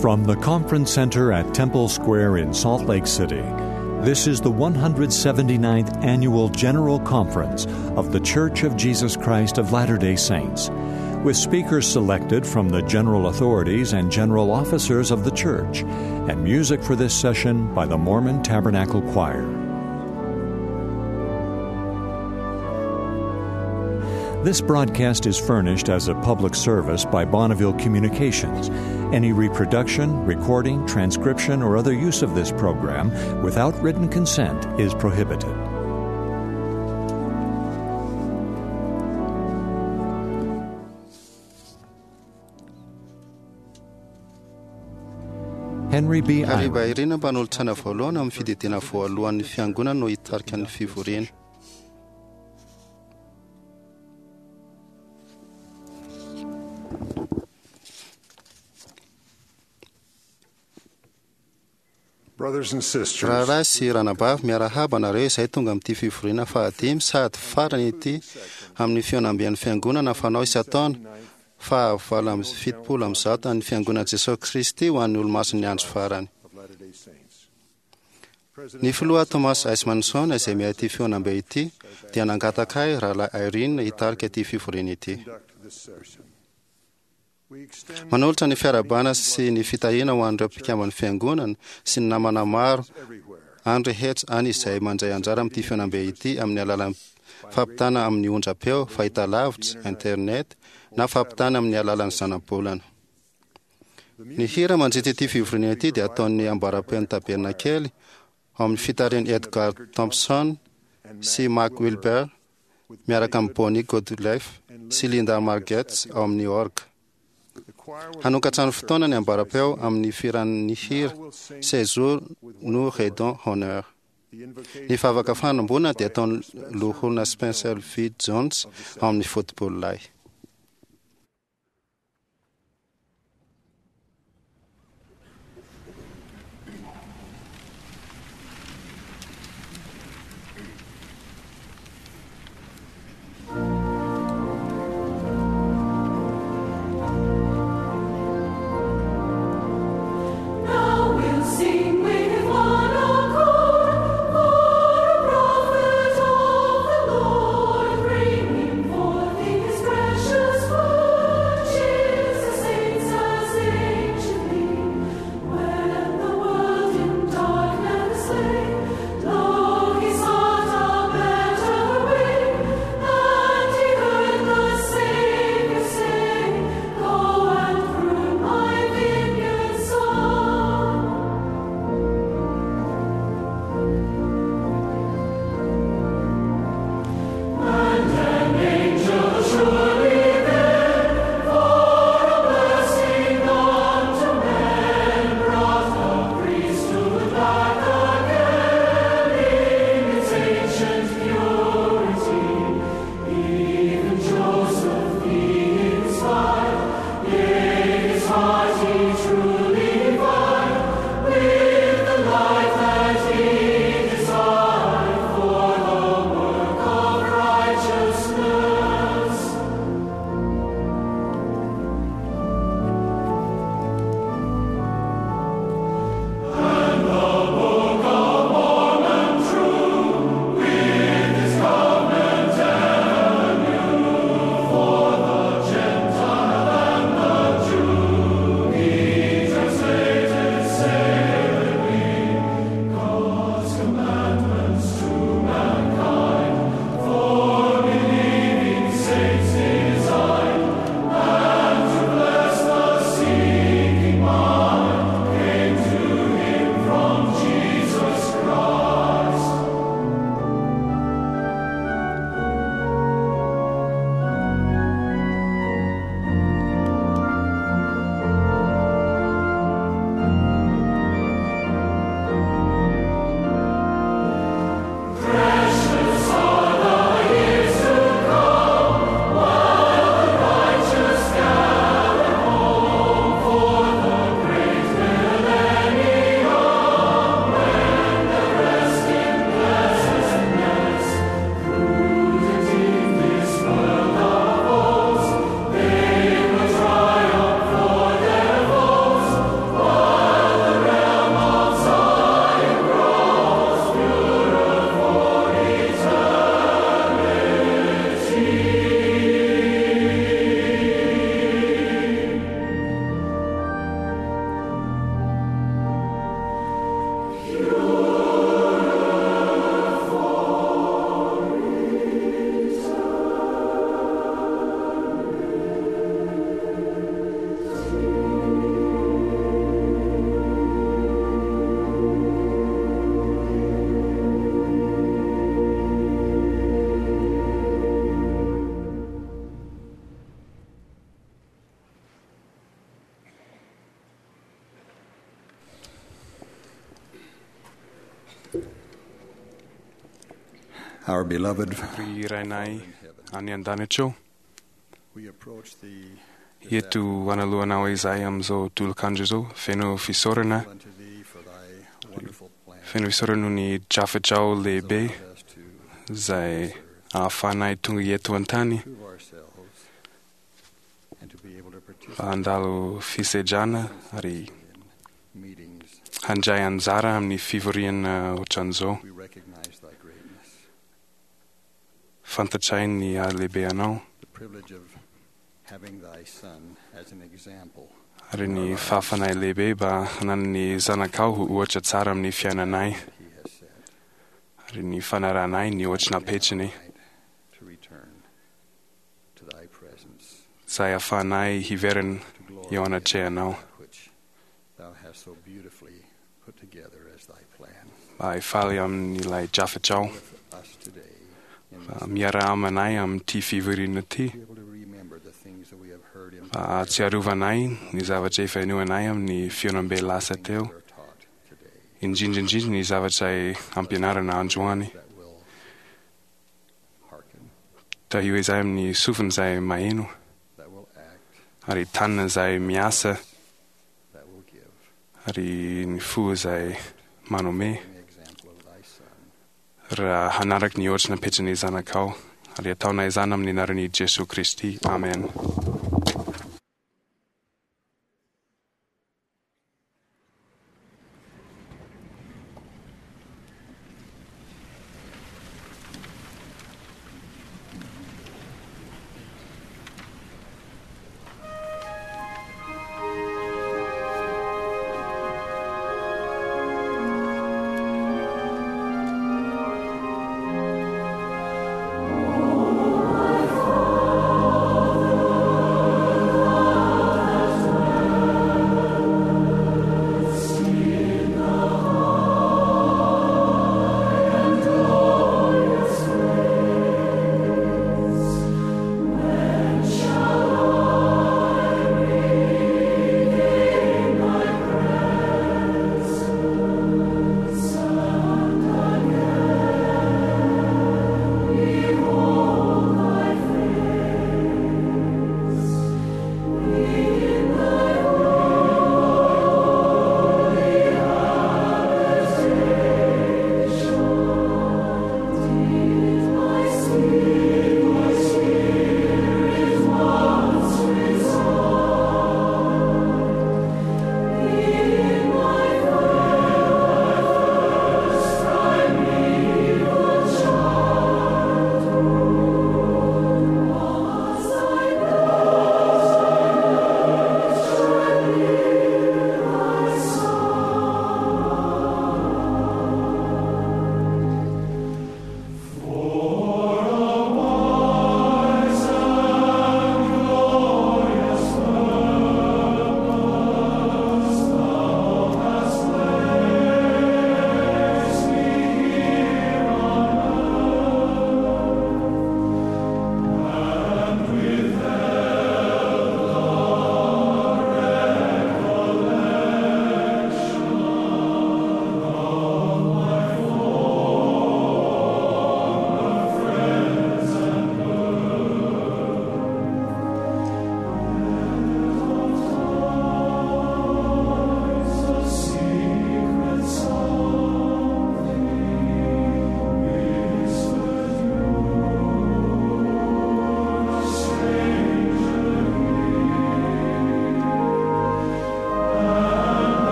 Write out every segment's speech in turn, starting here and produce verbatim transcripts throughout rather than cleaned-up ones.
From the Conference Center at Temple Square in Salt Lake City, this is the one hundred seventy-ninth Annual General Conference of The Church of Jesus Christ of Latter-day Saints, with speakers selected from the general authorities and general officers of the Church, and music for this session by the Mormon Tabernacle Choir. This broadcast is furnished as a public service by Bonneville Communications. Any reproduction, recording, transcription, or other use of this program without written consent is prohibited. Henry B. Hariva Irina mpanolotsaina voalohany amin'ny fididiana voalohan'ny fiangonana no hitarika ny fivoriana. Brothers and sisters, Rahalahy sy ranabavy, miarahaba anareo izay tonga amin'ity fivoriana fahadimy sady farany ity amin'ny fihaonamben'ny fiangonana fanao isan-taona fahavalo amby fitopolo amby zato an'ny fiangonana Jesosy Kristy ho an'ny olomasin'ny andro farany. of Latter-day Saints. Ny filoha Thomas S. Manson izay miahy ity fihaonambe ity dia nangataka ahy rahalahy Irene hitarika ity fivoriana ity. Conduct this session. We extend Manolotra ny fiarahabana sy ny fitahiana ho an'ireo mpikamban'ny fiangonana sy ny namana maro everywhere any rehetra any izay mandray anjara amin'ity fihaonambe ity amin'ny alalan'ny fampitana amin'ny onjam-peo, fahitalavitra, internet na fampitana amin'ny alalan'ny zanabolana. Ny hira mandritra ity fivoriana ity dia ataon'ny ambaram-peon'ny tabernakely ao amin'ny fitarihan'i Edgar Thompson sy Mark Wilber miaraka amin'ny Bonnie Goodlife sy Linda Margetts ao amin'ny orgue. the choir will Hanokatra ny fotoana ny ambaram-peo amin'ny firan'ny hira Séjour nous rendons honneur. the invocation Ny vavaka fanomboana dia ataon'ny loholona Spencer V. Jones ao amin'ny football-lay. Now we'll sing with one accord for a prophet of the Lord, bringing forth His precious Our beloved, Ry Rainay any an-danitra eo, we approach thee eto analohanao izahay amin'izao tolokandro izao, feno fisaorana, unto thee for thy wonderful plan. feno fisaorana noho ny drafitrao lehibe Allowed us to izay ahafahanay tonga eto an-tany prove ourselves and to be able to mba participate handalo fisedrana ary in meetings. handray anjara amin'ny fivoriana ohatran'izao. We recognize thy greatness, Fantatray ny halehibe anao the privilege of having thy son as an example ary ny fahafanay lehibe mba hanan'ny zanakao ho ohatra tsara amin'ny fiainanay he has set. ary ny fanaranay ny ohatra napetrany To return to thy presence, izay ahafahanay hiverina to glory eo anatrehanao that which thou hast so beautifully put together as thy plan. mba hifaly amin'ilay drafitrao With us today in mba this miaraha aminay amin'ity fivoriana ity be able to remember the things that we have heard in mba hahatsiarovanay ny zavatra efa inoanay amin'ny fihaonambe lasa things teo that are taught today indrindra indrindra ny zavatra ampianarana androany that will hearken, tahio izay amin'ny sofina izay maheno that will act, ary tanana izay miasa that will give, ary ny fo izay manome in the example of thy son. raha hanaraka ny ohatra napetrany zanakao ary ataonay izany amin'ny anaran'i Jesoa Kristy. Amen. Father,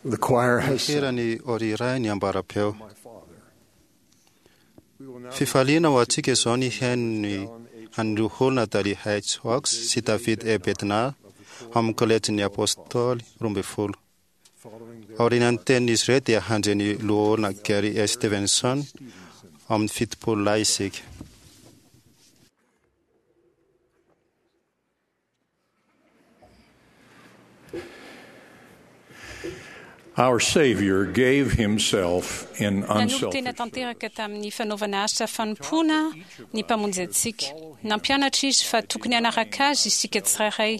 The choir has Hira sung ny Oriray ny ambarapeo. My Father. We will now Fifaliana ho antsika izao ny haino ny an'ireo olona Dali H. Oaks sy David E. Bednar amin'ny kolejin'ny Apôstôly roa ambin'ny folo. following their Aorian'ny tenin'izy ireo dia handre ny loholona Gary S. Stevenson amin'ny fitopolo lahy isika. Our Savior gave himself in Nanolo-tena unselfish tanteraka tamin'ny fanaovana asa fanompoana ny mpamonjy antsika. Nampianatra izy fa tokony hanaraka azy isika tsirairay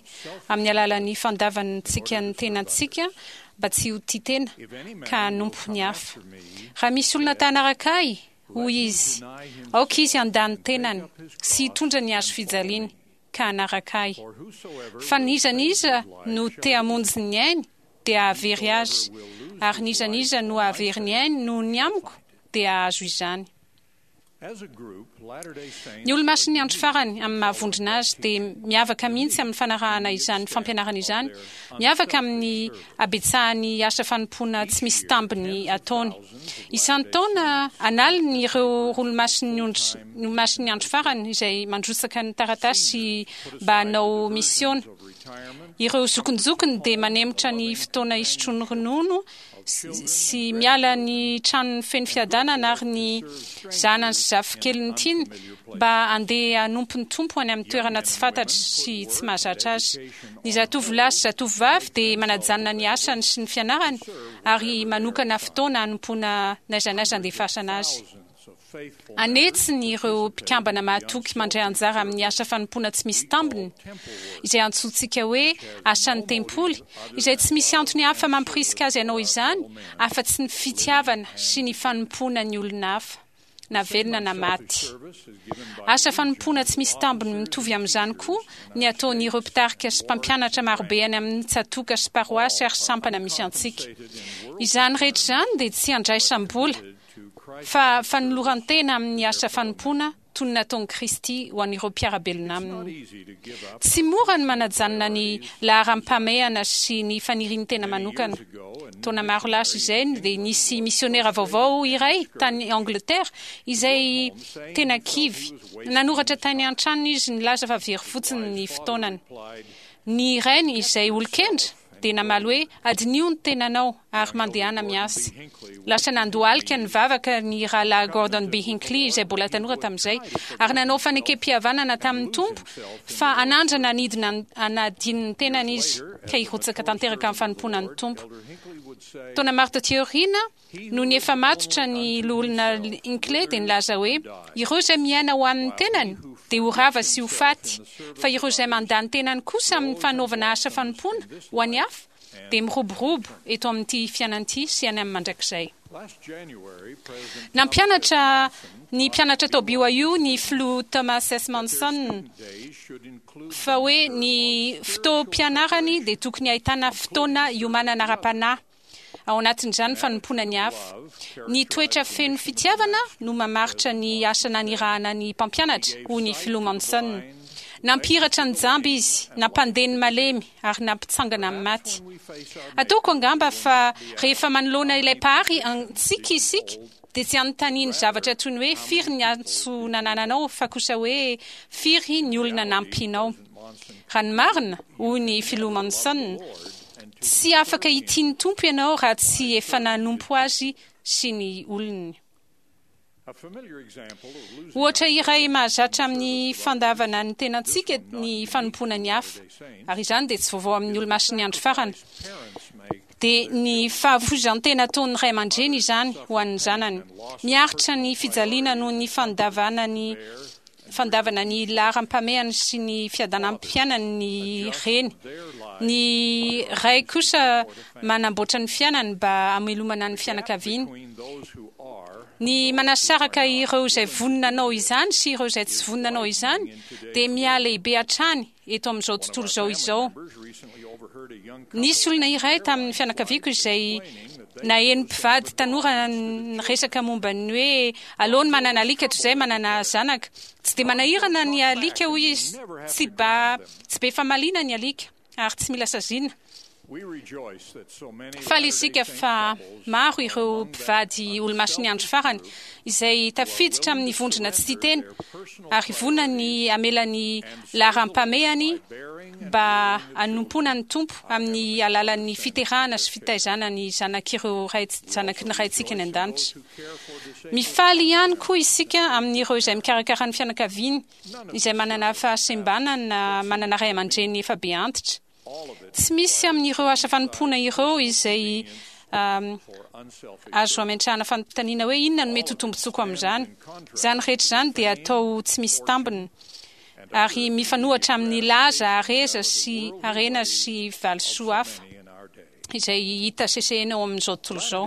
amin'ny alalan'ny fandavantsika ny tenantsika mba tsy ho tia tena ka hanompo ny hafa. Raha misy olona ta hanaraka ahy, hoy izy, aoka izy handà ny tenany sy hitondra ny hazo fijaliany ka hanaraka ahy. Fa n'iza n'iza no te hamonjy ny ainy dia hahavery azy, ary n'iza n'iza no hahavery ny ainy noho ny amiko dia hahazo izany. As a group, Latter-day Saints Ny olomasin'ny andro farany amin'ny mahavondrona azy dia miavaka mihitsy amin'ny fanarahana izany fampianarana izany, miavaka amin'ny habetsahan'ny asa fanompoana tsy misy tambiny ataony. Isan-taona analiny ireo olomasin'ny ondry- olomasin'ny andro farany izay mandrotsaka ny taratasy mba hanao misiona. Ireo zokinjokiny dia manemotra ny fotoana isotroany ronono sy sy miala ny tranony feno fiadanana ary ny zanany sy zafikeliny tiany mba handeha hanompo ny tompo any amin'ny toerana tsy fantatry sy tsy mahazatra azy. Ny zatovolahy sy zatovovavy dia manajanona ny asany sy ny fianarany ary manokana fotoana hanompoana n'aiza n'aiza andefasana azy. Anetsiny ireo mpikambana mahatoky mandray anjara amin'ny asa fanompoana tsy misy tambiny, izay antsointsika hoe asan'ny tempoly, izay tsy misy antony hafa mampirisika azy hanao izany, afa-tsy ny fitiavana sy ny fanompoana ny olona hafa, na velona na maty. Asa fanompoana tsy misy tambiny mitovy amin'izany koa ny ataon'ireo mpitarika sy mpampianatra marobe any amin'ny tsatoka sy paroasy ary sampana misy antsika. Izany rehetra izany dia tsy andraisam-bola, fa fanoloran-tena amin'ny asa fanompoana toy ny nataon'i Kristy ho an'ireo mpiara-belona aminy. Tsy mora ny manajanona ny laharam-pahamehana sy ny fanirian'ny tena manokana. Taona maro lasa izay dia nisy misionera vaovao iray tany Angleterre izay tena kivy. Nanoratra tany an-tranony izy nilaza fa very fotsiny ny fotoanany. Ny rainy izay olon-kendry dia namaly hoe adinio ny tenanao ary mandehana miasa. Lasa nandohalika ny vavaka ny rahalahy Gordon B. Hinckley izay mbola tanora tamin'izay ary nanao fanekem-pihavanana tamin'ny tompo fa hanandrana hanidina hanadino ny tenany izy ka hirotsaka tanteraka amin'ny fanompoana ny tompo. Taona maro taty aoriana, noho ny efa matotra ny loholona Hinckley dia nilaza hoe ireo izay miaina ho an'ny tenany dia ho rava sy ho faty, fa ireo izay mandà ny tenany kosa amin'ny fanaovana asa fanompoana ho an'ny hafa dia miroborobo eto amin'ity fiainana ity sy any amin'ny mandrakizay. Nampianatra ny mpianatra tao B Y U ny filoha Thomas S. Monson fa hoe ny fotoam-pianarany dia tokony ahitana fotoana iomanana ara-panahy, ao anatin'izany fanompoana ny hafa. Ny toetra feno fitiavana no mamaritra ny asa nanirahana ny mpampianatra, hoy ny filoha Monson. Nampihiratra ny jamba izy, nampandeha ny malemy ary nampitsangana amin'ny maty. Ataoko angamba fa rehefa manoloana ilay Mpahary antsika isika dia tsy anontaniany zavatra toy ny hoe firy ny antso nanananao, fa kosa hoe firy ny olona nampinao. Raha ny marina, hoy ny filoha Monson, tsy afaka hitia ny Tompo ianao raha tsy efa nanompo azy sy ny olony. Ohatra iray mahazatra amin'ny fandavana ny tenantsika ny fanompoana ny hafa, ary izany dia tsy vaovao amin'ny Olomasin'ny Andro Farany, dia ny fahafoizan-tena ataon'ny ray aman-dreny izany ho an'ny zanany. Miaritra ny fijaliana noho ny fandavana ny fandavana ny laharam-pahamehany sy ny fiadanam-piainany ny reny. Ny ray kosa manamboatra ny fiainany mba hamelomana ny fianakaviany. Ny manasaraka ireo izay vonona anao izany sy ireo izay tsy vonona anao izany dia mihalehibe hatrany eto amin'izao tontolo izao izao Nisy olona iray tamin'ny fianakaviako izay naheno mpivady tanora resaka momba ny hoe aleony manana alika toy izay manana zanaka. Tsy dia manahirana ny alika, hoy izy, tsy ba tsy be famaliana ny alika ary tsy mila saziana. Faly isika fa maro ireo mpivady Olomasin'ny Andro Farany izay tafiditra amin'ny vondrona tsy tia tena ary vonona ny hamela ny laharam-pahamehany mba hanompoana ny Tompo amin'ny alalan'ny fiterahana sy fitaizana ny zanak'ireo ray zanaky ny Raintsika ny an-danitra. Mifaly ihany koa isika amin'ireo izay mikarakara ny fianakaviany izay manana fahasembanana, manana ray aman-dreny efa be antitra. Tsy misy amin'ireo asa fanompoana ireo izay azo ametrahana fanontaniana hoe inona no mety ho tombontsoako amin'izany. Izany rehetra izany dia atao tsy misy tambiny ary mifanohatra amin'ny laza hareza sy harena sy valisoa hafa izay hita sesehena ao amin'izao tontolo izao.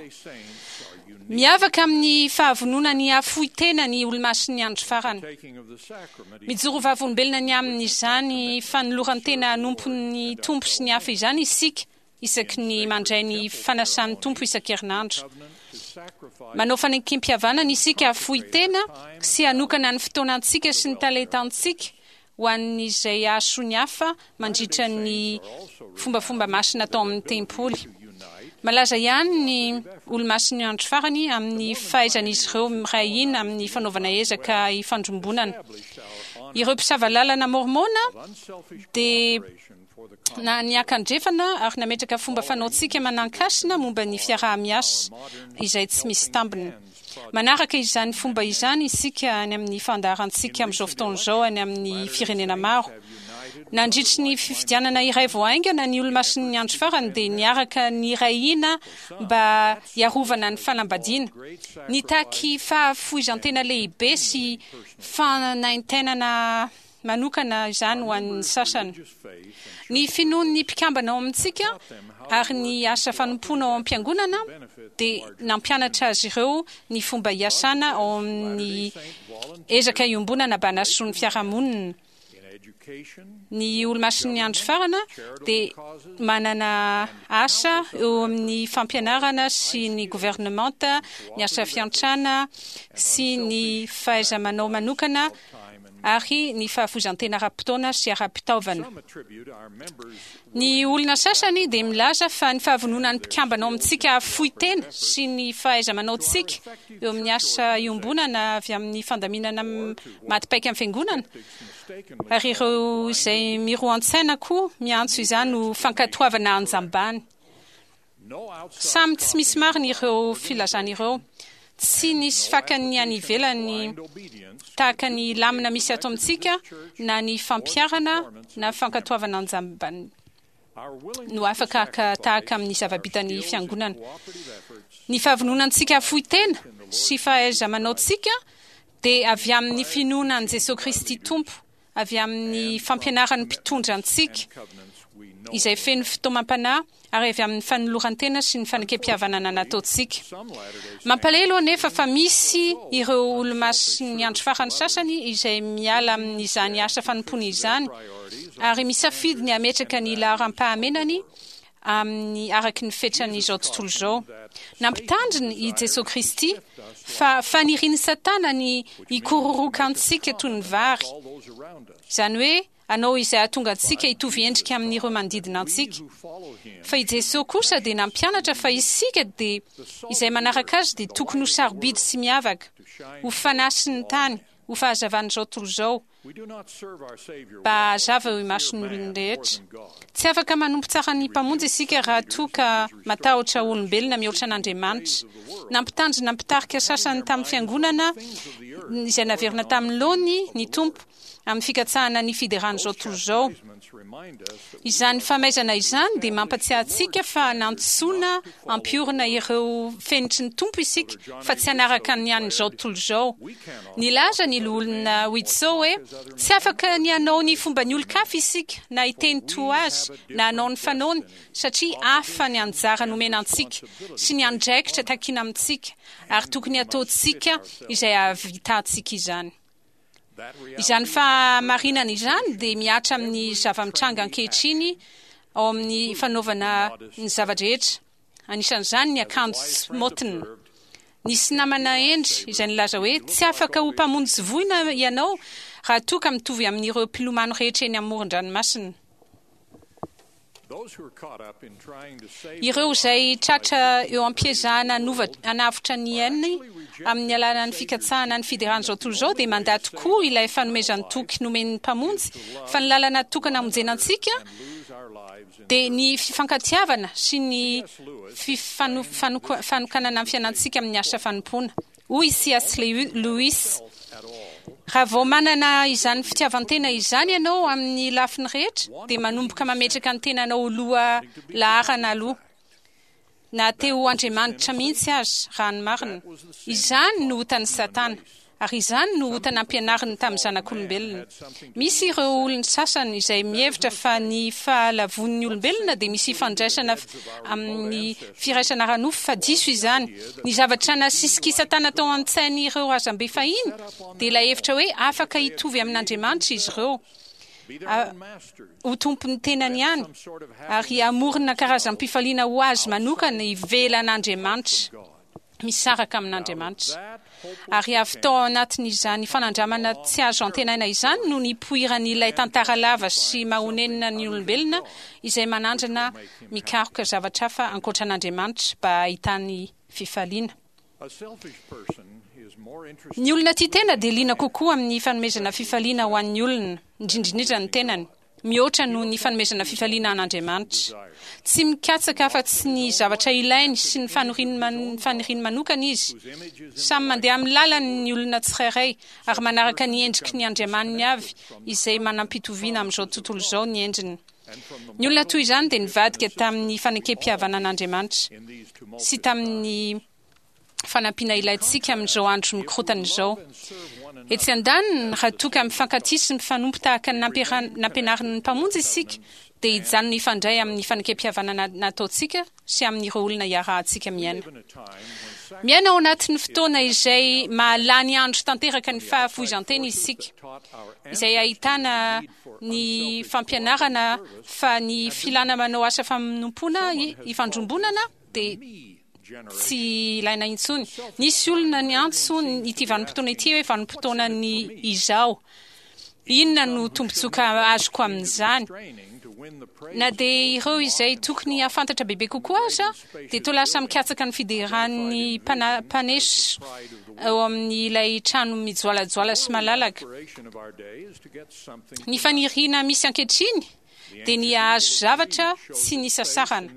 Miavaka amin'ny fahavonona ny hahafoy tena ny Olomasin'ny Andro Farany. Mijoro vavolombelona ny amin'izany fanoloran-tena hanompo ny Tompo sy ny hafa izany isika isaky ny mandray ny fanasan'ny Tompo isan-kerinandro. Manao fanekem-pihavanana isika hahafoy tena sy hanokana ny fotoanantsika sy ny talentantsika ho an'izay hahasoa ny hafa mandritra ny fombafomba masina atao amin'ny tempoly. Malaza ihany ny Olomasin'ny Andro Farany amin'ny fahaizan'izy ireo miray hina amin'ny fanaovana ezaka ifandrombonana. Ireo mpisava lalana mormona dia na niakandrefana ary nametraka fomba fanaontsika manan-kasina momba ny fiaraha-miasa izay tsy misy tambiny. Manaraka izany fomba izany isika any amin'ny fandaharantsika amin'izao fotoana izao any amin'ny firenena maro. Nandritry ny fifidianana iray vao haingana, ny Olomasin'ny Andro Farany dia niaraka niray hina mba hiarovana ny fanambadiana. Nitaky fahafoizan-tena lehibe sy fanaintainana manokana izany ho an'ny sasany. Ny finoan'ny mpikambana ao amintsika ary ny asa fanompoana ao am-piangonana dia nampianatra azy ireo ny fomba hiasana ao amin'ny ezaka iombonana mba hahasoa ny fiarahamonina. Ny Olomasin'ny Andro Farany dia manana asa eo amin'ny fampianarana sy ny governemanta, ny asa fiantrana sy ny fahaiza-manao manokana ary ny fahafoizan-tena ara-potoana sy ara-pitaovana. Ny olona sasany dia milaza fa ny fahavononan'ny mpikambana ao amintsika hahafoy tena sy ny fahaiza-manaontsika eo amin'ny asa iombonana avy amin'ny fandaminana maty paika amin'ny fiangonana, ary ireo izay miroa an-tsaina koa miantso izany ho fankatoavana anjambany. Samy tsy misy marina ireo filazana ireo. Tsy nisy fakany any ivelany tahaka ny lamina misy ato amintsika, na ny fampiharana na fankatoavana anjambany no afaka haka tahaka amin'ny zava-bitan'ny fiangonana. Ny fahavononantsika hahafoy tena sy fahaiza-manaontsika dia avy amin'ny finoana an'i Jesosy Kristy Tompo, avy amin'ny fampianaran'ny mpitondra antsika izay feno fitaomam-panahy ary avy amin'ny fanoloran-tena sy ny fanekem-pihavanana nataontsika. Mampalahelo anefa fa misy ireo olomasin'ny andro farany sasany izay miala amin'izany asa fanompoana izany ary misafidy ny hametraka ny laharam-pahamenany amin'ny araky ny fetran'izao tontolo izao. Nampitandrina i Jesosy Kristy fa fanirian'ny Satana ny hikororoka antsika toy ny vary, izany hoe hanao izay hahatonga antsika hitovy endrika amin'ireo manodidina antsika. Fa i Jesosy kosa dia nampianatra fa isika dia izay manaraka azy dia tokony ho sarobidy sy miavaka, ho fanasin'ny tany, ho fahazavan'izao tontolo izao, mba hahazava eo imason'ny olona rehetra. Tsy afaka manompo tsara ny Mpamonjy isika raha toa ka matahotra olombelona mihoatra an'Andriamanitra. Nampitandrina mpitarika sasany tamin'ny fiangonana izay naverina tamin'ny laoniny ny Tompo amin'ny fikatsahana ny fideran'izao tontolo izao. Izany famaizana izany dia mampatsiahy antsika fa nantsoina hampiorina ireo fenitry ny Tompo isika fa tsy hanaraka ny an'izao tontolo izao. Nilaza ny loholona Widtsoe hoe tsy afaka ny hanao ny fomban'ny olon-kafa isika na hiteny toa azy na hanao ny fanaony satria hafa ny anjara nomena antsika sy ny andraikitra takiana amintsika ary tokony hataontsika izay hahavitantsika izany. Izany fahamarinana izany dia mihatra amin'ny zava-mitranga ankehitriny ao amin'ny fanaovana ny zava-drehetra, anisan'izany ny akanjo tsy maotina. Nisy namana hendry izay nilaza hoe tsy afaka ho mpamonjy voina ianao raha toa ka mitovy amin'ireo mpilomano rehetra eny amoron-dranomasina. Ireo izay tratra eo am-piezahana hanavotra ny ainy amin'ny alalan'ny fikatsahana ny fideran'izao tontolo izao dia mandà tokoa ilay fanomezan-toky nomen'ny Mpamonjy fa ny lalana tokana hamonjena antsika dia ny fifankatiavana sy ny fanokanana ny fiainantsika amin'ny asa fanompoana. Hoy C S Lewis, raha vao manana izany fitiavan-tena izany ianao amin'ny lafiny rehetra dia manomboka mametraka ny tenanao ho loha laharana aloha, na te ho Andriamanitra mihitsy aza, raha ny marina. Izany no otan'i Satana, ary izany no ota nampianariny tamin'ny zanak'olombelona. Misy ireo olona sasany izay mihevitra fa ny fahalavon'ny olombelona dia misy ifandraisana amin'ny firaisana ara-nofo, fa diso izany. Ny zavatra nasisik'i Satana tao an-tsain'ireo razambe fahiny dia ilay hevitra hoe afaka hitovy amin'Andriamanitra izy ireo, ho tompon'ny tenany ihany, ary hamorona karazam-pifaliana ho azy manokana ivelan'Andriamanitra, misaraka amin'Andriamanitra. Ary avy tao anatin'izany fanandramana tsy azo antenaina izany no nipoiran'ilay tantara lava sy mahonenina ny olombelona izay manandrana mikaroka zavatra hafa ankoatra an'Andriamanitra mba hahitany fifaliana. Ny olona tia tena dia liana kokoa amin'ny fanomezana fifaliana ho an'ny olona, indrindra ny tenany, mihoatra noho ny fanomezana fifaliana an'Andriamanitra. Tsy mikatsaka afa-tsy ny zavatra ilainy sy ny faniriany manokana izy. Samy mandeha amin'ny lalany ny olona tsirairay ary manaraka ny endriky ny Andriamaniny avy izay manam-pitoviana amin'izao tontolo izao ny endriny. Ny olona toy izany dia nivadika tamin'ny fanekem-pihavanan'Andriamanitra sy tamin'ny fanampiana ilaintsika amin'izao andro mikorotana izao. Etsy andaniny, raha toa ka mifankatia sy mifanompo tahaka ny nampianarin'ny Mpamonjy isika, dia hijanona hifandray amin'ny fanekem-pihavanana nataontsika sy amin'ireo olona iarahantsika miaina. Miaina ao anatin'ny fotoana izay mahalany andro tanteraka ny fahafoizan-tena isika, izay ahitana ny fampianarana fa ny filana manao asa fanompoana ifandrombonana dia tsy ilaina intsony. Nisy olona niantso ity vanim-potoana ity hoe vanim-potoanan'ny izaho. Inona no tombontsoa azoko amin'izany? Na dia ireo izay tokony hahafantatra bebe kokoa aza dia toa lasa mikatsaka ny fideran'ny mpaneso eo amin'ilay trano mijoalajoala sy malalaka. Ny faniriana misy ankehitriny dia ny hahazo zavatra tsy nisasarana.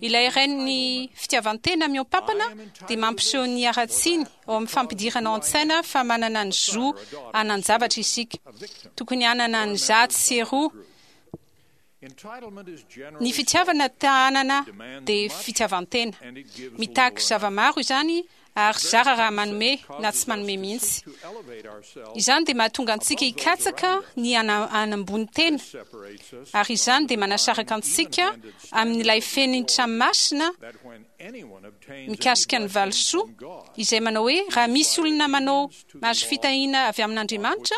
Ilay rain'ny fitiavan-tena mihoa-pampana dia mampiseho ny haratsiany ao amin'ny fampidirana ao an-tsaina fa manana ny zo hanan-javatra isika. Tokony hanana ny zato sy roa. Ny fitiavana tahanana dia fitiavan-tena. Mitaky zava-maro izany ary zara raha manome na tsy manome mihitsy. Izany dia mahatonga antsika hikatsaka ny hanambony tena, ary izany dia manasaraka antsika amin'ilay fenitra masina mikasika ny valisoa, izay manao hoe raha misy olona manao mahazo fitahiana avy amin'Andriamanitra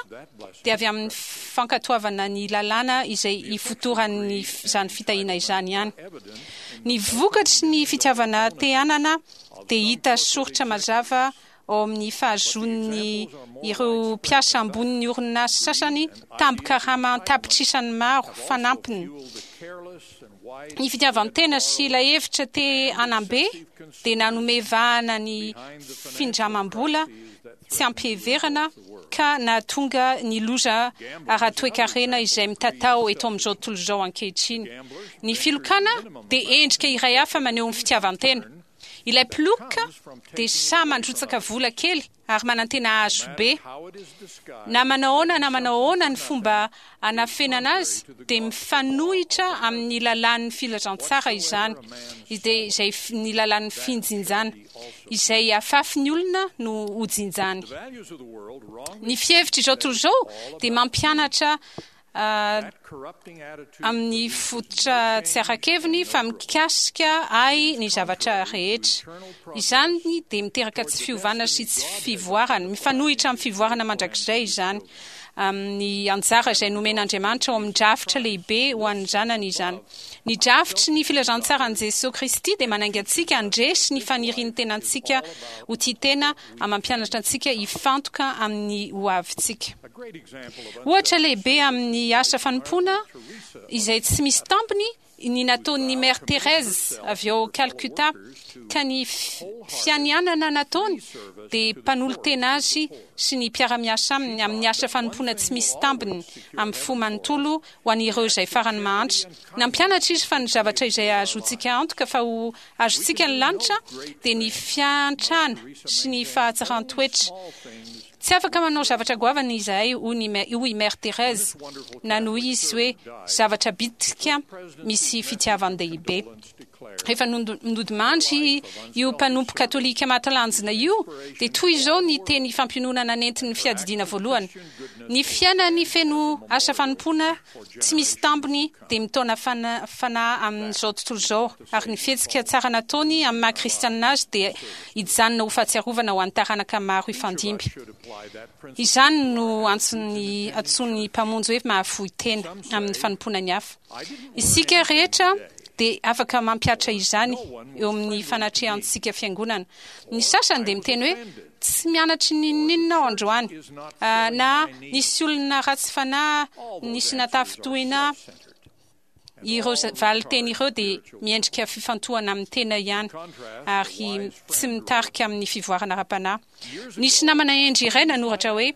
dia avy amin'ny fankatoavana ny lalàna izay ifotoran'izany fitahiana izany ihany. Ny vokatry ny fitiavana te-hanana dia hita soritra mazava ao amin'ny fahazoan'ny ireo mpiasa ambonin'ny orinasa sasany tambin-karama an-tapitrisany maro fanampiny. Ny fitiavan-tena sy ilay hevitra te hanambe dia nanome vahana ny findramam-bola tsy ampiheverana ka nahatonga ny loza ara-toekarena izay mitatao eto amin'izao tontolo izao ankehitriny. Ny filokana dia endrika iray hafa maneho ny fitiavan-tena. Ilay mpiloka dia sahy mandrotsaka vola kely ary manantena hahazo be. Na manao ahoana na manao ahoana ny fomba anafenana azy dia mifanohitra amin'ny lalàn'ny filazantsara izany, dia izay ny lalàn'ny finjinjana, izay afafy ny olona no hojinjany. Ny fihevitra izao tontolo izao dia mampianatra amin'ny fototra tsy ara-keviny fa mikasika ahy ny zavatra rehetra. Izany dia miteraka tsy fiovana sy tsy fivoarana, mifanohitra amin'ny fivoarana mandrakizay izany, amin'ny anjara izay nomen'Andriamanitra ao amin'ny drafitra lehibe ho an'ny zanany izany. Ny drafitry ny filazantsaran'i Jesosy Kristy dia manainga antsika handresy ny fanirian'ny tenantsika ho tia tena ary mampianatra antsika hifantoka amin'ny hoavintsika. Ohatra lehibe amin'ny asa fanompoana izay tsy misy tambiny ny nataon'ny Mère Thérèse avy ao Calcutta, ka ny fianianana nataony dia mpanolo-tena azy sy ny mpiara-miasa aminy amin'ny asa fanompoana tsy misy tambiny amin'ny fo manontolo ho an'ireo izay farany mahantra. Nampianatra izy fa ny zavatra izay ahazoantsika antoka fa ho azontsika ny lanitra dia ny fiantrana sy ny fahatsaran-toetra. Tsy afaka manao zavatra goavana izahay, hoy Mère Thérèse, nanohy izy hoe zavatra bitika misy fitiavan-dehibe. Rehefa nodimandry io mpanompo katolika mahatalanjona io, dia toy izao ny teny fampiononana nentin'ny fiadidiana voalohany: ny fiainany feno asa fanompoana tsy misy tambiny dia mitaona fanahy amin'izao tontolo izao, ary ny fihetsika tsara nataony amin'ny maha kristianina azy dia hijanona ho fahatsiarovana ho an'ny taranaka maro hifandimby. Izany no antson'ny antson'ny mpamonjy hoe mahafoy tena amin'ny fanompoana ny hafa. Isika rehetra dia afaka mampihatra izany eo amin'ny fanatrehantsika fiangonana. Ny sasany dia miteny hoe tsy mianatry n'inon'inona aho androany, na nisy olona ratsy fanahy nisy natafintohina. Ireo valin-teny ireo dia miendrika fifantohana amin'ny tena ihany ary tsy mitarika amin'ny fivoarana ara-panahy. Nisy namana hendry iray nanoratra hoe: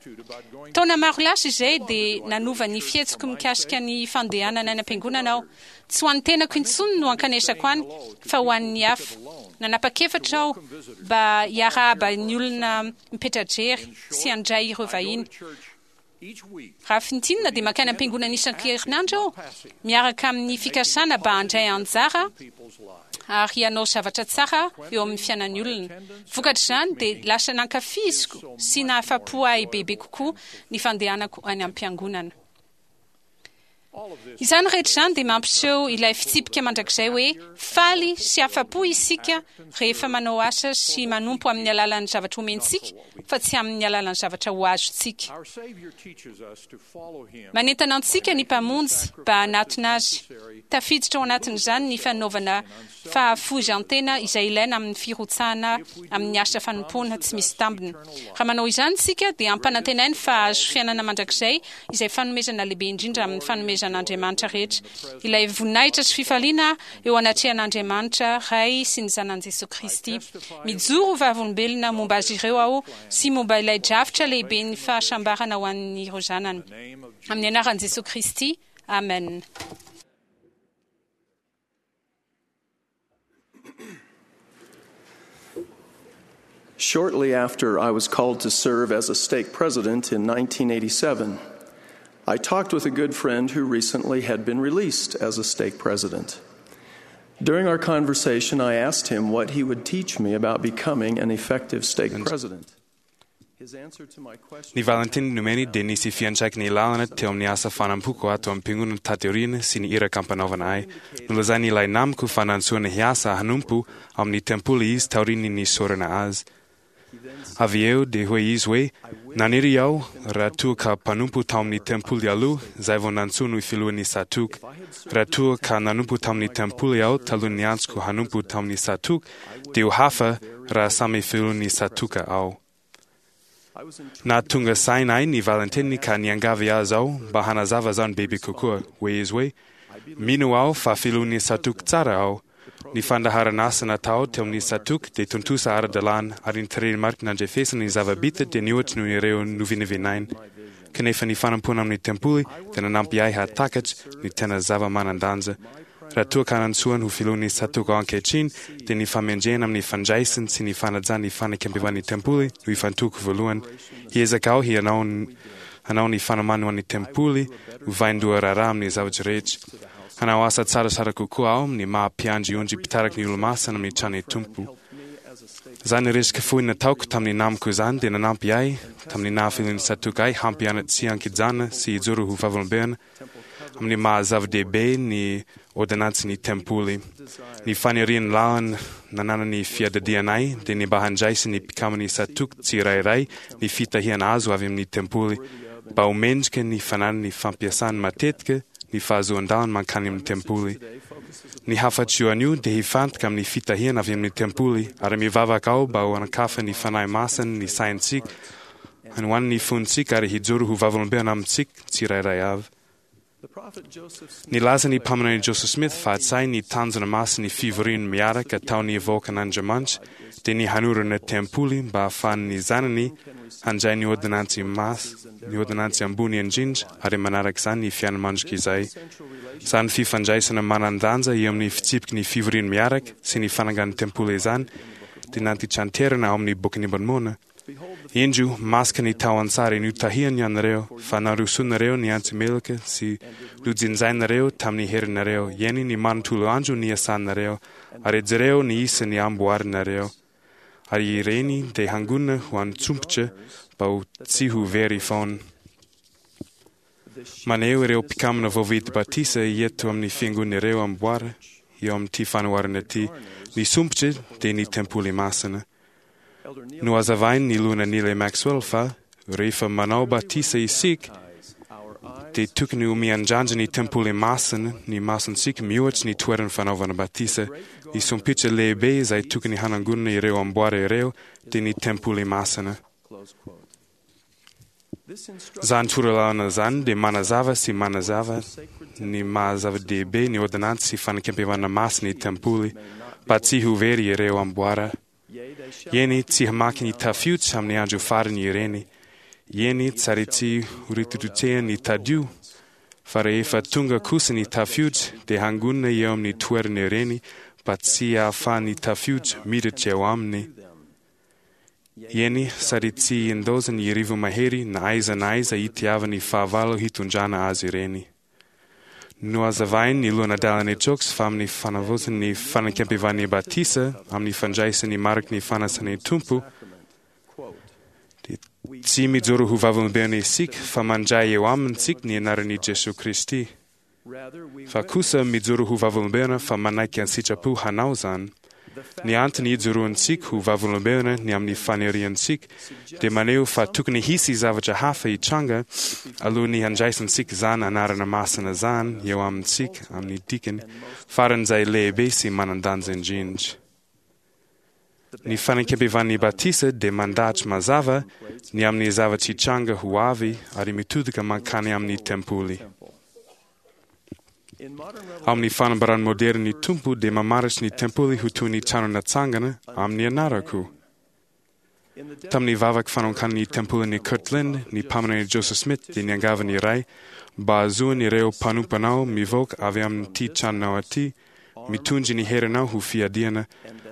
taona maro lasa izay dia nanova ny fihetsiko mikasika ny fandehanana any am-piangonana aho. Tsy ho an'ny tenako intsony no ankanesako any fa ho an'ny hafa. Nanapa-kevitra aho mba hiarahaba ny olona mipetra-drery sy handray ireo vahiny. Raha fintinina dia mankany am-piangonana isan-kerinandro aho miaraka amin'ny fikasana mba handray anjara ary hanao zavatra tsara eo amin'ny fiainan'ny olona. Vokatr'izany dia lasa nankafiziko sy nahafa-po ahy bebe kokoa ny fandehanako any am-piangonana. Izany rehetra izany dia mampiseho ilay fitsipika mandrakizay hoe faly sy afa-po isika rehefa manao asa sy manompo amin'ny alalan'ny zavatra omentsika fa tsy amin'ny alalan'ny zavatra ho azontsika. Manentana antsika ny mpamonjy mba hanatona azy. Tafiditra ao anatin'izany ny fanaovana fahafoizan-tena izay ilaina amin'ny firotsahana amin'ny asa fanompoana tsy misy tambiny. Raha manao izany isika dia ampanantenainy fa hahazo fiainana mandrakizay izay fanomezana lehibe indrindra amin'ny fanomezan'Andriamanitra rehetra, ilay voninahitra sy fifaliana eo anatrehan'Andriamanitra Ray sy ny Zanany Jesosy Kristy. Mijoro ho vavolombelona momba azy ireo aho sy momba ilay drafitra lehibe ny fahasambarana ho an'ireo zanany. Amin'ny anaran'i Jesosy Kristy, amen. Shortly after I was called to serve as a stake president in nineteen eighty-seven, I talked with a good friend who recently had been released as a stake president. During our conversation, I asked him what he would teach me about becoming an effective stake president. His answer to my question Ny valinteny nomeny dia nisy fiantraikany lalina teo amin'ny asa fanampoko ato am-piangonana taty aoriana sy ny iraka ampanaovana ahy. Nolazainy ilay namako fa nantsoina hiasa hanompo amin'ny tempoly izy taorian'ny nisorana azy. Avy eo dia hoy izy hoe naniry aho raha toa ka mpanompo tao amin'ny tempoly aloha izay vao nantsoina ho filohan'ny tsatòka. Raha toa ka nanompo tamin'ny tempoly aho talohan'ny antsoko hanompo tamin'ny tsatòka dia ho hafa raha samy filohan'ny tsatòka aho. Nahatonga saina ahy ny valinteniny ka niangavy azy aho mba hanazava izany bebe kokoa. Hoy izy hoe mino aho fa filohan'ny tsatòka tsara aho. Ny fandaharan'asa natao teo amin'ny tsatòka dia tontosa ara-dalàna ary ny tarehimarika nandrefesana ny zava-bita dia nihoatra noho ireo novinavinaina. Kanefa ny fanompoana amin'ny tempoly dia nanampy ahy hahatakatra ny tena zava-manan-danja. Raha toa ka nantsoiny ho filohan'ny tsatòka aho ankehitriny dia ny famendrehana amin'ny fandraisany sy ny fanajana ny fanekempihavan'ny tempoly no ifantohako voalohany. Hiezaka aho hianao hanao ny fanomana ho an'ny tempoly ho vaindohan-draharaha amin'ny zavatra rehetra. Hanao asa tsaratsara kokoa aho amin'ny maha mpiandry ondry mpitariky ny olomasina amin'ny tranon'ny Tompo. Izany resaka fohy nataoko tamin'ny namako izany dia nanampy ahy tamin'ny naha-filohan'ny tsatòka ahy hampianatra tsy an-kijanona sy hijoro ho vavolombelona amin'ny maha zava-dehibe ny ôrdônansin'ny tempoly. Ny fanirian'ny lalana nananan'ny fiadidianay dia ny mba handraisan'ny mpikaman'ny tsatòka tsirairay ny fitahiana azo avy amin'ny tempoly mba ho mendrika ny fananany fampiasany matetika ny fahazoan-dalana mankany amin'ny tempoly. Ny hafatro anio dia hifantoka amin'ny fitahiana avy amin'ny tempoly ary mivavaka aho mba ho hanakafa ny fanahy masina ny saintsika hanohan'ny fontsika ary hijoro ho vavolombelona amintsika tsirairay avy. Nilaza ny mpaminany Joseph Smith fa hatsay ny tanjona masin'ny fivoriany miaraka ataon'ny vahoakan'Andriamanitra dia ny hanorina tempoly mba hahafahan'ny zanany handray ny ôrdônansy mas ny ôrdônansy ambony indrindra ary manaraka izany ny fiainana mandrakizay. Izany fifandraisana manan-danja eo amin'ny fitsipiky ny fivoriany miaraka sy ny fanangan'ny tempoly izany dia nantitranterina ao amin'ny bokin'i Môrmôna. Indro masika ny tao an-tsary notahiany ianareo fa narosonareo ny antsy meloka sy nojinjainareo tamin'ny herinareo eny ny manontolo andro niasanareo ary jereo ny isan'ny amboarinareo ary ireny dia hangonina ho an-tsompitra mba ho tsy ho very foana. Maneho ireo mpikamana voavidy batisa eto amin'ny fiangonana amboara eo amin'ity fanoharana ity. Ny sompitra dia ny tempoly masina. Nohazavainy ny lohana Neil Maxwell fa rehefa manao batisa isika dia tokony ho miandrandra ny tempoly masina ny masontsika mihoatra ny toeran'ny fanaovana batisa. Ny sompitra lehibe izay tokony hanangonana ireo amboara ireo dia ny tempoly masina. Izany torolalana izany dia manazava sy manazava ny maha zava-dehibe ny ôrdônansy sy fanekempihavanana masina ny tempoly mba tsy ho very ireo amboara. Eny tsy hamaky ny tafiotra amin'ny andro farany ireny. Eny tsary tsy ho rotorotehan'ny tadio fa rehefa tonga kosa ny tafiotra dia hangonina eo amin'ny toerana ireny mba tsy hahafahan'ny tafiotra miditra eo aminy. Eny sady tsy hindaozan'ny rivo-mahery na aiza na aiza itiavan'ny fahavalo hitondrana azy ireny. Nohazavainy ny lohanadalana Jokes fa amin'ny fanavaozany ny fanekempihavan'ny batisa amin'ny fandraisany mariky ny fanasan'ny Tompo dia tsy mijoro ho vavolombelona isika fa mandray eo amintsika ny anaran'i Jesoa Kristy. Fa kosa mijoro ho vavolombelona fa manaiky an-tsitrapo hanao izany. Ny antony ijoroantsika ho vavolombelona ny amin'ny faniriantsika dia maneho fa tokony hisy zavatra hafa hitranga alohan'ny handraisantsika izany anarana masina izany eo amintsika amin'ny dikany faran'izay lehibe sy manan-danja indrindra. Ny fanekempihavan'ny batisa dia mandahatra mazava ny amin'ny zavatra hitranga ho avy ary mitodika mankany amin'ny tempoly. Amin'ny fanambarany moderina ny Tompo dia mamaritra ny tempoly ho toy ny trano natsangana amin'ny anarako. Tamin'ny vavaka fanokan'ny tempolin'i Kirtland, ny mpaminany Joseph Smith dia niangavy ny Ray mba hahazoan'ireo mpanomponao mivoaka avy amin'ity tranonao aty, mitondra ny herinao ho fiadiana,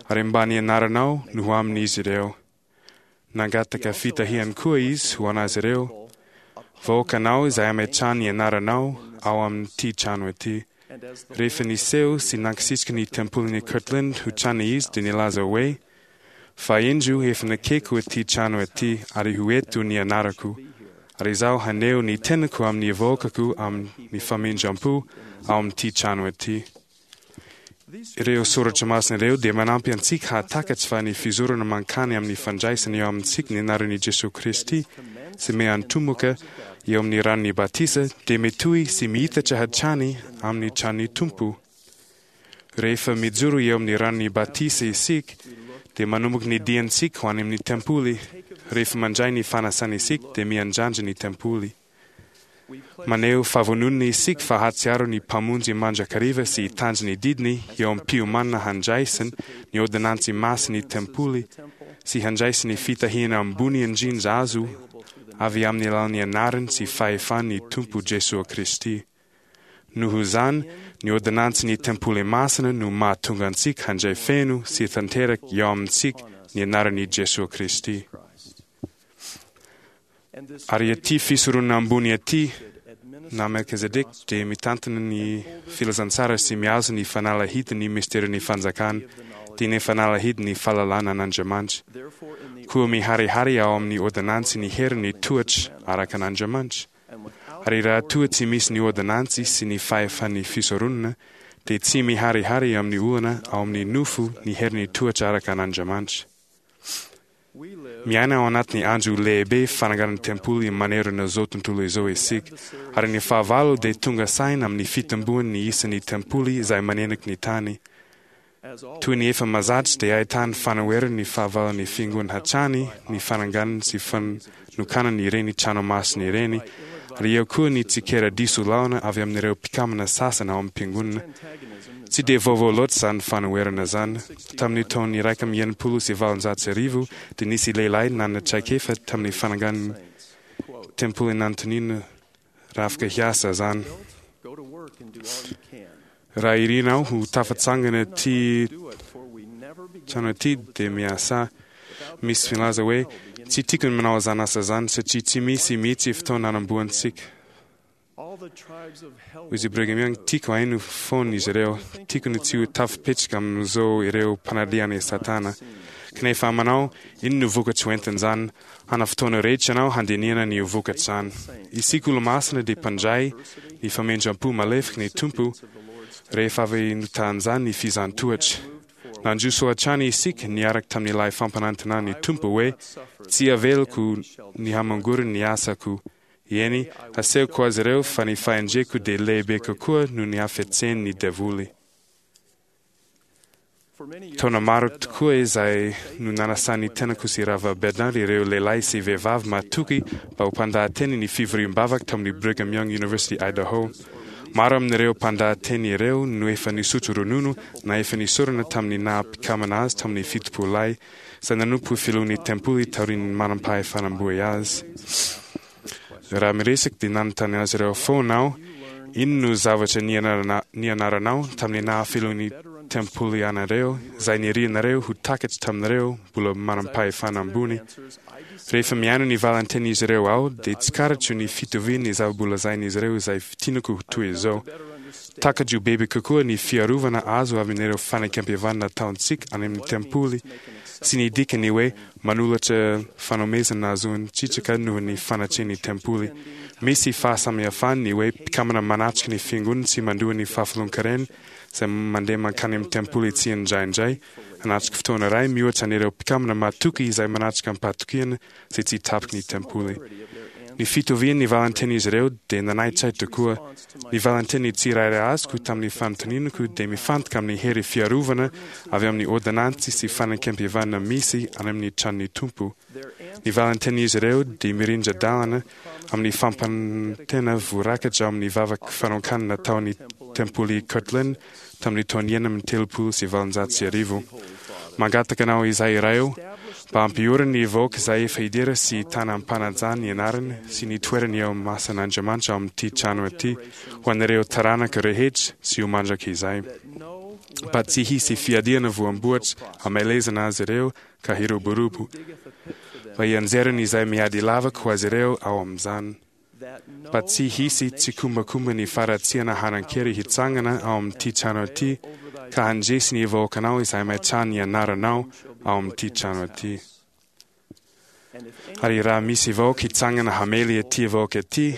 ary mba ny anaranao no ho amin'izy ireo. Nangataka fitahiany koa izy ho an'azy ireo Vahoakanao izay ametrahany ny anaranao ao amin'ity trano ity. Rehefa niseho sy nankasitraka ny tempolin'i Kirtland ho trano izy dia nilaza hoe: "Fa indro efa nekeko ity trano ity ary ho eto ny anarako, ary izaho haneho ny tenako amin'ny vahoakako amin'ny famindram-po ao amin'ity trano ity." Ireo soratra masina ireo dia manampy antsika hahatakatra fa ny fizorana mankany amin'ny fandraisana eo amintsika ny anaran'i Jesoa Kristy sy miantomoka eo amin'ny ranon'ny batisa dia mitohy sy mihitatra hatrany amin'ny tranon'ny Tompo. Rehefa mijoro eo amin'ny ranon'ny batisa isika dia manomboka ny diantsika ho any amin'ny tempoly. Rehefa mandray ny fanasana isika dia miandrandra ny tempoly. Maneho fahavononana isika fa hahatsiaro ny Mpamonjy mandrakariva sy hitandro ny didiny eo am-piomanana handraisany ny ôrdônansy masin'ny tempoly sy handraisany ny fitahiana ambony indrindra azo avy amin'ny alalan'ny anarany sy fahefan'ny Tompo Jesoa Kristy. Noho izany, ny ôrdônansin'ny tempoly masina no mahatonga antsika handray feno sy tanteraka eo amintsika ny anaran'i Jesoa Kristy. Ary ity fisoronana ambony ity, na Melchizedek dia mitantana ny filazantsara sy mihazo ny fanalahidin'ny misterin'ny fanjakana, dia ny fanalahidin'ny fahalalana an'Andriamanitra. Koa miharihary ao amin'ny ôrdônansy ny herin'ny toetra araka an'Andriamanitra. Ary raha toa tsy misy ny ôrdônansy sy ny fahefan'ny fisoronana, dia tsy miharihary amin'ny olona ao amin'ny nofo ny herin'ny toetra araka an'Andriamanitra. Miaina ao anatin'ny andro lehibe fananganan'ny tempoly manerana izao tontolo izao isika, ary ny fahavalo dia tonga saina amin'ny fitomboan'ny isan'ny tempoly izay manenika ny tany. Toy ny efa mahazatra dia ahitany fanoheran'ny fahavalon'ny fiangonana hatrany ny fananganana sy fanokanana ireny trano masina ireny, ary eo koa ny tsikera diso lalana avy amin'ireo mpikambana sasany ao am-piangonana. Tsy dia vaovao loatra izany fanoherana izany. Tamin'ny taona iraika amby enimpolo sy valonjato sy arivo dia nisy lehilahy nanana traikefa tamin'ny fanangan'ny tempoly nanontaniana raha afaka hiasa izany. Raha irinao ho tafatsangana ity trano ity dia miasa. Misy milaza hoe tsy tiako ny manao izany asa izany satria tsy misy mihitsy fotoana hanombohantsika. Hoy izy Brigham Young, tiako haino foana izy ireo, tiako ny tsy ho tafipetraka amin'izao ireo mpanalihana i Satana. Kanefa manao, inona no vokatra ho entin'izany? Hana fotoana rehetra ianao handinihana ny vokatr'izany. Isika olomasina dia mpandray ny famindram-po malefaky ny Tompo rehefa avy notahan'izany ny fizahàn-toetra. Nandroso hatrany isika niaraka tamin'ilay fampanantenan'ny Tompo hoe tsy avelako ny hamangory ny asako. Eny, asehoko azy ireo fa ny fahendreko dia lehibe kokoa noho ny hafetsen'ny devoly. Taona maro tokoa izay no nanasan'ny tenako sy Rava Bednar ireo lehilahy sy vehivavy matoky mba ho mpandahateny ny fivoriam-bavaka tamin'ny Brigham Young University Idaho. Maro amin'ireo mpandahateny ireo no efa nisotro ronono na efa nisorona tamin'ny naha-mpikambana azy tamin'ny fitopololahy izay nanompo filohan'ny tempoly taorian'ny manam-pahefana ambony azy. Raha miresaka dia nanontany azy ireo foana aho, inona no zavatra nianaranao tamin'ny naha-filohan'ny tempoly anareo izay nirianareo ho takatra taminareo mbola manam-pahefana ambony? Rehefa mihaino ny valintenin'izy ireo aho dia tsikaritro ny fitovian'ny zava-bolazain'izy ireo izay tianako ho toy izao. Takatro bebe kokoa ny fiarovana azo avy amin'ireo fanekempihavanana nataontsika any amin'ny tempoly sy ny dikany hoe manolotra fanomezana nahazoan-tsitraka noho ny fanatrehan'ny tempoly. Misy fahasamihafany ny hoe mpikambana manatrika ny fiangonana sy mandoa ny fahafolon-karena izay mandeha mankany amin'ny tempoly tsy indraindray hanatrika fotoana iray mihoatra an'ireo mpikambana matoky izay manatrika am-pahatokiana izay tsy tapaky ny tempoly. Ny fitovian'ny valintenin'izy ireo dia nanaitra ahy tokoa. Ny valinteny tsirairay azoko tamin'ny fanontanianako dia mifantoka amin'ny hery fiarovana avy amin'ny ôrdônansy sy fanekempihavanana misy any amin'ny tranon'ny Tompo. Ny valintenin'izy ireo dia mirindra-dalana amin'ny fampanantena voarakatra ao amin'ny vavaka fanokanana nataon'ny tempoly Kirtland tamin'ny taona enina amby telopolo sy valonjato sy arivo. Mangataka anao izay iray eo mba hampiorina ny vahoaka izay efa hidera sy hitana am-panajana ny anarany sy ny toerany eo amin'ny masan'Andriamanitra ao amin'ity trano ity ho an'ireo taranaka rehetra sy ho mandrakizay. Mba tsy hisy fiadiana voamboatra hamelezana azy ireo ka hiroborobo. Mba hianjerany izay miady lavaka ho azy ireo ao amin'izany. Mba tsy hisy tsikombakomba ny faharatsiana hanan-kery hitsangana ao amin'ity trano ity, ka handresy ny vahoakanao izay maitran ny anaranao ao amin'ity trano ity. Ary raha misy vahoaka hitsangana hamely ity vahoaka ity,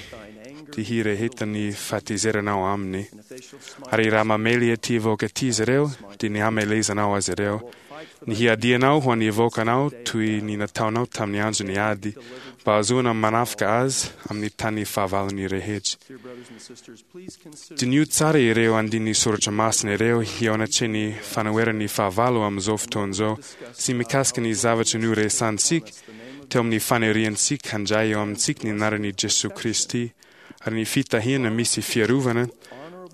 dia hirehetan'ny fahatezeranao aminy. Ary raha mamely ity vahoaka ity izy ireo, dia ny hamelezanao azy ireo. Ny hiadianao ho an'ny vahoakanao toy ny nataonao tamin'ny andron'ny ady, mba hahazoana manafika azy amin'ny tany fahavalony rehetra. Diniho tsara ireo andininy soratra masina ireo hiaonatry ny fanoheran'ny fahavalo amin'izao fotoana izao sy mikasika ny zavatra noresahantsika teo amin'ny faniriantsika handray eo amintsika ny anaran'i Jesoa Kristy ary ny fitahiana misy fiarovana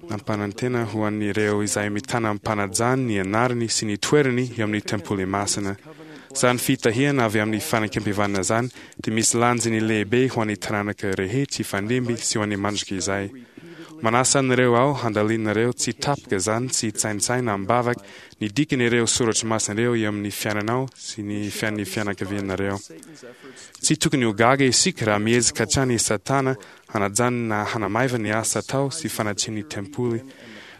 nampanantena ho an'ireo izay mitana am-panajany ny anarany sy ny toerany eo amin'ny tempoly masina. Izany fitahiana avy amin'ny fanekempihavanana izany dia misy lanjany lehibe ho an'ny taranaka rehetra hifandimby sy ho an'ny mandrakizay. Manasa anareo aho handalinareo tsy tapaka izany sy hitsaintsaina am-bavaka ny dikan'ireo soratra masina ireo eo amin'ny fiainanao sy ny fiainan'ny fianakavianareo. Tsy tokony ho gaga isika raha miezaka hatrany i Satana hanajanona na hanamaiva ny asa atao sy fanatsian'ny tempoly.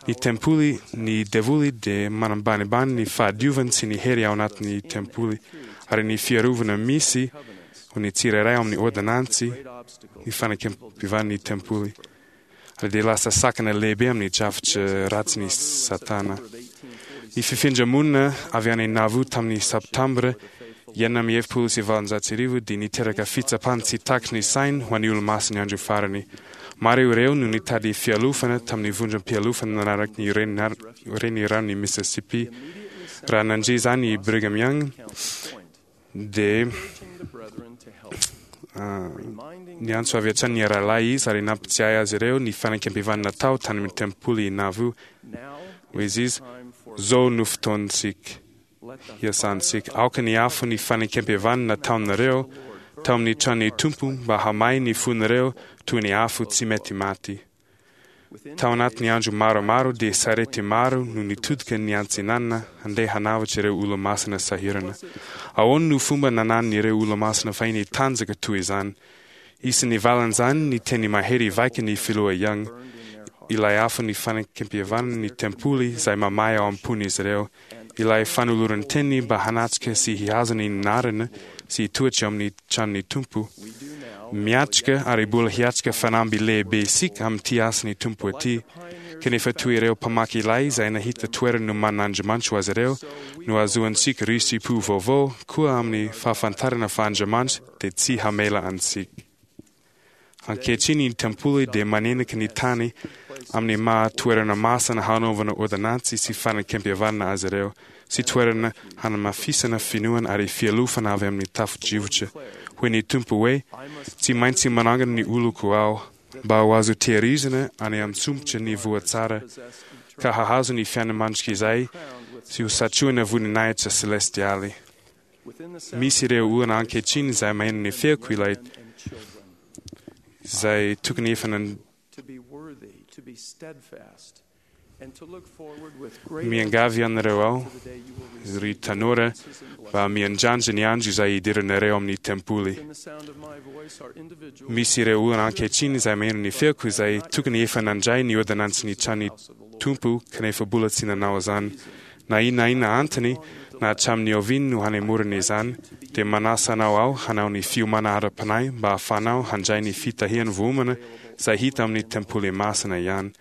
Ny tempoly, ny devoly dia manambanibany ny fahadiovany sy ny hery ao anatin'ny tempoly, ary ny fiarovana misy ho ny tsirairay ao amin'ny ôrdônansy ny fanekempihavan'ny tempoly. Ary dia lasa sakana lehibe amin'ny drafitra ratsin'i Satana. Ny fifindra-monina avy any Nauvoo tamin'ny Septambra enina amby efapolo sy valonjato sy arivo dia niteraka fitsapana tsy takatry ny sainy ho an'ny olo-masin'ny andro farany. Maro ireo no nitady fialofana tamin'ny vondrom-pialofana nanaraka ny reniranon'i Mississippi. Raha nandre izany i Brigham Young dia niantso avy hatrany ny rahalahy izy ary nampitsiahy azy ireo ny fanekempihavanana natao tany amin'ny tempoly Nauvoo. Hoy izy, "Zao no fotoantsika hiasantsika. Aoka ny afo ny fanekempihavanana nataonareo tao amin'ny tranon'ny Tompo mba hamay ny fonareo toy ny afo tsy mety maty." Tao anatin'ny andro maromaro dia sarety maro no nitodika ny antsinanana handeha hanavotra ireo olo-masina sahirana. Ahoana no fomba nananan'ireo olo-masina fahiny tanjaka toy izany? Isan'ny valin'izany ny teny mahery vaika ny filoha Young, ilay afo ny fanekempihavanana ny tempoly izay mamay ao am-pon'izy ireo, ilay fanoloran-teny mba hanatrika sy hihazona ny anarana sy hitoetra eo amin'ny tranon'ny Tompo. Miatrika ary mbola hiatrika fanamby lehibe isika amin'ity asan'ny Tompo ity, kanefa toy ireo mpamaky ilay izay nahita toerana nomanin'Andriamanitra ho azy ireo no ahazoantsika risi-po vaovao koa amin'ny fahafantarana fa Andriamanitra dia tsy hamela antsika. Ankehitriny ny tempoly dia manenika ny tany amin'ny maha toerana masina hanaovana ôrdônansy sy fanekempihavanana azy ireo, sy toerana hanamafisana finoana ary fialofana avy amin'ny tafo-drivotra. Hoy ny Tompo hoe, "Tsy maintsy manangana ny oloko aho mba ho azo tehirizina any an-tsompitra ny voa tsara, ka hahazo ny fiainana mandrakizay sy ho satrohina voninahitra selestialy." Misy ireo olona ankehitriny izay maheno ny feoko ilay izay tokony efa nan miangavy anareo aho, ry tanora, mba miandrandra ny andro izay hidiranareo amin'ny tempoly. Misy ireo olona ankehitriny izay maheno ny feoko izay tokony efa nandray ny ôrdônansin'ny tranon'ny Tompo kanefa mbola tsy nanao izany. Na inona na inona antony, na hatramin'ny oviana no hanemorana izany, dia manasa anao aho hanao ny fiomana ara-panahy mba hahafahanao handray ny fitahian'ny voaomana izay hita amin'ny tempoly masina ihany.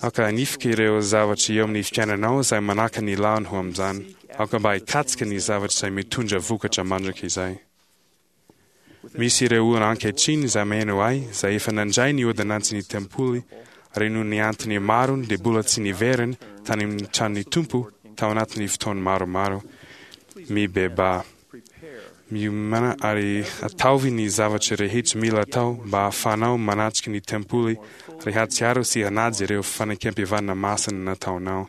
Aoka hanifika ireo zavatra eo amin'ny fiainanao izay manaka ny lalany ho amin'izany. Aoka mba hikatsaka ny zavatra izay mitondra vokatra mandrakizay. Misy ireo olona ankehitriny izay maheno ahy izay efa nandray ny ôrdônansin'ny tempoly ary noho ny antony maro dia mbola tsy niverina tany amin'ny tranon'ny Tompo tao anatin'ny fotoana maromaro. Mibebaha. Miomana ary ataovy ny zavatra rehetra mila atao mba hahafahanao manatrika ny tempoly ary hahatsiaro sy hanaja ireo fanekempihavanana masina nataonao.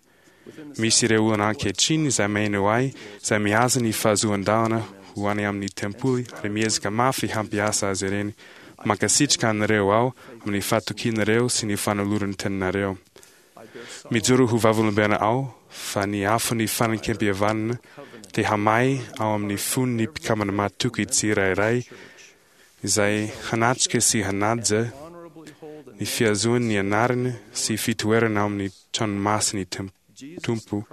Misy ireo olona ankehitriny izay maheno ahy izay mihaza ny fahazoan-dalana ho any amin'ny tempoly ary miezaka mafy hampiasa azy ireny. Mankasitraka anareo aho amin'ny fahatokianareo sy ny fanoloran-teninareo. Mijoro ho vavolombelona aho fa ny afon'ny fanekempihavanana dia hamay ao amin'ny fon'ny mpikambana mahatoky tsirairay Izay hanatrika sy hanaja ny fihazoany ny anarana sy fitoerana ao amin'ny tranomasin'ny Tompo.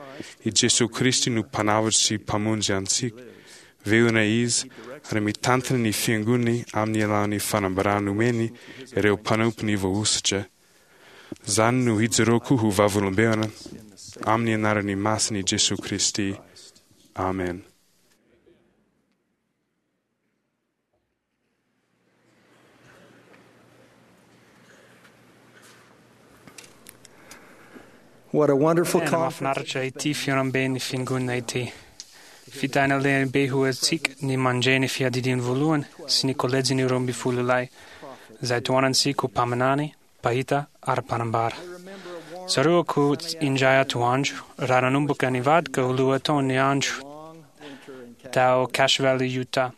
I Jesoa Kristy no mpanavotra sy mpamonjy antsika. Velona Izy ary mitantana ny fiangonany amin'ny alalan'ny fanambarana omeny ireo mpanompony voahosotra. Izany no hijoroako ho vavolombelona amin'ny anaran'ny masin'i Jesoa Kristy. Amen. What a wonderful Tena conference. mahafinaritra ity fihaonamben'ny fiangonana ity. Fitahiana lehibe ho antsika ny mandre ny fiadidiany voalohany sy ny kolejin'ny roa ambin'ny folo lahy izay tohanantsika ho mpaminany, mpahita ary mpanambara. Tsaroako indray atoandro raha nanomboka nivadika ho lohataon'ny andro tao Cache Valley, Utah.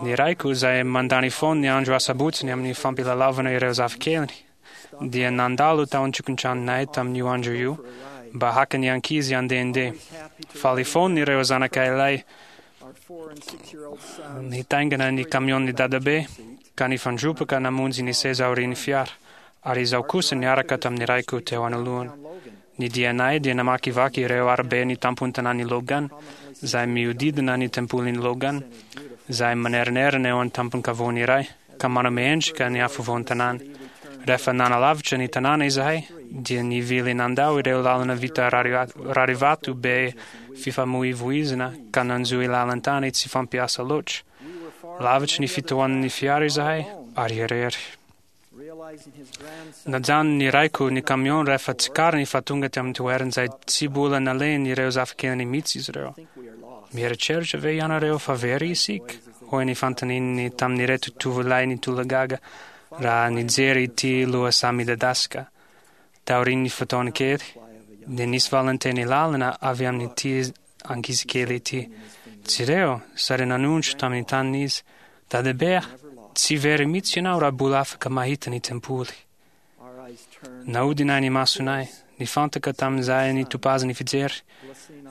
Ny raiko izay mandany foana ny andro asabotsiny amin'ny fampilalaovana ireo zafikeliny dia nandalo tao an-tokantranonay tamin'io andro io mba haka ny ankizy handehandeha. Faly foana ireo zanakay lahy nitaingina ny kamion'ny dadabe ka nifandroboka namonjy ny seza aorian'ny fiara, ary izaho kosa niaraka tamin'ny raiko teo anoloana. Ny dianay dia namakivaky ireo arabe ny tampon-tanàn'i Logan, izay mihodidina ny tempolin'i Logan, izay manerinerina eo an-tampon-kavoana iray, ka manome endrika ny afovoan-tanàna. Rehefa nanalavitra ny tanàna izahay, dia nivily nandao ireo lalana vita rarivato be fifamoivoizana ka nanjohy lalan-tany tsy fampiasa loatra. Lavitry ny fitohanan'ny fiara izahay ary irery. Najanony ny raiko ny kamion rehefa tsikariny fa tonga tamin'ny toerana izay tsy mbola nalehiny ireo zafikeliny mihitsy izy ireo. Mieritreritra ve ianareo fa very isika? Hoy ny fanontaniany tamin'ireto tovolahy nitolagaga raha nijery ity lohasaha midadasika. Taorian'ny fotoana kely, dia nisy valinteny lalina avy amin'ity ankizikely ity. Jereo, sary nanondro tamin'ny taniny izy. Dadabe, tsy very mihitsy ianao raha mbola afaka mahita ny tempoly. Naodinay ny masonay, nifantaka tamin'izay nitopazany fijery.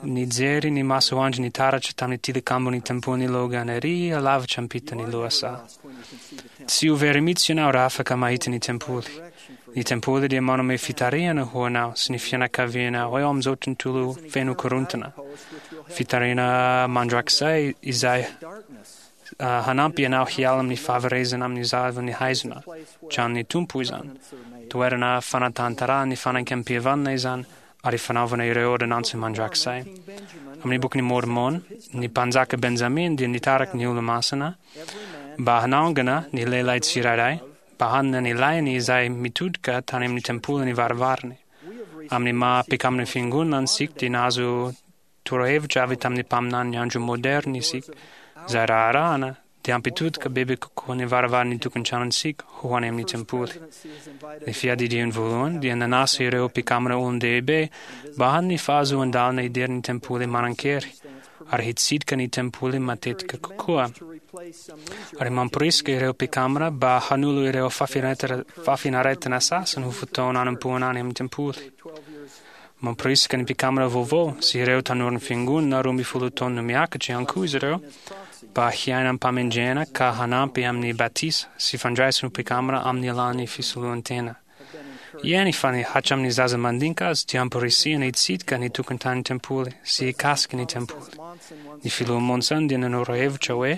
Nijery ny masoandro nitaratra tamin'ny tilikambon'ny tempolin'i Logan ery alavitra ampitan'ny lohasaha. Tsy ho very mihitsy ianao raha afaka mahita ny tempoly. Ny tempoly dia manome fitarihana ho anao sy ny fianakavianao eo amin'izao tontolo feno korontana. Fitarihana mandrakizay izay hanampy anao hiala amin'ny fahaverezana amin'ny zavan'ny haizina. Tranon'ny Tompo izany. Toerana fanatanterahana ny fanekempihavanana izany ary fanaovana ireo ordonnantsy mandrakizay. Amin'ny bokin'i Mormon, ny mpanjaka Benjamin dia nitariky ny olo-masina mba hanangana ny lehilahy tsirairay mba hanana ny lahiny izay mitodika tany amin'ny tempolin'ny varavarany. Amin'ny maha mpikamban'ny fiangonana antsika dia nahazo torohevitra avy tamin'ny mpaminany andro moderna isika izay raharahana dia hampitodika bebe kokoa ny varavaran'ny tokantranontsika ho any amin'ny tempoly. Ny fiadidiany voalohany dia nanasa ireo mpikambana olon-dehibe mba hanana ny fahazoan-dalana hidiry ny tempoly manan-kery ary hitsidika ny tempoly matetika kokoa. Ary mamporisika ireo mpikambana mba hanolo ireo fahafinaretana sasany ho fotoana hanompoana any amin'ny tempoly. Mamporisika ny mpikambana vaovao sy ireo tanoran'ny fiangonana roa ambin'ny folo taona miakatra ihany koa izy ireo mba hiaina am-pamendrehana ka hanampy amin'ny batisa sy fandraisana ho mpikambana amin'ny alalan'ny fisoloan-tena. Eny fa ny hatramin'ny zaza mandinika azy dia amporisihana hitsidika ny tokantany tempoly sy hikasika ny tempoly. Ny filoha Monson dia nanoro hevitra hoe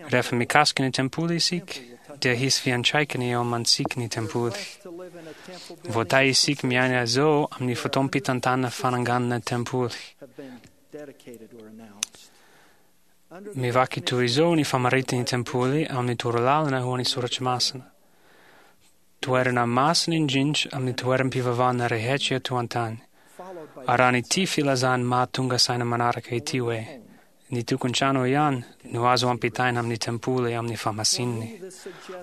rehefa mikasika ny tempoly isika dia hisy fiantraikany eo amantsika ny tempoly. Voatahy isika miaina izao amin'ny fotoam-pitantanana fananganana tempoly. Mivaky toy izao ny famaritan'ny tempoly amin'ny torolalana ho an'ny soratra masina. Toerana masina indrindra amin'ny toeram-pivavahana rehetra eto an-tany. Ary ity filazany mahatonga saina manaraka ity hoe ny tokantrano ihany no azo ampitaina amin'ny tempoly amin'ny fahamasininy.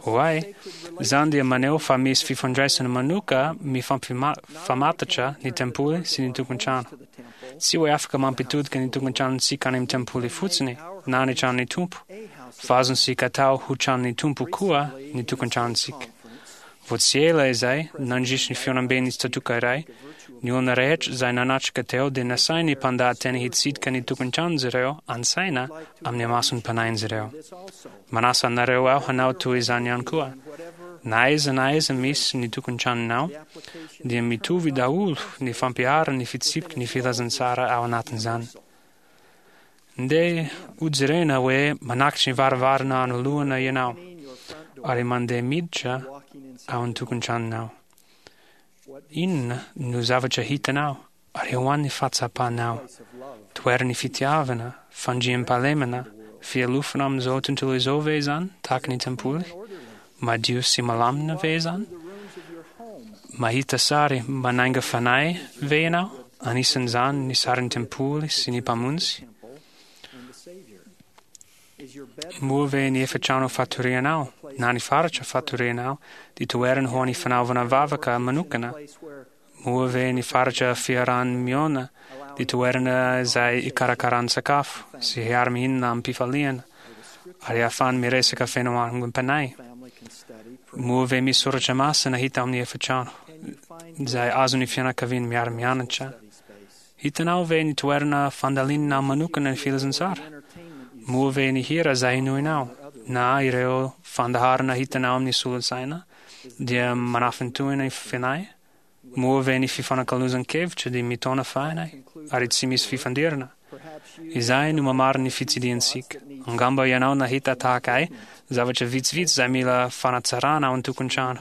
Oay, izany dia maneho fa misy fifandraisana manoka mifampifamatotra ny tempoly sy ny tokantrano. Tsy hoe afaka mampitodika ny tokantranontsika any amin'ny tempoly fotsiny na ny tranon'ny Tompo, fa azontsika atao ho tranon'ny Tompo koa ny tokantranontsika. Vao tsy ela izay, nandritry ny fihaonamben'ny tsatòka iray, Ny olona rehetra izay nanatrika teo dia nasain'ny mpandahateny hitsidika ny tokantranon'izy ireo an-tsaina amin'ny mason'ny mpanahin'izy ireo. Manasa anareo aho hanao toy izany ihany koa. Na aiza na aiza misy ny tokantranonao, dia mitovy daholo ny fampiharana ny fitsipiky ny filazantsara ao anatin'izany. Ndeha hojerena hoe manakatry ny varavarana anoloana ianao ary mandeha miditra ao an-tokantranonao. Inona no zavatra hitanao ary ho an'ny fahatsapanao? Toeran'ny fitiavana, fandriampahalemana, fialofana amin'izao tontolo izao ve izany tahaka ny tempoly? Madio sy malamina ve izany? Mahita sary manainga fanahy ve ianao? Anisan'izany ny sarin'ny tempoly sy ny mpamonjy? Moa ve ny efitrano fatorianao na ny faritra fatorianao dia toerana ho an'ny fanaovana vavaka manokana? Moa ve ny faritra fiaraha-miona dia toerana izay ikarakaran sakafo sy hiara-mihinana amim-pifaliana ary ahafahany miresaka feno angom-panahy? Moa ve misy soratra masina hita amin'ny efitrano izay azon'ny fianakaviana miara-mianatra? Hitanao ve ny toerana fandalinana manokana ny filazantsara? Moa ve ny hira izay henoinao na ireo fandaharana hitanao amin'ny solosaina dia manafintohina ny fanahy? Moa ve ny fifanakalozan-kevitra dia mitaona fanahy ary tsy misy fifandirana? Izay no mamarina ny fitsidihantsika. Angamba ianao nahita tahaka ahy zavatra vitsivitsy izay mila fanatsarana ao an-tokantrano.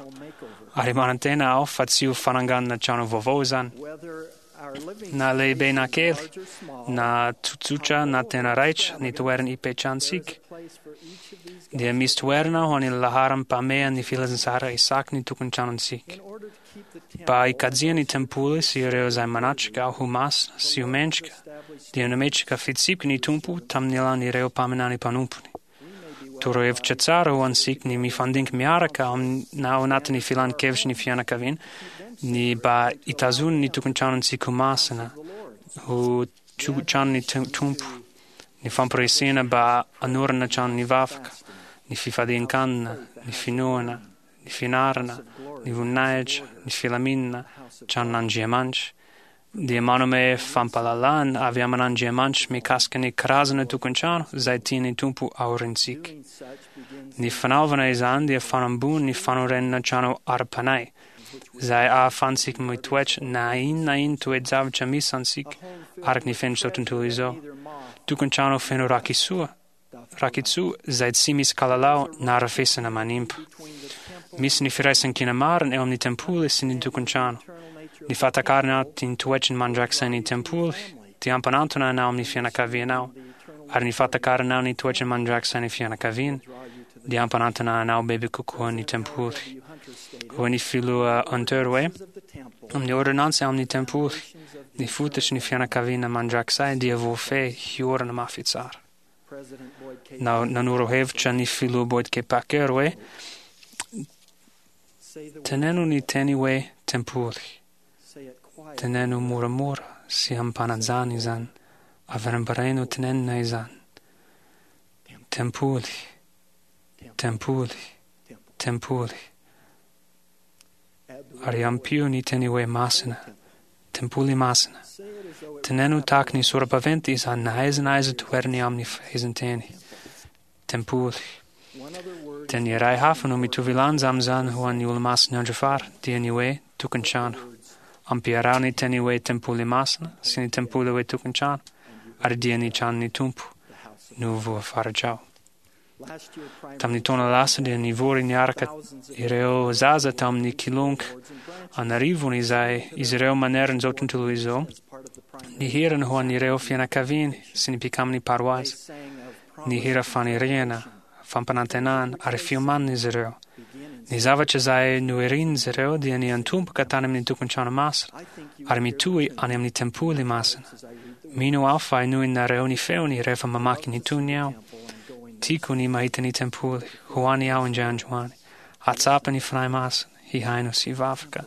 Ary manantena aho fa tsy ho fananganana trano vaovao izany. Na lehibe na kely, na tsotsotra na tena raitra ny toerana ipetrahantsika, dia misy toerana ho an'ny laharam-pahamehan'ny filazantsara isaky ny tokantranontsika. Mba hikajiana ny tempoly sy ireo izay manatrika ao ho masina sy ho mendrika, dia nametraka fitsipiky ny Tompo tamin'ny alalan'ireo mpaminany mpanompony. Torohevitra tsara ho antsika ny mifandinky miaraka na ao anatin'ny filan-kevitry ny fianakaviana ny mba hitazona ny tokantranontsika ho masina, ho tranon'ny Tompo, ny famporisihana mba hanorina tranon'ny vavaka, ny fifadian-kanina, ny finoana, ny fianarana, ny voninahitra, ny filaminana, tranon'Andriamanitra, dia manome fampahalalana avy amin'Andriamanitra mikasika ny karazana tokantrano izay tian'ny Tompo aorintsika. Ny fanaovana izany dia fanambony ny fanorenana trano ara-panahy izay ahafahantsika mitoetra na inona na inona toe-javatra misy antsika araka ny fenitr'izao tontolo izao. Tokantrano feno rakisoa, rakitsoa izay tsy misy kalalao na rafesina manimba. Misy ny firaisankina marina eo amin'ny tempoly sy ny tokantrano. Ny fahatakarana ny toetrany mandrakizay ny tempoly dia ampanantona anao amin'ny fianakavianao, ary ny fahatakaranao ny toetrany mandrakizay ny fianakaviana dia ampanantona anao bebe kokoa ny tempoly. Hoy ny filoha Hunter hoe, amin'ny ordonnantsy amin'ny tempoly, ny fototry ny fianakaviana mandrakizay dia voafehy hiorina mafy tsara. Na, nanoro hevitra ny filoha Boyd K. Packer hoe, teneno ny teny hoe tempoly. Teneno moramora sy ampanajana izany, averimbereno tenenina izany. Tempoly, tempoly, tempoly. Ary ampio ny teny hoe masina, tempoly masina. Teneno tahaka ny sora-baventy izany na aiza na aiza toerany amin'ny fehezanteny. Tempoly. Teny iray hafa no mitovy lanja amin'izany ho an'ny olo-masin'ny andro farany, dia ny hoe tokantrano. Ampiaraho ny teny hoe tempoly masina sy ny tempoly hoe tokantrano, ary dia ny tranon'ny Tompo no voafaritrao. Tamin'ny taona lasa dia nivory niaraka ireo zaza tamin'ny kilonga an'arivony izay izy ireo manerana izao tontolo izao, nihirana ho an'ireo fianakaviany sy ny mpikamin'ny paroasy. Nihira faniriana, fampanantenana ary fiomanana izy ireo. Ny zavatra izay noherin'izy ireo dia ny antomboka tany amin'ny tokantrano masina ary mitohy any amin'ny tempoly masina. Mino aho fa henoinareo ny feony rehefa mamaky ny tony aho. Tiako ny mahita ny tempoly, ho any aho indray androany. Hahatsapa ny fanahy masina, hihaino sy hivavaka.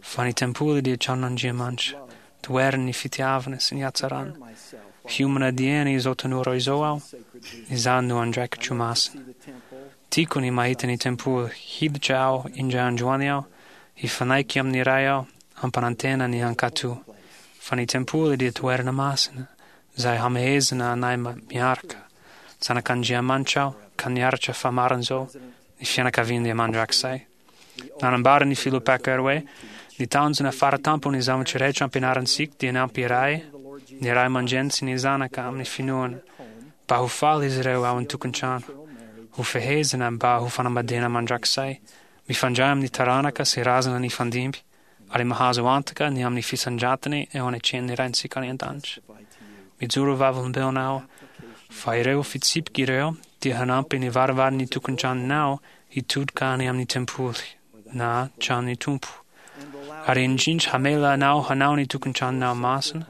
Fa ny tempoly dia tranon'Andriamanitra, toeran'ny fitiavana sy ny hatsarana. Hiomana dieny izao tanora izao aho, izany no andraikitro masina. Tiako ny mahita ny tempoly, hiditra aho indray androany aho, hifanaiky amin'ny Ray aho, hampanantena ny hankatò, fa ny tempoly dia toerana masina izay hamehezana anay miaraka. Zanak'Andriamanitra aho ka niaritra famaran'izao ny fianakaviany dia mandrakizay. Nanambara ny filoha Packer hoe ny tanjona faratampony zavatra rehetra ampianarantsika dia ny hampiray ny ray aman-dreny sy ny zanaka amin'ny finoana mba ho faly izy ireo ao an-tokantrano, ho fehezina mba ho fanambadiana mandrakizay, mifandray amin'ny taranaka sy razana nifandimby, ary mahazo antoka ny amin'ny fisandratany eo anatrehan'ny Raintsika any an-danitra. Mijoro vavolombelona aho fa ireo fitsipika ireo dia hanampy ny varavaran'ny tokantranonao hitodika any amin'ny tempoly na tranon'ny Tompo, ary indrindra hamela anao hanao ny tokantranonao masina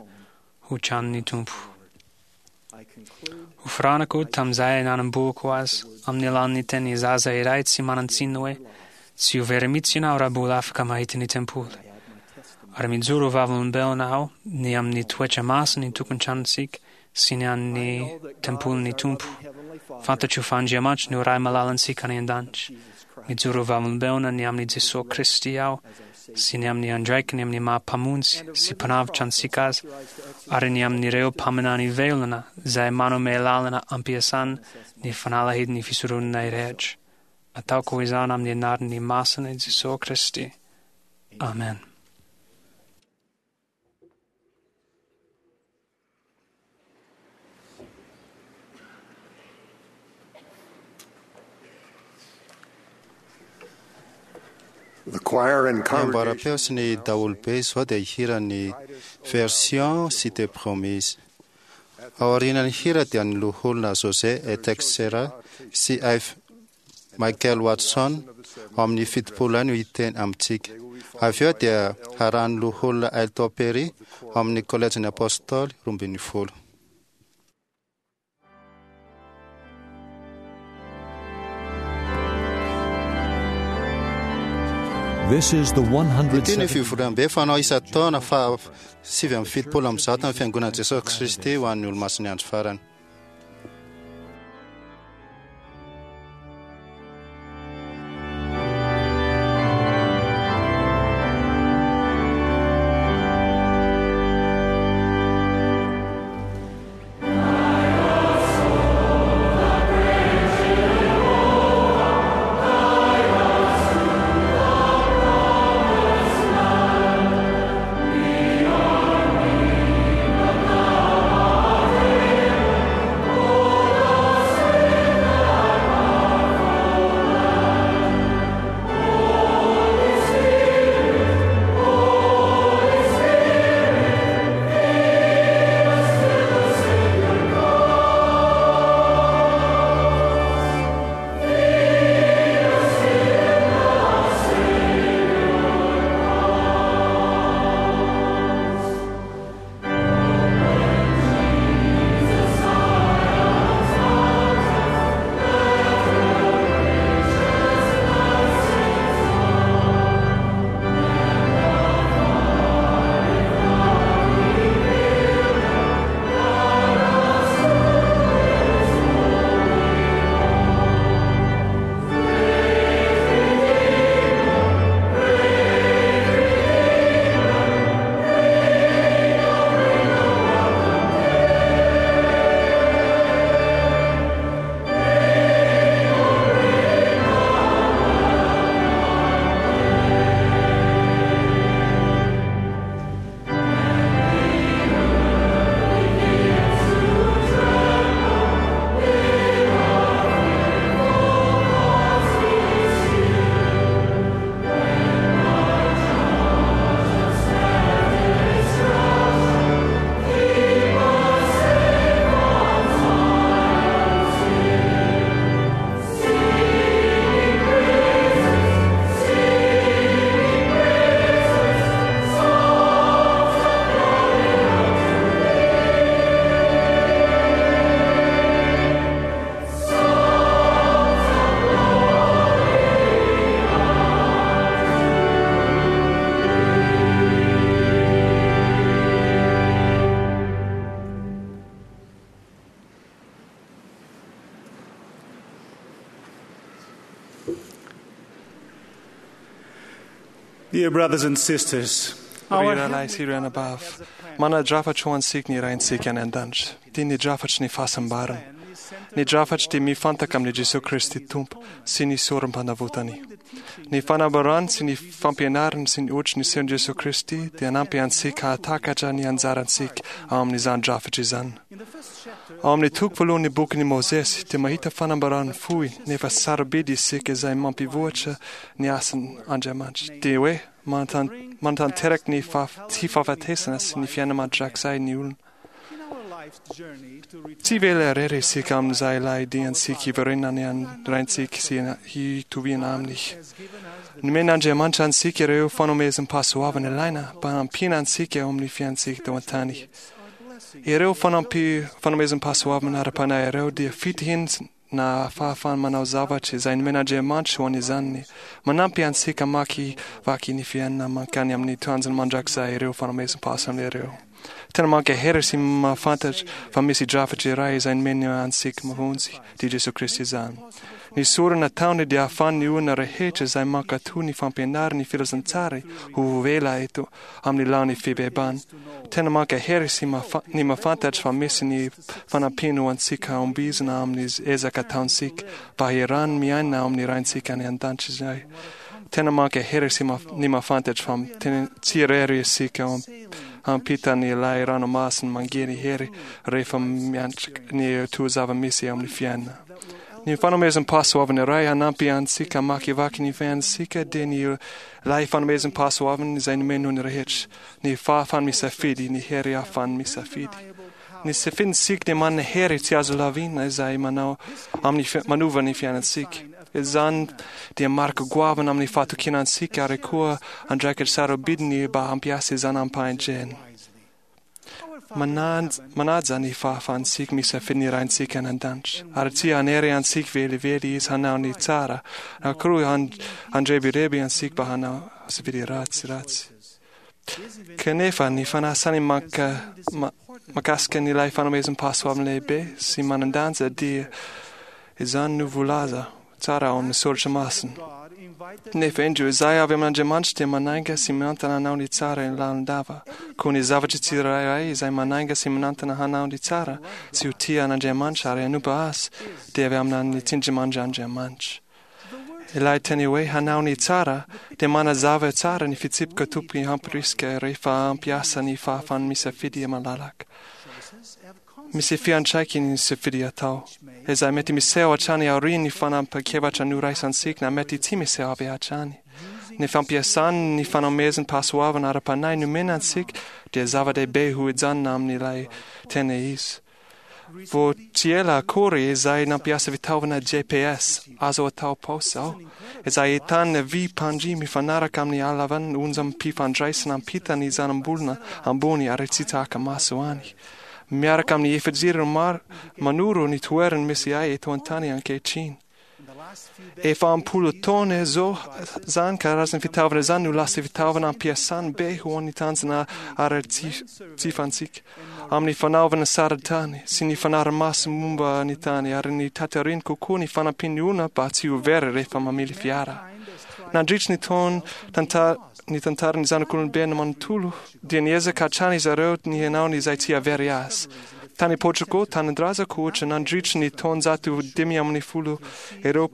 ho tranon'ny Tompo. Hofaranako tamin'izay nanombohako azy amin'ny alalan'ny teny zaza iray tsy manan-tsiny hoe tsy ho very mihitsy ianao raha mbola afaka mahita ny tempoly. Ary mijoro vavolombelona aho ny amin'ny toetra masina ny tokantranontsika sy ny an'ny tempolin'ny Tompo. Fantatro fa Andriamanitra no Ray malalantsika any an-danitra. Mijoro vavolombelona ny amin'i Jesoa Kristy aho sy ny amin'ny andraikiny amin'ny maha mpamonjy sy mpanavotra antsika azy, ary ny amin'ireo mpaminany velona izay manome lalana ampiasana ny fanalahidin'ny fisoronana rehetra. Ataoko izany amin'ny anaran'ny masina Jesoa Kristy. Amen. The choir and Ny congregation amboaram-peo sy ny daholobe izao dia hihira ny version Cité Promise. Ao aorian'ny hira dia ny loholona José Etexera sy F. Michael Watson ao amin'ny fitopolo no hiteny amintsika. Avy eo dia harahan'ny loholona Elton Perry ao amin'ny kolejin'ny Apôstôly roa ambin'ny folo. This is the Ity ny fivoriambe fanao isan-taona fa sivy amby fitopolo amby zato amin'ny fiangonan'i Jesosy Kristy ho an'ny olomasin'ny andro farany. Dear brothers and sisters, Ry rahalahy sy ry anabavy, manadrafatra ho antsika ny Raintsika any an-danitra, dia ny drafatry ny fahasambarana. Ny drafatry dia mifantaka amin'i Jesoa Kristy Tompo sy ny sorom-panavotany. Ny fanambarany sy ny fampianarany sy ny ohatry ny sehon'i Jesoa Kristy dia hanampy antsika hahatakatra ny anjarantsika ao amin'izany drafitra izany. Ao amin'ny toko voalohan'ny bokin'i Mosesy dia mahita fanambarana fohy nefa sarobidy isika izay mampivoatra ny asan'Andriamanitra, dia hoe manatanteraka ny tsy fahafatesana sy ny fiainana mandrakizay ny olona. Tsy vela irery isika amin'izay ilay diantsika hiverenana any Raintsika sy hitoviana aminy. Nomen'Andriamanitra antsika ireo fanomezam-pahasoavana ilaina mba hanampiana antsika eo amin'ny fiainantsika teo an-tany. Ireo fanomezam-pahasoavana ara-panahy ireo dia fitihina na fahafahana manao zavatra izay nomen'Andriamanitra ho an'izany. Manampy antsika hamakivaky ny fiainana mankany amin'ny tanjona mandrakizay ireo fanomezam-pahasoavana ireo. Tena mankahery sy mahafantatra fa misy drafitra iray izay nomeny antsika mamonjy, dia Jesoa Kristy izany. Ny sorona nataony dia ahafahan'ny olona rehetra izay mankatò ny fampianarany filazantsara ho voavela eto amin'ny laon'ny fibebahana. Tena mankahery sy ny mahafantatra fa misy ny fanampiana ho antsika hahombiazana amin'ny ezaka ataontsika mba hiarahana miaina ao amin'ny Raintsika any an-danitra izay. Tena mankahery sy ny mahafantatra fa tsy irery isika hampita ny ilay ranomasina mangerihery rehefa miatrika ny toa zava-misy eo amin'ny fiainana. Ny fanomezam-pahasoavana iray hanampy antsika hamakivaky ny fiainantsika dia ny ilay fanomezam-pahasoavana izay nomeny ny rehetra, ny fahafahana misafidy, ny hery ahafahana misafidy. Ny safidintsika dia manana hery tsy azo lavina izay manao amin'ny manova ny fiainantsika. Izany dia marika goavana amin'ny fahatokiana antsika ary koa andraikitra sarobidy mba hampiasa izany am-pahendrena. Manaja ny fahafahantsika misafidy ny Raintsika any an-danitra, ary tsy hanery antsika velively izy hanao ny tsara, na koa handrebireby antsika mba hanao safidy ratsy ratsy. Kanefa ny fanasany mahakasika ny ilay fanomezam-pahasoavana lehibe sy manan-danja dia izany no voalaza tsara ao amin'ny soratra masina. Nefa indro izay avy amin'Andriamanitra dia manainga sy manantena hanao ny tsara lalandava. Koa ny zavatra tsirairay izay manainga sy manantena hanao ny tsara sy ho tia an'Andriamanitra ary hanompo azy dia avy amin'ny tsindrimandrin'Andriamanitra. Ilay teny hoe hanao ny tsara dia manazava tsara ny fitsipika tokony hampirisika rehefa hampiasa ny fahafahana misafidy malalaka. Misy fiantraikany ny safidy atao, izay mety miseho hatrany aorian'ny fanapahan-kevitra noraisintsika na mety tsy miseho avy hatrany. Ny fampiasana ny fanomezam-pahasoavana ara-panahy nomena antsika dia zava-dehibe ho hijanona amin'ilay tena izy. Vao tsy ela akory izay nampiasa fitaovana G P S azo atao paosy aho, izay ahitana vy mpandry mifanaraka amin'ny halavan'ny onjam-pifandraisana ampita ny zanambolona ambony ary tsy tahaka maso any. Miaraka amin'ny efajiro maro manoro ny toerana misy ahy eto an-tany ankehitriny. Efa ampolo taona izao izany karazana fitaovana izany no lasa fitaovana ampiasana be ho an'ny tanjona ara-tsifantsika amin'ny fanaovana sarintany sy ny fanarahamaso momba ny tany ary ny tatariny kokoa ny fanampian'ny olona mba tsy ho very rehefa mamily fiara. Nandritry ny taona ny tantaran'ny zanak'olombelona manontolo dia niezaka hatrany izy ireo ny hanao izay tsy hahavery azy. Tany Portugal, tanindrazako ohatra, nandritry ny taonjato dimy amin'ny folo ireo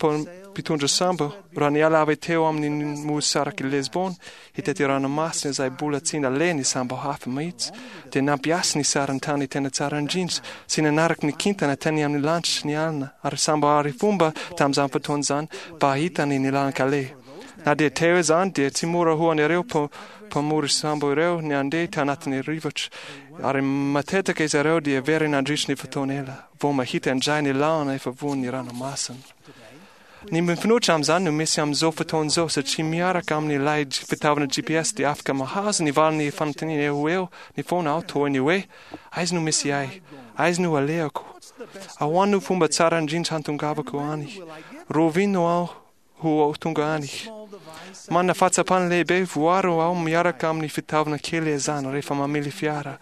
mpitondra sambo raha niala avy teo amin'ny nosy sarak'i Lisbonne hitety ranomasina izay mbola tsy naleha ny sambo hafa mihitsy dia nampiasa ny sarintany tena tsara indrindra sy nanaraka ny kintana teny amin'ny lanitra ny alina ary sambo arifomba tamin'izany fotoana izany mba hahitany ny lalan-kaleha. Na dia teo izany dia tsy mora ho an'ireo mpamory sambo ireo ny handeha tanatin'ny rivotra ary matetika izy ireo dia very nandritry ny fotoana ela vao mahita indray ny lalana efa voan'ny ranomasina. Ny mifanohitra amin'izany no misy amin'izao fotoana izao satria miaraka amin'ilay fitaovana G P S dia afaka mahazo ny valin'ny fanontaniana eo ho eo ny foana aho toy ny hoe aiza no misy ahy, aiza no alehako, ahoana no fomba tsara indrindra hantongavako any, rovino aho ho tonga any. Manana fahatsapana lehibe voaro aho miaraka amin'ny fitaovana kely izany rehefa mamily fiara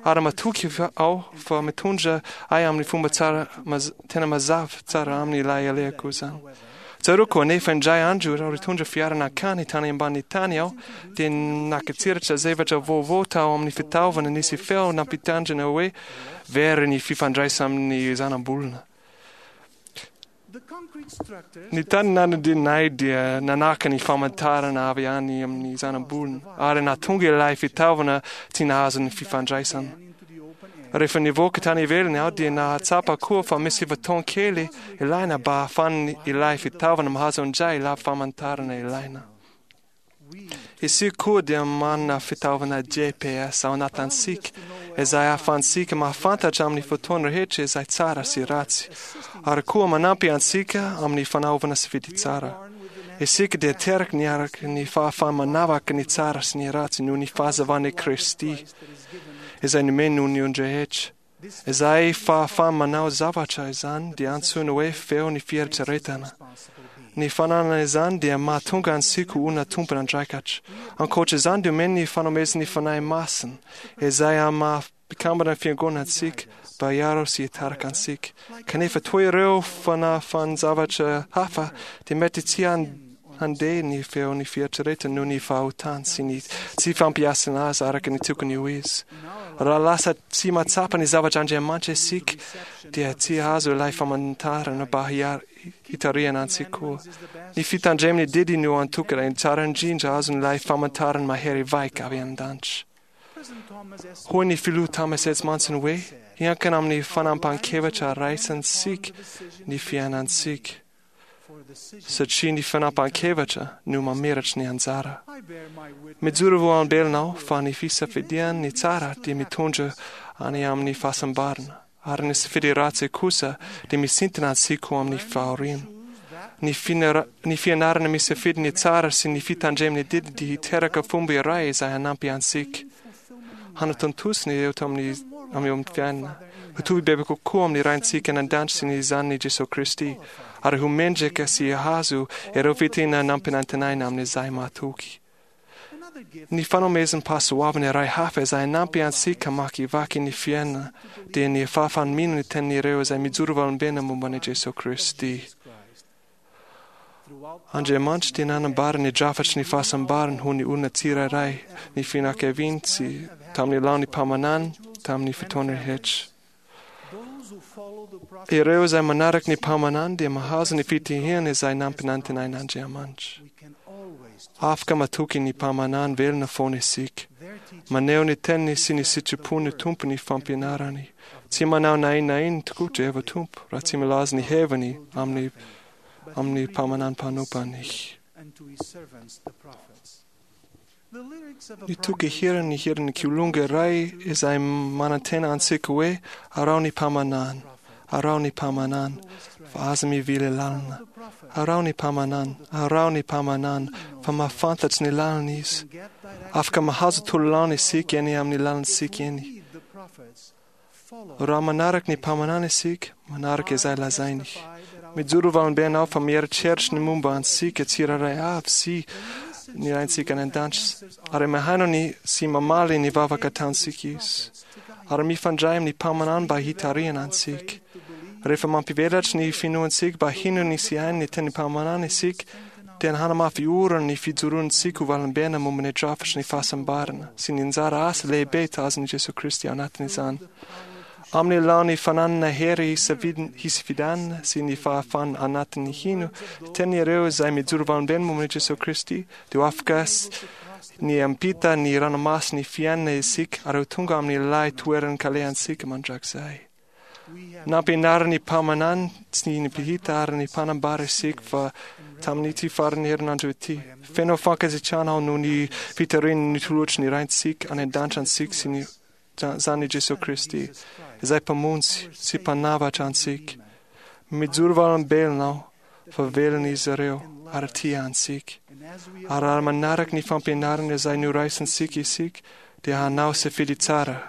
ary matoky aho fa mitondra ahy amin'ny fomba tsara tena mazava tsara amin'ilay alehako izany. Tsaroako anefa indray andro raha nitondra fiara nankany tany ambany tany aho dia nakatsiratra zavatra vaovao tao amin'ny fitaovana nisy feo nampitandrina hoe very ny fifandraisana amin'ny zanabolana. Ny tany nanidinay dia nanaka ny famantarana avy any amin'ny zanabolana ary nahatonga ilay fitaovana tsy nahazo ny fifandraisana. Rehefa nivoaka tany ivelany aho dia nahatsapa koa fa misy fotoana kely ilaina mba ahafahan'ny ilay fitaovana mahazo indray ilay famantarana ilaina. Isika koa dia manana fitaovana G P S ao anatintsika izay ahafahantsika mahafantatra amin'ny fotoana rehetra izay tsara sy ratsy, ary koa manampy antsika amin'ny fanaovana safidy tsara. Isika dia teraka niaraka ny fahafaha-manavaka ny tsara sy ny ratsy noho ny fahazavan'i Kristy izay nomeny noho ny olon-drehetra. Izay fahafaha-manao zavatra izany dia antsoina hoe feo ny fieritreretana. Ny fananana izany dia mahatonga antsika ho olona tompon'andraikitra. Ankoatra izany dia omeny ny fanomezan'ny Fanahy Masina izay maha-mpikambana ny fiangonana antsika mba hiaro sy hitarika antsika. Kanefa toy ireo fanafan-javatra hafa dia mety tsy handeha ny feon'ny fieritreretana noho ny fahotany sy ny tsy fampiasana azy araka ny tokony ho izy. Raha lasa tsy mahatsapa ny zavatra Andriamanitra isika dia tsy hahazo ilay famantarana mba hitarihana antsika koa. Ny fitandreman'ny didy no antoka tsara indrindra azon'ilay famantarana mahery vaika avy an-danitra. Hoy ny filoha Thomas S. Monson hoe hiankina amin'ny fanapahan-kevitra raisintsika ny fiainantsika, satria ny fanapahan-kevitra no mamiratra ny anjara. Mijoro vavolombelona aho fa ny fisafidiana ny tsara dia mitondra any amin'ny fahasambarana, ary ny safidy ratsy kosa dia misintona antsika ho amin'ny fahoriana. Ny fianara-, ny fianarana misafidy ny tsara sy ny fitandreman'ny didy dia hiteraka fomba iray izay hanampy antsika hanatontosa ny eo amin'ny amin'ny fiainana. Hitovy bebe kokoa amin'ny Raintsika any an-danitra sy ny Zanany Jesoa Kristy, ary ho mendrika sy hahazo ireo fitahiana nampanantenaina amin'izay mahatoky. Ny fanomezam-pahasoavana iray hafa izay hanampy antsika hamakivaky ny fiainana dia ny fahafaha-mino ny tenin'ireo izay mijoro vavolombelona momba an'i Jesoa Kristy. Andriamanitra dia nanambara ny drafatry ny fahasambarany ho ny olona tsirairay, ny fianakaviany sy tamin'ny laon'ny mpaminany tamin'ny fotoana rehetra. Ireo izay manaraka ny mpaminany dia mahazo ny fitahiana izay nampanantenain'Andriamanitra. Afaka matoky ny mpaminany velona foana isika. Maneho ny teniny sy ny sitrapon'ny Tompo ny fampianarany. Tsy manao na inona na inona tokoa Jehovah Tompo raha tsy milaza ny heviny amin'ny amin'ny mpaminany mpanompany. Ny toky hirany ny hiran'ny kilonga iray izay manantena antsika hoe araho ny mpaminany, araho ny mpaminany, fa aza mivily lalana. Araho ny mpaminany, araho ny mpaminany, fa mahafantatry ny lalana izy. Afaka mahazo tololana isika eny amin'ny lalantsika eny. Raha manaraka ny mpaminany isika, manaraka izay lazainy. Mijoro vavolombelona aho fa mieritreritra ny momba antsika tsirairay avy sy ny Raintsika any an-danitra, ary mihaino ny sy mamaly ny vavaka ataontsika izy, ary mifandray amin'ny mpaminany mba hitarihana antsika. Rehefa mampivelatra ny finoantsika mba hino ny sy haino ny tenin'ny mpaminany isika, dia hanamafy orina ny fijoroantsika ho vavolombelona momba ny drafitry ny fahasambarana sy ny anjara asa lehibe tazon'i Jesoa Kristy ao anatin'izany. Amin'ny laon'ny fananana hery hisafidianana sy ny fahafahana anatin'ny hino, teny ireo izay mijoro vavolombelona momba an'i Jesoa Kristy dia ho afaka ny hampita ny ranomasin'ny fiainana isika ary ho tonga amin'ilay toeran-kalehantsika mandrakizay. Nampianarin'ny mpaminany sy ny mpihita ary ny mpanambara isika fa tamin'ity faran'ny herinandro ity, feno fankasitrahana aho noho ny fitarihan'ny nitolotry ny Raintsika any an-danitra antsika sy ny Zanany Jesoa Kristy, izay mpamonjy sy mpanavatra antsika. Mijoro vavolombelona aho fa velona izy ireo ary tia antsika. Ary raha manaraka ny fampianarana izay noraisintsika isika, dia hanao safidy tsara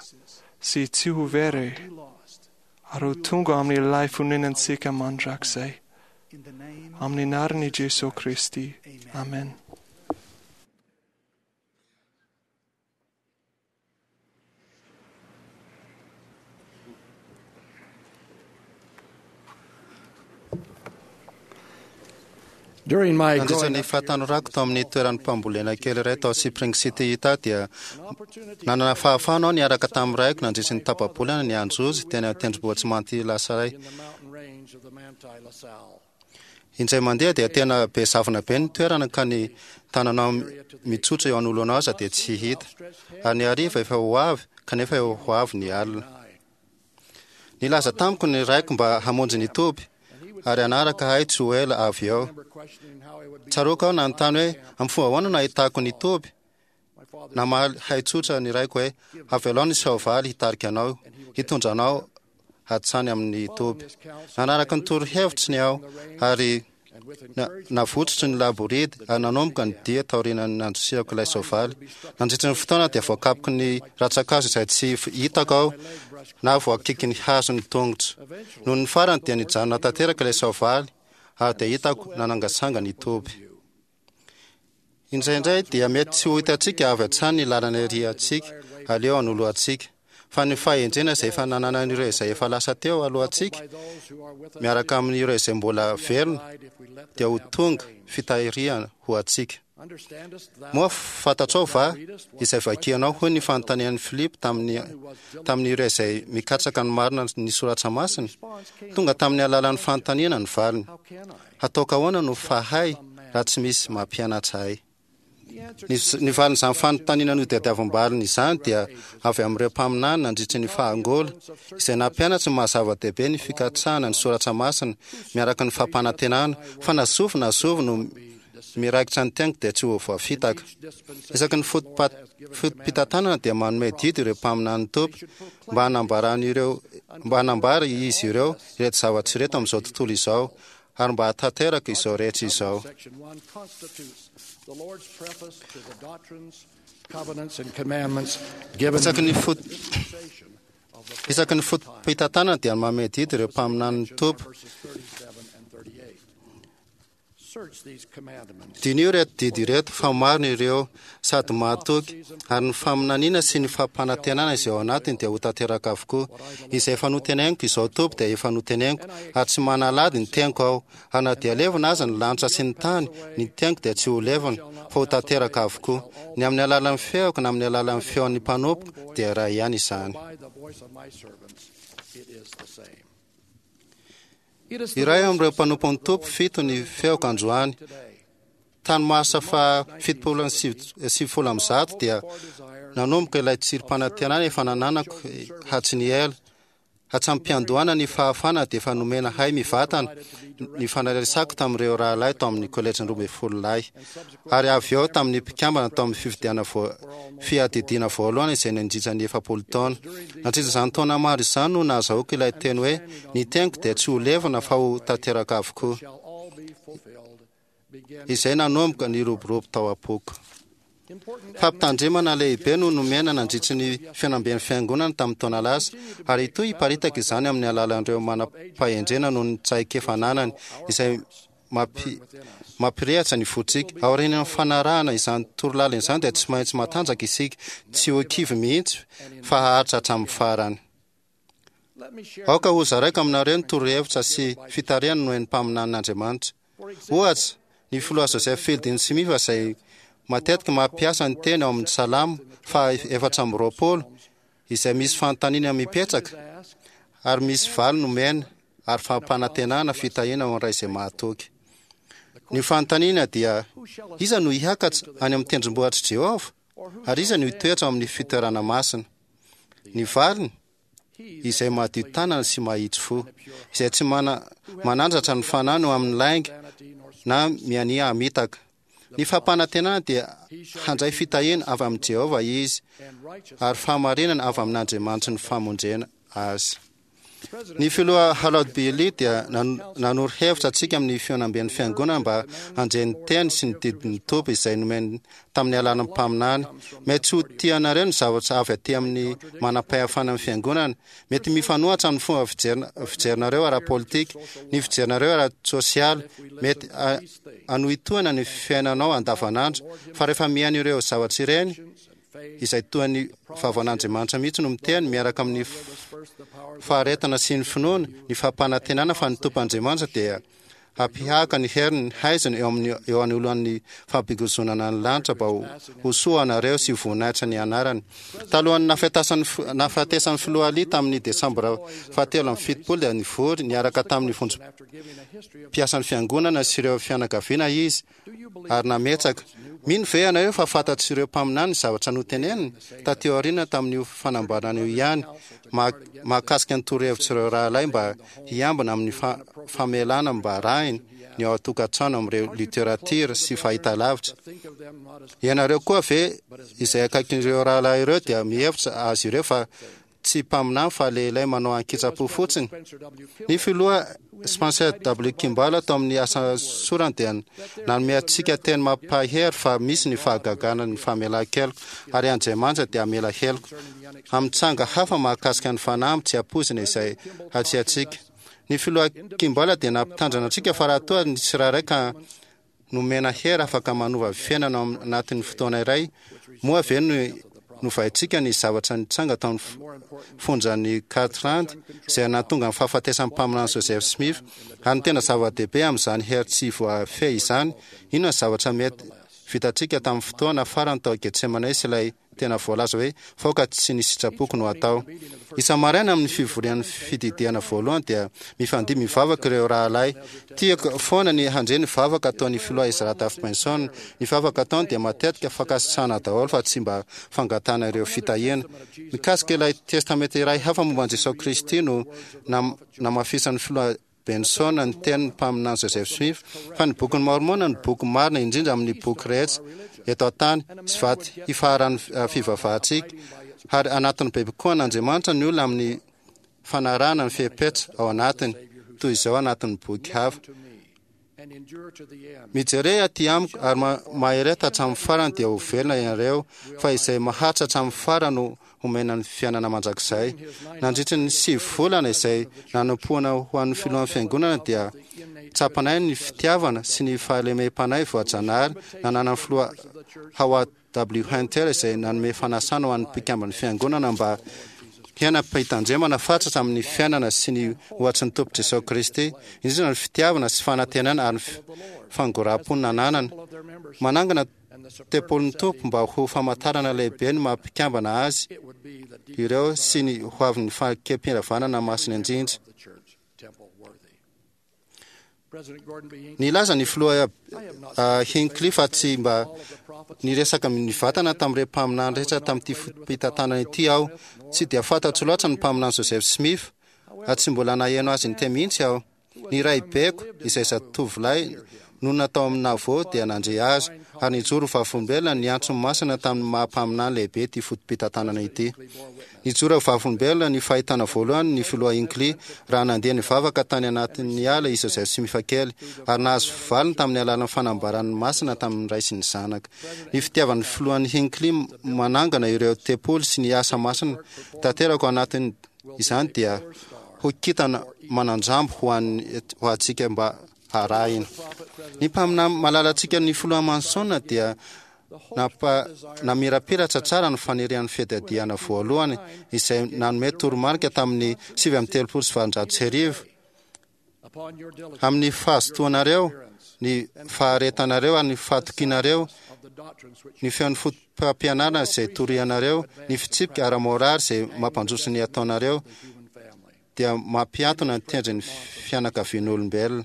sy tsy ho very ary ho tonga amin'ilay fonenantsika mandrakizay. Amin'ny anaran'i Jesoa Kristy. Amen. Nandritra ny fahatanorako tao amin'ny toeran'ny mpambolena kely iray tao Spring City, Utah, dia nanana fahafahana aho niaraka tamin'ny raiko nandritra ny tapa-bolana ny androzy teny an-tendrombohitra Manti Lasaray. Indray mandeha dia tena be zavona be ny toerana ka ny tananao mitsotra eo anoloanao aza dia tsy hita. Ary ny hariva efa ho avy kanefa eo ho avy ny alina. Nilaza tamiko ny raiko mba hamonjy ny toby ary hanaraka ahy tsy ho ela avy eo. Tsaroako aho nanontany hoe amin'ny fomba ahoana no ahitako ny toby? Namaly hay tsotra ny raiko hoe avelao ny soavaly hitarika anao, hitondra anao hatrany amin'ny toby. Nanaraka ny torohevitry ny aho ary navotsotry ny laboridy ary nanomboka ny dia taorian'ny nandosirako ilay soavaly. Nandritra ny fotoana dia voakapoky ny rantsan-kazo izay tsy hitako aho na voakiky ny hazo ny tongotro. Noho ny farany dia nijanona tanteraka ilay soavaly ary dia hitako nanangasanga ny toby. Indraindray dia mety tsy ho hitantsika avy hatrany ny lalana iriantsika aleo anoloantsika, fa ny fahendrena izay efa nananan'ireo izay efa lasa teo alohantsika miaraka amin'ireo izay mbola velona dia ho tonga fitahiriana ho antsika. Moa fantatrao va izay vakianao? Hoy ny fanontanian'i Filipo tamin'ny tamin'ireo izay mikatsaka ny marina ny soratra masina. Tonga tamin'ny alalan'ny fanontaniana ny valiny. Hataoko ahoana no fahay raha tsy misy mampianatra ahy? Ny valin'izany fanontaniana notadiavam-baliny izany dia avy amin'ireo mpaminany nandritry ny fahangola izay nampianatra ny maha-zava-dehibe ny fikatsahana ny soratra masina miaraka ny fampanantenana fa na zovy na zovy no miraikitra ny teniko dia tsy ho voafitaka. Isaky ny foto-pitantanana dia manome didy ireo mpaminany Tompo mba hanambaran'ireo mba hanambara izy ireo ireto zavatra ireto amin'izao tontolo izao ary mba hahatanteraka izao rehetra izao. Isaky ny foto Isaky ny foto-pitantanana dia manome didy ireo mpaminanin'ny Tompo. Diniho ireto didy ireto fa marina ireo sady mahatoky, ary ny faminaniana sy ny fampanantenana izay ao anatiny dia ho tanteraka avokoa. Izay efa noteneniko izao Tompo dia efa noteneniko, ary tsy manalady ny teniko aho. Ary na dia levona aza ny lanitra sy ny tany, ny teniko dia tsy ho levona, fa ho tanteraka avokoa. Ny amin'ny alalan'ny feoko na amin'ny alalan'ny feon'ny mpanompoko dia iray ihany izany. Iray amin'ireo mpanompon'ny Tompo fito ny feoko androany. Tany marsa faha fitopolo sy sivifolo amby zato dia nanomboka ilay tsirim-panantenana efa nananako hatry ny ela. Hatramin'ny-piandohana ny fahafahana dia efa nomena hay mivantana ny fanaresako tamin'ireo rahalahy tao amin'ny kolejin'ny roa ambin'ny folo lahy, ary avy eo tamin'ny mpikambana tao amin'ny fifidianana fiadidiana voalohany izay nandritra ny efapolo taona. Nandritra izany taona maro izany no nahazahoako ilay teny hoe ny teniko dia tsy ho levona fa ho tanteraka avokoa, izay nanomboka niroborobo tao am-poko. Fampitandremana lehibe no nomena nandritry ny fihaonamben'ny fiangonana tamin'ny taona lasa, ary hitohy hiparitaka izany amin'ny alalan'ireo manam-pahendrena noho ny traikefa ananany, izay mampirehatra ny fontsika. Aorian'ny fanarahana izany torolalana izany dia tsy maintsy matanjaka isika, tsy ho kivy mihitsy fa haharitra hatramin'ny farany. Aoka hozaraiko aminareo ny torohevitra sy fitarihana nomen'ny mpaminanin'Andriamanitra. Ohatra, ny filoha Joseph Fielding Smith izay matetika mampiasa ny teny ao amin'ny Salamo faha efatra amby roapolo izay misy fanontaniana mipetraka ary misy valiny omena ary fampanantenana fitahiana ho an'ny ray izay mahatoky. Ny fanontaniana dia, Iza no hiakatra any amin'ny tendrombohitr'i Jehovah? Ary iza no hitoetra ao amin'ny fitoerana masina? Ny valiny, izay madio tanana sy mahitsy fo, izay tsy mana, manandratra ny fanahiny ho amin'ny lainga na miania hamitaka. Ny fampanantenana dia handray fitahiana avy amin'i Jehovah izy, ary fahamarinana avy amin'Andriamanitry ny famonjena azy. Ny filoha Harold B. Lee dia nanoro hevitra antsika amin'ny fihaonamben'ny fiangonana mba handre ny teny sy ny didin'ny Tompo izay nomeny tamin'ny alalan'ny mpaminany. Mety tsy ho tianareo ny zavatra avy aty amin'ny manam-pahefana amin'ny fiangonana. Mety mifanohitra amin'ny fomba fijerinareo ara-politika, ny fijerinareo ara-tsosialy. Mety hanohitohina ny fiainanao andavanandro. Fa rehefa mihaino ireo zavatra ireny, izay toa ny vavan'Andriamanitra mihitsy no miteny miaraka amin'ny faharetana sy ny finoana, ny fampanantenana fa ny Tompo Andriamanitra dia hampihaka ny heriny haizina eo amin'ny eo anoloan'ny fampigozonana ny lanitra mba ho soa anareo sy voninahitra ny anarany. Talohan'ny nahafatesan'ny filoha Ali tamin'ny desambra fahatelo amby fitopolo dia nivory niaraka tamin'ny vondrom-piasan'ny fiangonana sy ireo fianakaviana izy ary nametsaka. Mino ve ianareo fa fantatr'ireo mpaminany ny zavatra noteneniny taty aoriana tamin'io fanambarana io ihany mahakasika ny torohevitr'ireo rahalahy mba hiambina amin'ny famelana mba arahiny ny ao an-tokantrano amin'ireo literatiora sy fahitalavitra? Ianareo koa ve izay akaikin'ireo rahalahy ireo dia mihevitra azy ireo fa tsy mpaminany fa lehilahy manao ankitsa-po fotsiny? Ny filoha Spencer W. Kimball tao amin'ny asa sorany dia nanome antsika teny mampahery fa misy ny fahagagana ny famelan-keloka ary Andriamanitra dia hamela heloka amin'ny tranga hafa mahakasika ny fanamby tsy ampoizina izay hatrehantsika. Ny filoha Kimball dia nampitandrina antsika fa raha toa ny tsirairay ka nomena hery afaka manova fiainana ao anatin'ny fotoana iray, moa ve no novaintsika ny zavatra nitranga tao amin'ny fonjan'i Kirtland izay nahatonga ny fahafatesan'ny mpaminany Joseph Smith? Ary ny tena zava-dehibe amin'izany hery tsy voafehy izany, inona ny zavatra mety vitantsika tamin'ny fotoana farany tao Getsemane sy ilay tena voalaza hoe faoka tsy ny sitrapoko no atao? Isa-maraina amin'ny fivorian'ny fididihana voalohany dia mifandia mivavaka ireo rahalahy. Tiako foana ny handre ny vavaka ataon'ny filoha Ezra Taft Benson. Ny vavaka ataony dia matetika fankasitrahana daholo fa tsy mba fangatahana ireo fitahiana. Mikasika ilay testamenta iray hafa momba an'i Jesoa Kristy no namafisan'ny filoha Benson ny tenin'ny mpaminany Joseph Smith fa ny Bokin'i Môrmôna no boky marina indrindra amin'ny boky rehetra eto an-tany sy vato hifaharan'ny fivavahantsika, ary anatin'ny bebe kokoa an'Andriamanitra ny olona amin'ny fanarahana ny fepetra ao anatiny, toy izao anatin'ny boky hafa. Mijere aty amiko ary mahereta hatramin'ny farany dia ho velona ianareo, fa izay maharitra hatramin'ny farany no homena ny fiainana mandrakizay. Nandritry ny sivy volana izay nanompoana ho an'ny filohan'ny fiangonana dia tsapanay ny fitiavana sy ny fahalemem-panahy voajanahary nananan'ny filoha Howard W. Hunter izay nanome fanasana ho an'ny mpikamban'ny fiangonana mba hiaina am-pitandremana fatratra amin'ny fiainana sy ny ohatry ny Tompo Jesoa Kristy, indrindra ny fitiavana sy fanantenana ary ny fangoraham-po nananany. Manangana tempolin'ny Tompo mba ho famantarana lehibe ny maha mpikambana azy ireo sy ny hoavin'ny fanekem-piravanana masina indrindra. Nilaza ny filoha Hinckley fa tsy mba niresaka nivantana tamin'ireo mpaminany rehetra tamin'ity foto-pitantanana ity aho. Tsy dia fantatro loatra ny mpaminany Joseph Smith, ary tsy mbola naheno azy niteny mihitsy aho. Ny raibeko, izay zatovolahy nonina tao amin'ny Nauvoo, dia nandre azy, ary nijoro ho vavolombelona ny antsony masina tamin'ny maha-mpaminany lehibe ity foto-pitantanana ity. Nijoro ho vavolombelona ny fahitana voalohany ny filoha Hinckley raha nandeha nivavaka tany anatin'ny ala i Joseph Smith kely, ary nahazo valiny tamin'ny alalan'ny fanambarany masina tamin'ny Ray sy ny Zanaka. Ny fitiavan'ny filohan'i Hinckley manangana ireo tempoly sy ny asa masina tanteraka ao anatin' izany dia ho kintana manan-drambo ho an'ny ho antsika mba harahina. Ny mpaminany malalantsika ny filoha Manson dia nampa namirapiratra tsara ny fanirian'ny fiadiadiana voalohany izay nanome toromarika tamin'ny sivy amby telopolo sy valonjato sy arivo amin'ny fahazotoanareo, ny faharetanareo ary ny fahatokianareo, ny feon'ny fotopampianarana izay torianareo, ny fitsipika ara-moraly izay mampandroso ny ataonareo, dia mampiantona ny tendrin'ny fianakavian'olombelona.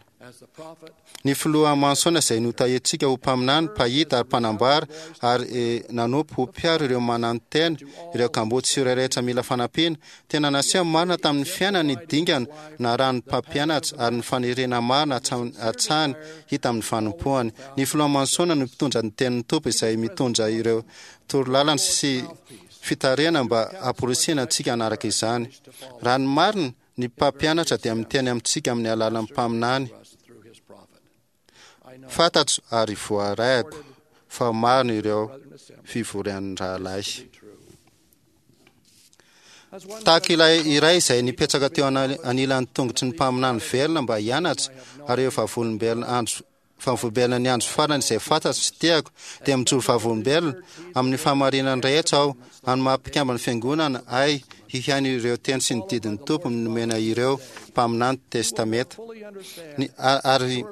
Ny filoha Manson izay notahiantsika ho mpaminany, mpahita ary mpanambara ary nanompo ho mpiaro ireo mananotena, ireo kamboty sy ireo rehetra mila fanampiana, tena naseho marina tamin'ny fiainany ny dingana narahan'ny mpampianatra ary ny faniriana marina hatrany hita amin'ny fanompoany. Ny filoha Manson no mpitondra ny tenin'ny Tompo izay mitondra ireo torolalana sy fitarihana mba hamporisihina antsika hanaraka izany. Raha ny marina, ny mpampianatra dia miteny amintsika amin'ny alalan'ny mpaminany. Fantatro ary voarahiko fa marina ireo fivorian'ny rahalahy. Tahaka ilay iray izay nipetraka teo anilan'ny tongotry ny mpaminany velona mba hianatra, ary ireo vavolombelona andro Vavolombelona ny andro farany izay fantatro sy tiako, dia mijoro vavolombelona amin'ny fahamarinany rehetra aho, amin'ny maha mpikamban'ny Fiangonana ahy, hihaino ireo teny sy ny didin'ny Tompo nomena ireo mpaminany Testamenta. Ny, ary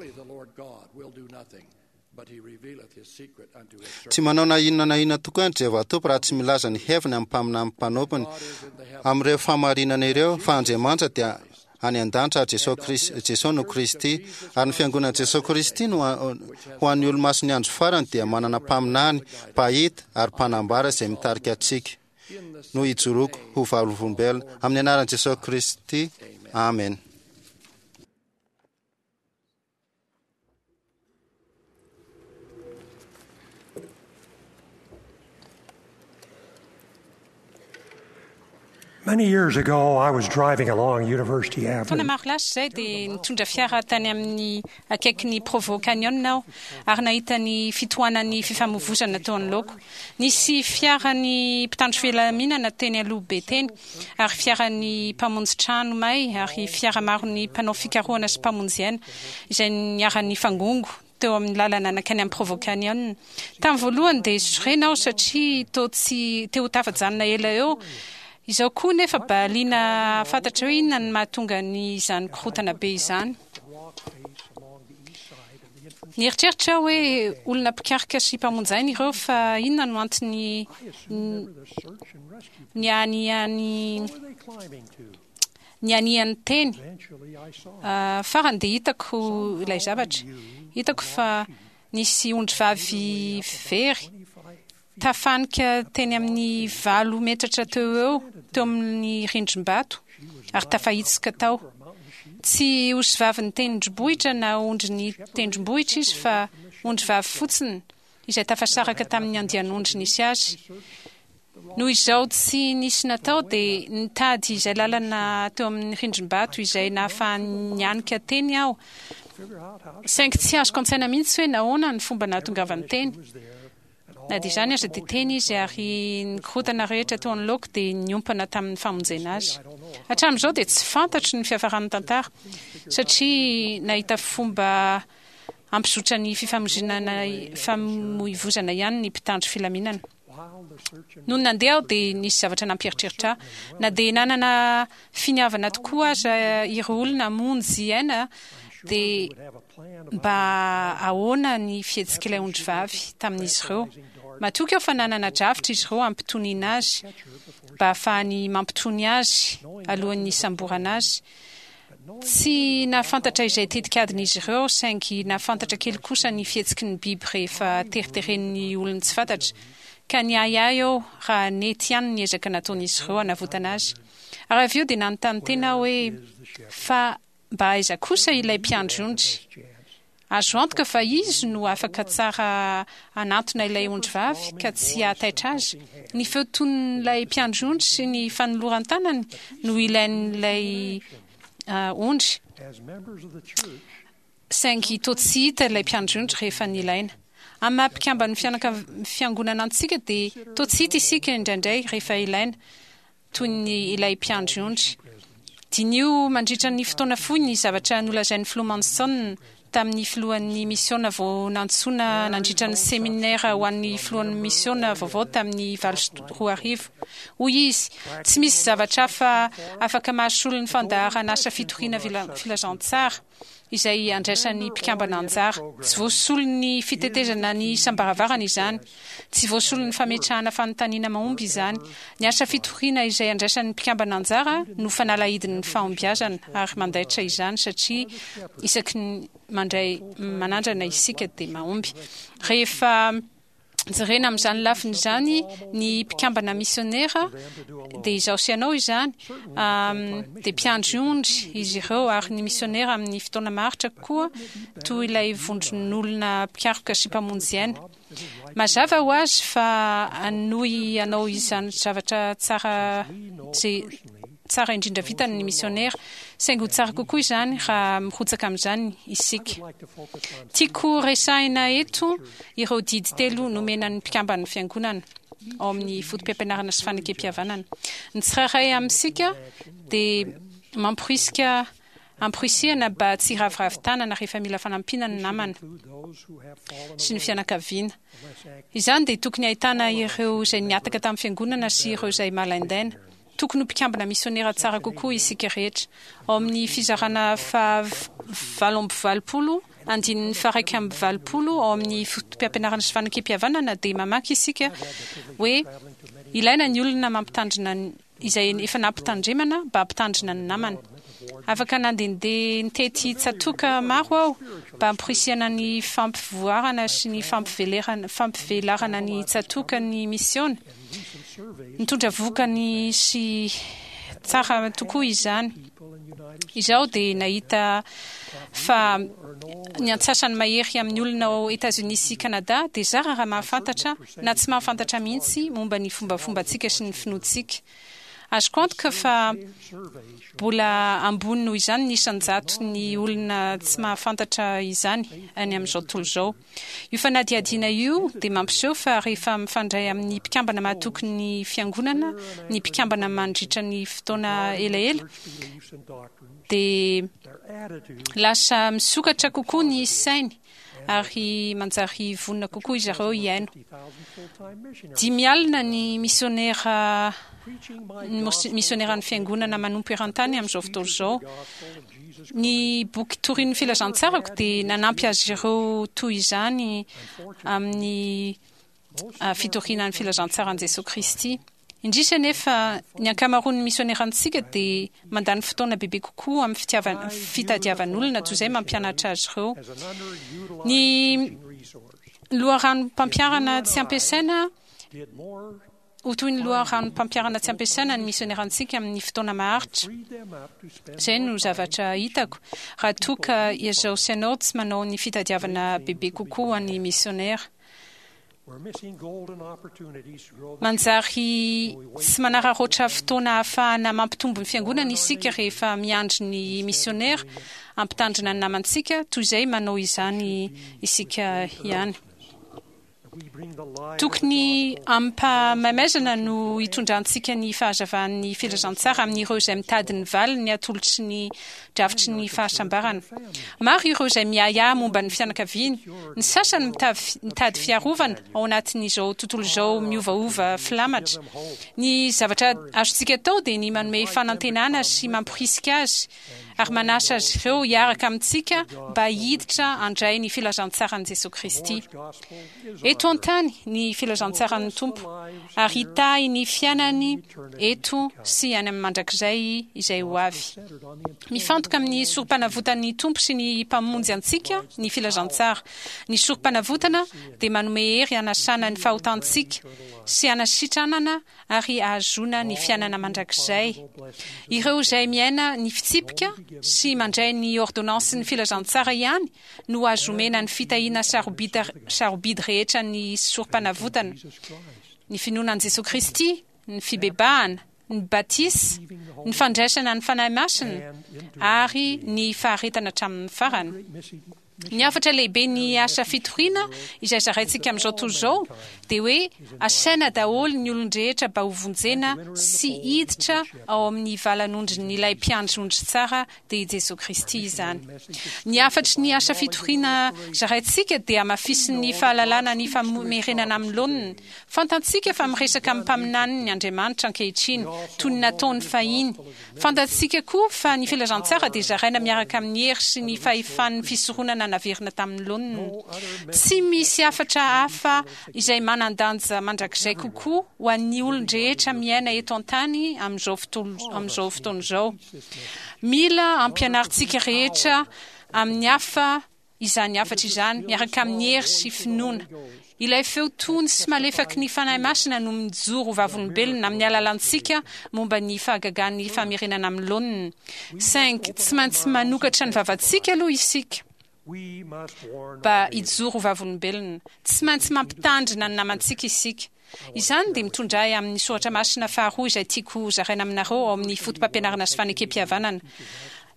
tsy manao na inona na inona tokoa ny Jehovah Tompo raha tsy milaza ny heviny amin'ny mpaminany mpanompony amin'ireo fahamarinana ireo, fa Andriamanitra dia any an-danitra ary Jesosy Kristy, Jesosy no Kristy, ary ny fiangonan'i Jesosy Kristy no ho an'ny olomasin'ny andro farany dia manana mpaminany, mpahita ary mpanambara izay mitarika antsika no hijoroako ho vavolombelona amin'ny anaran'i Jesosy Kristy. Amen. Many years ago, I was driving along University Taona Avenue. maro lasa izay dia nitondra fiara tany amin'ny akaikin'ny Provo Canyon aho ary nahita ny fitohanan'ny fifamoivoizana teo anoloako. Nisy fiaran'ny mpitandro filaminana teny aloha be teny ary fiaran'ny mpamonjy trano may ary fiara maron'ny mpanao fikarohana sy mpamonjy aina izay niharan'ny fangongo teo amin'ny lalana nankany amin'ny Provo Canyon. Tamin'ny voalohany dia sorena aho satria tô tsy te ho tafajanona ela eo. Izao koa nefa mba liana fantatra hoe inona no mahatonga ny izany korontana be izany. Nieritreritra aho hoe olona mpikaroka sy mpamonjy aina ireo, fa inona no antony ny aniany ny aniany teny. Farany dia hitako ilay zavatra. Hitako fa nisy ondrivavy very tafanika teny amin'ny valo metatra teo eo teo amin'ny rindrim-bato ary tafahitsoka tao. Tsy osivavy ny tendrombohitra na ondry ny tendrombohitra izy fa ondrivavy fotsiny izay tafasaraka tamin'ny andian'ondry nisy azy. Noho izao tsy nisy natao dia nitady izay lalana teo amin'ny rindrim-bato izay nahafahany nianika teny aho. Saingy tsy azoko an-tsaina mihitsy hoe nahoana ny fomba nahatongavany teny. Na dia izany aza dia teny izy ary ny korontana rehetra teo anoloako dia niompana tamin'ny famonjena azy. Hatramin'izao dia tsy fantatro ny fiafaran'ny tantara satria nahita fomba hampizotra ny fifamoizinana famoivozana ihany ny mpitandro filaminana. Nony nandeha aho dia nisy zavatra nampieritreritra ahy. Na dia nanana finiavana tokoa aza ireo olona hamonjy aina dia mba ahoana ny fihetsik'ilay ondrivavy tamin'izy ireo. Matoky aho fa nanana drafitra izy ireo hampitoniana azy mba hahafahany mampitony azy alohan'ny hisamborana azy. Tsy nahafantatra izay tetikadin'izy ireo saingy nahafantatra kely kosa ny fihetsiky ny biby rehefa teriteren'ny olony tsy fantatra. Ka niahiahy aho raha nety ihany ny ezaka nataon'izy ireo hanavotana azy. Ary avy eo dia nanontany tena aho hoe fa mba aiza kosa ilay mpiandry ondry? Azo antoka fa izy no afaka tsara hanantona ilay ondrivavy ka tsy hahataitra azy. Ny feo ton'ilay mpiandry ondry sy ny fanoloran-tanany no ilain'ilay ondry. Saingy toa tsy hita ilay mpiandry ondry rehefa nilaina. Amin'ny maha mpikamban'ny fianaka- fiangonana antsika dia toa tsy hita isika indraindray rehefa ilaina, toy ny ilay mpiandry ondry. Diniho mandritra ny fotoana fohy ny zavatra nolazain'ny filoha Monson tamin'ny filohan'ny misiona vao nantsoina nandritra ny seminera ho an'ny filohan'ny misiona vaovao tamin'ny valo sy roa arivo. Hoy izy, tsy misy zavatra hafa afaka mahasolo ny fandaharan'asa fitoriana filazantsara izay andraisan'ny mpikambana anjara. Tsy voasolon'ny fitetezana ny isam-baravarana izany. Tsy voasolon'ny fametrahana fanontaniana mahomby izany. Ny asa fitoriana izay andraisan'ny mpikambana anjara no fanalahidin'ny fahombiazana ary mandaitra izany satria isaky ny mandray manandrana isika dia mahomby. Rehefa jerena amin'izany lafiny izany ny mpikambana misionera dia izaho sy ianao izany, dia mpiandry ondry izy ireo ary ny misionera amin'ny fotoana maharitra koa toy ilay vondron'olona mpikaroka sy mpamonjy aina. Mazava ho azy fa hanohy hanao izany zavatra tsara izay tsara indrindra vitany ny misionera, saingy ho tsara kokoa izany raha mirotsaka amin'izany isika. Tiako resahina eto ireo didy telo nomena ny mpikamban'ny fiangonana ao amin'ny foto-pampianarana sy fanekempihavanana. Ny tsirairay amintsika dia mamporisika amporisihana mba tsy hiraviravy tanana rehefa mila fanampiana ny namana sy ny fianakaviana. Izany dia tokony ahitana ireo izay nihataka tamin'ny fiangonana sy ireo izay malaindaina. Tokony ho mpikambana misionera tsara kokoa isika rehetra. Ao amin'ny fizarana fahavalo amby valopolo, andininy faha-iraika amby valopolo, ao amin'ny foto-pampianarana sy fanekem-pihavanana dia mamaky isika hoe ilaina ny olona mampitandrina izay efa nampitandremana mba hampitandrina ny namany. Afaka nandehandeha nitety tsatòka maro aho mba hamporisihana ny fampivoarana sy ny fampivelarana ny tsatòka ny misiona. Nitondra vokany sy tsara tokoa izany. Izaho dia nahita fa ny antsasany mahery amin'ny olona ao Etazonia sy Kanada dia zara raha mahafantatra na tsy mahafantatra mihitsy momba ny fombafombantsika sy ny finoantsika. Azoko antoka fa mbola ambony noho izany ny isan-jato ny olona tsy mahafantatra izany any amin'izao tontolo izao. Io fanadihadiana io dia mampiseho fa rehefa mifandray amin'ny mpikambana mahatoky ny fiangonana ny mpikambana mandritra ny fotoana elaela dia lasa misokatra kokoa ny sainy ary manjary vonona kokoa izy ireo hihaino. Dimy alina ny misionera misioneran'ny fiangonana manompo eran-tany amin'izao fotoana izao. Ny boky torian'ny filazantsarako dia nanampy azy ireo toy izany amin'ny fitoriana ny filazantsaran'i Jesosy Kristy. Indrisy anefa ny ankamaroan'ny misionerantsika dia mandany fotoana bebe kokoa amin'ny fitiavana fitadiavan'olona toy izay mampianatra azy ireo. Ny loharanom-pampianarana tsy ampiasaina ho toy ny loharanom-pampianarana tsy ampiasaina ny misionerantsika amin'ny fotoana maharitra. Izay no zavatra hitako raha toa ka izaho sy ianao tsy manao ny fitadiavana bebe kokoa ny misionera. Manjary tsy manararaotra fotoana ahafahana mampitombo ny fiangonana isika rehefa miandry ny misionera hampitandrina ny namantsika toy izay manao izany isika ihany. Tokony amim-pahamaizana no hitondrantsika ny fahazavan'ny filazantsara amin'ireo izay mitady ny valiny atolotry ny drafitry ny fahasambarana. Maro ireo izay miahiahy momba ny fianakaviany, ny sasany mitady fiarovana ao anatin'izao tontolo izao miovaova filamatra. Ny zavatra azontsika atao dia ny manome fanantenana sy mamporisika azy ary manasa azy ireo hiaraka amintsika mba hiditra handray ny filazantsaran'i Jesosy Kristy. Eto an-tany ny filazantsaran'ny Tompo ary hitahy ny fiainany eto sy any amin'ny mandrakizay izay ho avy. Mifantoka amin'ny sorom-panavotan'ny Tompo sy ny Mpamonjy antsika ny filazantsara. Ny sorom-panavotana dia manome hery hanasana ny fahotantsika sy hanasitranana ary ahazoana ny fiainana mandrakizay. Ireo izay miaina ny fitsipika sy mandray ny ordonnansin'ny filazantsara ihany no azo omena ny fitahiana sarobidy rehetra ny sorom-panavotana, ny finoana an'i Jesosy Kristy, ny fibebahana, ny batisa, ny fandraisana ny Fanahy Masina ary ny faharetana hatramin'ny farany. Ny hafatra lehibe ny asa fitoriana izay zaraintsika amin'izao tontolo izao dia hoe asaina daholo ny olon-drehetra mba ho vonjena sy hiditra ao amin'ny valan'ondrin'ilay mpiandry ondry tsara dia i Jesosy Kristy izany. Ny hafatry ny asa fitoriana zaraintsika dia hamafisin'ny fahalalana ny famerenana amin'ny laoniny. Fantatsika fa miresaka amin'ny mpaminaniny Andriamanitra ankehitriny toy ny nataony fahiny. Fantatsika koa fa ny filazantsara dia zaraina miaraka amin'ny hery sy ny fahefan'ny fisoronana naverina tamin'ny laoniny. Tsy misy hafatra hafa izay manan-danja mandrakizay kokoa ho an'ny olon-drehetra miaina eto an-tany amin'izao amin'izao fotoana izao. Mila ampianarintsika rehetra amin'ny hafa izany hafatra izany miaraka amin'ny hery sy finoana. Ilay feo tony sy malefaky ny Fanahy Masina no mijoro ho vavolombelona amin'ny alalantsika momba ny fahagagan'ny famerenana amin'ny laoniny. Saingy tsy maintsy manokatra ny vavantsika aloha isika mba hijoro ho vavolombelona. Tsy maintsy mampitandrina ny namantsika isika. Izany dia mitondra ahy amin'ny soratra masina faharoa izay tiako zaraina aminareo ao amin'ny foto-pampianarana sy fanekem-pihavanana.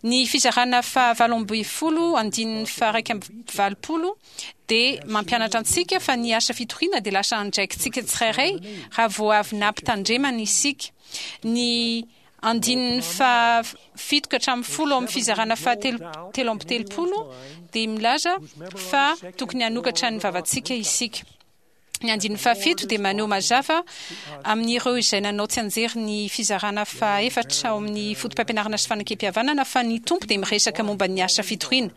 Ny fizarana fahavalo ambin'ny folo andininy faha-iraika amby valopolo dia mampianatra antsika fa ny asa fitoriana dia lasa andraikitsika tsirairay raha vao avy nampitandremana isika. Ny andininy fahafito ka hatramin'ny folo ao amin'ny fizarana fahatelo telo amby telopolo dia milaza fa tokony hanokatra ny vavantsika isika. Ny andininy fahafito dia maneho mazava amin'ireo izay nanao tsianjery ny fizarana fahaefatra ao amin'ny foto-pampianarana sy fanekem-pihavanana fa ny Tompo dia miresaka momba ny asa fitoriana.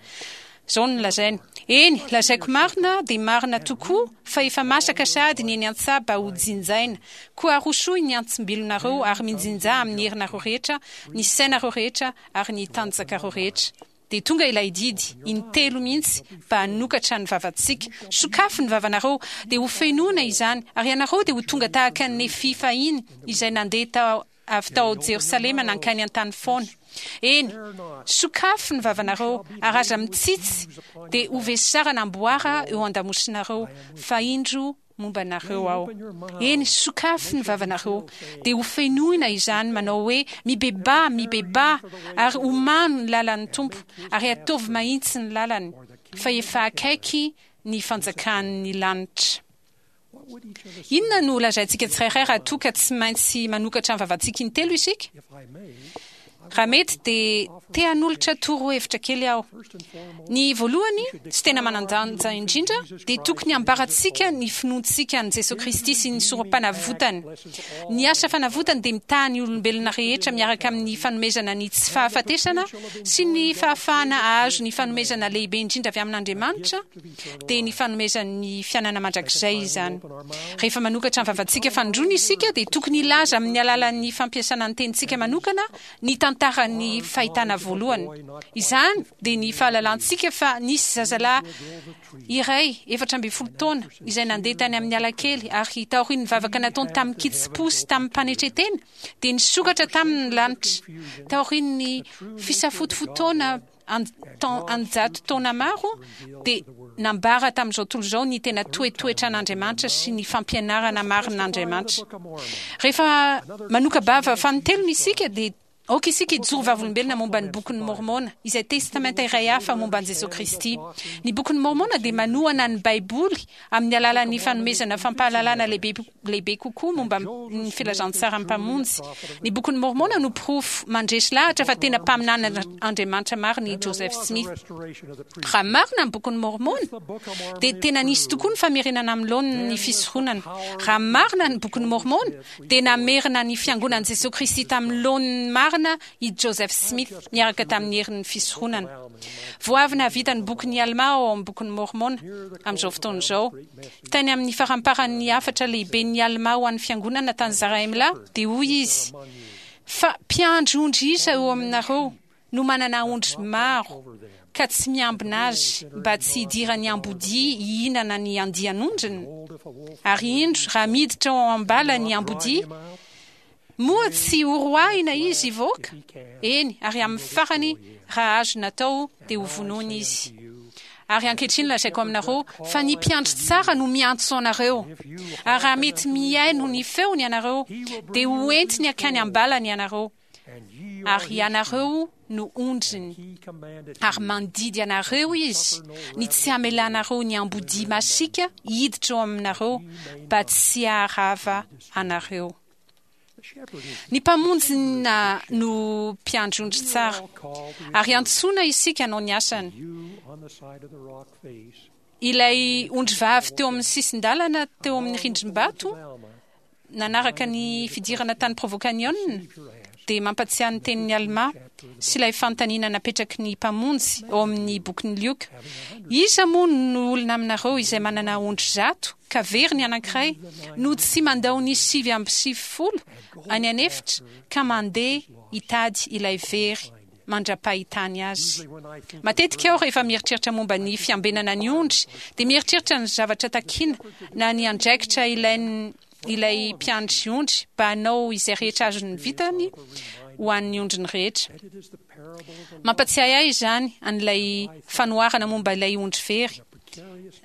Izao no lazainy: "Eny, lazaiko marina dia marina tokoa fa efa masaka sahady ny eny an-tsaha mba ho jinjaina. Koa arosoy ny antsim-bilonareo ary mijinjà amin'ny herinareo rehetra, ny sainareo rehetra ary ny tanjakareo rehetra." Dia tonga ilay didy, intelo mihitsy, mba hanokatra ny vavantsika. Sokafy ny vavanareo, dia ho fenoina izany, ary ianareo dia ho tonga tahaka an'i Nefia fahiny izay nandeha tao avy tao Jerosalema nankany an-tany foana. Eny, sokafy ny vavanareo, ary aza mitsitsy, dia ho vesarana amboara eo an-damosinareo, fa indro momba anareo aho. Eny, sokafy ny vavanareo, dia ho fenoina izany, manao hoe, Mibebaha, mibebaha, ary omano ny lalan'ny Tompo, ary ataovy mahitsy ny lalany, fa efa akaiky ny fanjakan'ny lanitra. Inona no holazaintsika tsirairay raha toa ka tsy maintsy manokatra ny vavantsika intelo isika? Raha mety dia te hanolotra torohevitra kely aho. Ny voalohany, sy tena manan-danja indrindra, dia tokony hambarantsika ny finoantsika an'i Jesoa Kristy sy ny Sorompanavotany. Ny asa fanavotany dia mitaha ny olombelona rehetra miaraka amin'ny fanomezana ny tsy fahafatesana sy ny fahafahana hahazo ny fanomezana lehibe indrindra avy amin'Andriamanitra, dia ny fanomezan'ny fiainana mandrakizay izany. Rehefa manokatra ny vavantsika fanindroany isika, dia tokony hilaza amin'ny alalan'ny fampiasana ny tenintsika manokana ny tantaran'ny fahitana voalohany. Izany dia ny fahalalantsika fa nisy zazalahy iray efatra ambin'ny folo taona izay nandeha tany amin'ny ala kely ary taorian'ny vavaka nataony tamin-kitsim-po sy tamim-panetren-tena dia nisokatra taminy ny lanitra. Taorian'ny fisafotofotoana an-jato taona maro dia nambara tamin'izao tontolo izao ny tena toetoetran'Andriamanitra sy ny fampianarana marin'Andriamanitra. Rehefa manoka-bava fanintelony isika dia aoka isika hijoro vavolombelona momba ny Bokin'i Môrmôna, izay testamenta iray hafa momba an'i Jesoa Kristy. Ny Bokin'i Môrmôna dia manohana ny Baiboly amin'ny alalan'ny fanomezana fampahalalana lehibe lehibe kokoa momba ny filazantsaran'ny Mpamonjy. Ny Bokin'i Môrmôna no porofo mandresy lahatra fa tena mpaminanin'Andriamanitra marina i Joseph Smith. Raha marina ny Bokin'i Môrmôna, dia tena nisy tokoa ny famerenana amin'ny laoniny ny fisoronana. Raha marina ny Bokin'i Môrmôna, dia namerina ny Fiangonan'i Jesoa Kristy tamin'ny laoniny marina i Joseph Smith niaraka tamin'ny herin'ny fisoronana. Vao avy nahavita ny bokin'i Almà ao amin'ny Bokin'i Môrmôna amin'izao fotoana izao. Tany amin'ny faramparan'ny hafatra lehiben'i Almà ho an'ny fiangonana tany Zarahemlà, dia hoy izy, Fa mpiandry ondry iza eo aminareo no manana ondry maro, ka tsy miambina azy mba tsy hidiran'ny ambodia hihinana ny andian'ondriny? Ary indro, raha miditra ao am-bala ny ambodia, moa tsy horoahina izy hivoaka? Eny, ary amin'ny farany, raha azo natao, dia hovonoina izy. Ary ankehitriny lazaiko aminareo fa ny mpiandry tsara no miantso anareo. Ary raha mety mihaino ny feony ianareo, dia ho entiny hankany am-balany ianareo, ary ianareo no ondriny. Ary mandidy anareo izy ny tsy hamelanareo ny ambodia masiaka hiditra ao aminareo, mba tsy haharava anareo. Ny Mpamonjy na no mpiandry ondry tsara, ary antsoina isika hanao ny asany. Ilay ondrivavy teo amin'ny sisin-dalana teo amin'ny rindrim-bato nanaraka ny fidirana tany Provo Canyon dia mampatsiahy ny tenin'i Almà sy ilay fanontaniana napetraky ny Mpamonjy ao amin'ny bokin'i Lioka, Iza moa no olona aminareo izay manana ondry zato, ka very ny anankiray, no tsy mandao ny sivy amby sivifolo any an'efitra ka mandeha hitady ilay very mandra-pahitany azy? Matetika aho rehefa mieritreritra momba ny fiambenana ny ondry dia mieritreritra ny zavatra takiana na ny andraikitra ilain'ny ilay mpiandry ondry mba hanao izay rehetra azony vitany ho an'ny ondriny rehetra. Mampatsiahy ahy izany an'ilay fanoharana momba ilay ondry very,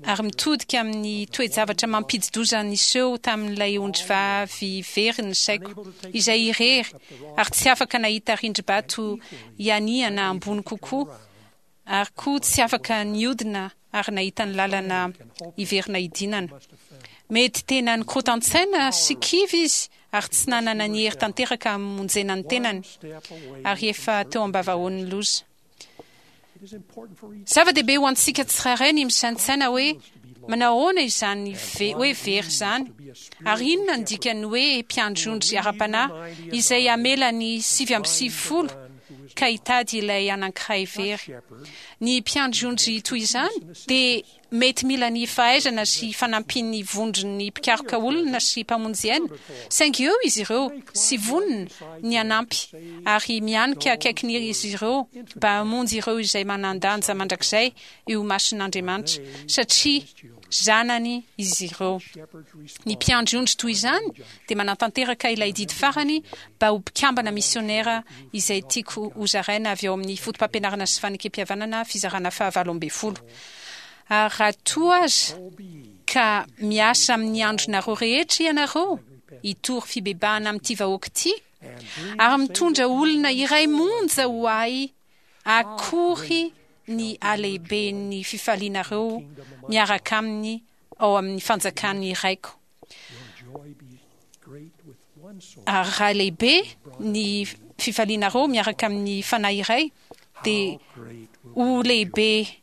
ary mitodika amin'ny toe-javatra mampidi-doza niseho tamin'ilay ondrivavy very ny saiko, izay irery ary tsy afaka nahita rindrim-bato hianihana ambony kokoa, ary koa tsy afaka nihodina ary nahita ny lalana hiverina hidinana. Mety tena nikorotan-tsaina sy kivy izy ary tsy nanana ny hery tanteraka hamonjena ny tenany, ary efa teo am-bavahoan'ny loza. Zava-dehibe ho antsika tsirairay ny misaintsaina hoe manao ahoana izany ve hoe very izany, ary inona ny dikany hoe mpiandry ondry ara-panahy izay hamela ny sivy amby sivifolo ka hitady ilay anankiray very. Ny mpiandry ondry toy izany dia mety mila ny fahaizana sy fanampian'ny vondron'ny mpikaroka olona sy mpamonjy aina, saingy eo izy ireo sy vonona ny hanampy ary mianika akaikin'izy ireo mba hamonjy ireo izay manan-danja mandrakizay eo imason'Andriamanitra, satria zanany izy ireo. Ny mpiandry ondry toy izany dia manatanteraka ilay didy farany mba ho mpikambana misionera izay tiako hozaraina avy ao amin'ny foto-pampianarana sy fanekem-pihavanana fizarana fahavalo ambin'ny folo. Ary raha toa aza ka miasa amin'ny andronareo rehetra ianareo hitory fibebahana amin'ity vahoaka ity, ary mitondra olona iray monja ho ahy, akory ny halehiben'ny fifalianareo miaraka aminy ao amin'ny fanjakan'ny Raiko. Ary raha lehibe ny fifalianareo miaraka amin'ny fanahy iray, dia ho lehibe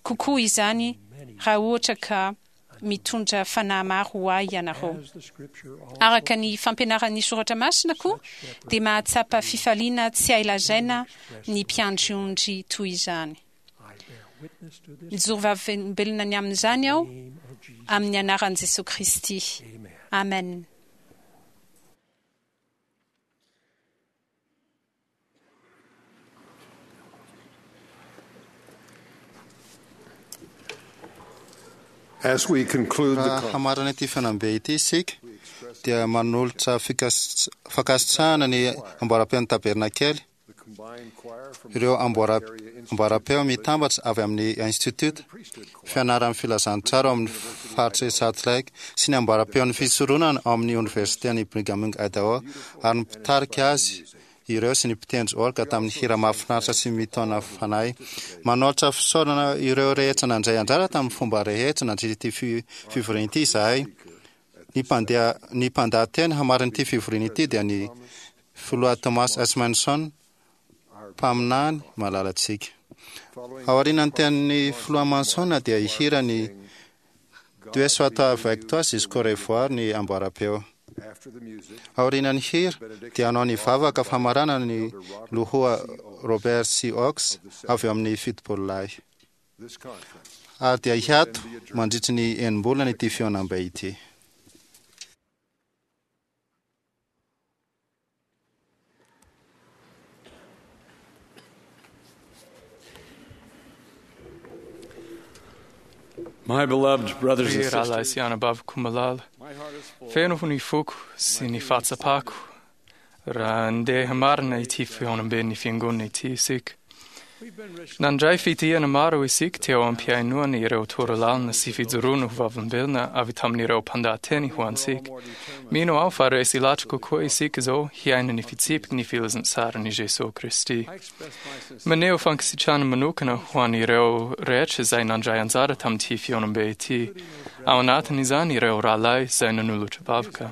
kokoa izany raha ohatra ka mitondra fanahy maro ho ahy ianareo. Araka ny fampianaran'ny soratra masina koa dia mahatsapa fifaliana tsy hay lazaina ny mpiandry ondry toy izany. Mijoro vavolombelona ny amin'izany aho amin'ny anaran'i Jesosy Kristy. Amen. As we conclude the Raha hamarana ity fanambe ity isika dia manolotra fikas- fankasitrahana ny amboaram-peon'ny tabernakely, ireo amboara- amboaram-peo mitambatra avy amin'ny institut fianaran'ny filazantsara ao amin'ny faritra Salt Lake sy ny amboaram-peon'ny fisoronana ao amin'ny oniversiten'i Brigham Young Idaho, ary ny mpitarika azy ireo sy ny mpitendry orga tamin'ny hira mahafinaritra sy mitaona fanahy. Manolotra fisaorana ireo rehetra nandray anjara tamin'ny fomba rehetra nandritra ity fi- fivoriana ity izahay. Ny mpandeha ny mpandahateny hamarin'ity fivoriana ity dia ny filoha Thomas S. Monson, mpaminany malalantsika. Aorian'ny tenin'ny filoha Monson dia hihira ny Dieu soit avec toi jusqu'au revoir ny amboaram-peo. Aorian'ny hira dia hanao ny vavaka famaranana ny loha Robert C. Oaks avy eo amin'ny fitopolo lahy. Ary dia hiato mandritry ny enim-bolana ity fihaonambe ity. My beloved brothers and Ry rahalahy sisters, sy anabaviko malala, feno ny foko sy ny fahatsapako raha ndeha marina ity fihaonamben'ny fiangonana ity isika. Nandray fitahiana maro isika teo am-pihainoana ireo torolalana sy fijoroana ho vavolombelona avy tamin'ireo mpandahateny ho antsika. Mino aho fa resy lahatra kokoa isika izao hiaina ny fitsipiky ny filazantsaran'i Jesosy Kristy. Maneho fankasitrahana manokana ho an'ireo rehetra izay nandray anjara tamin'ity fihaonambe ity. Ao anatin'izany ireo rahalahy izay nanolotra vavaka.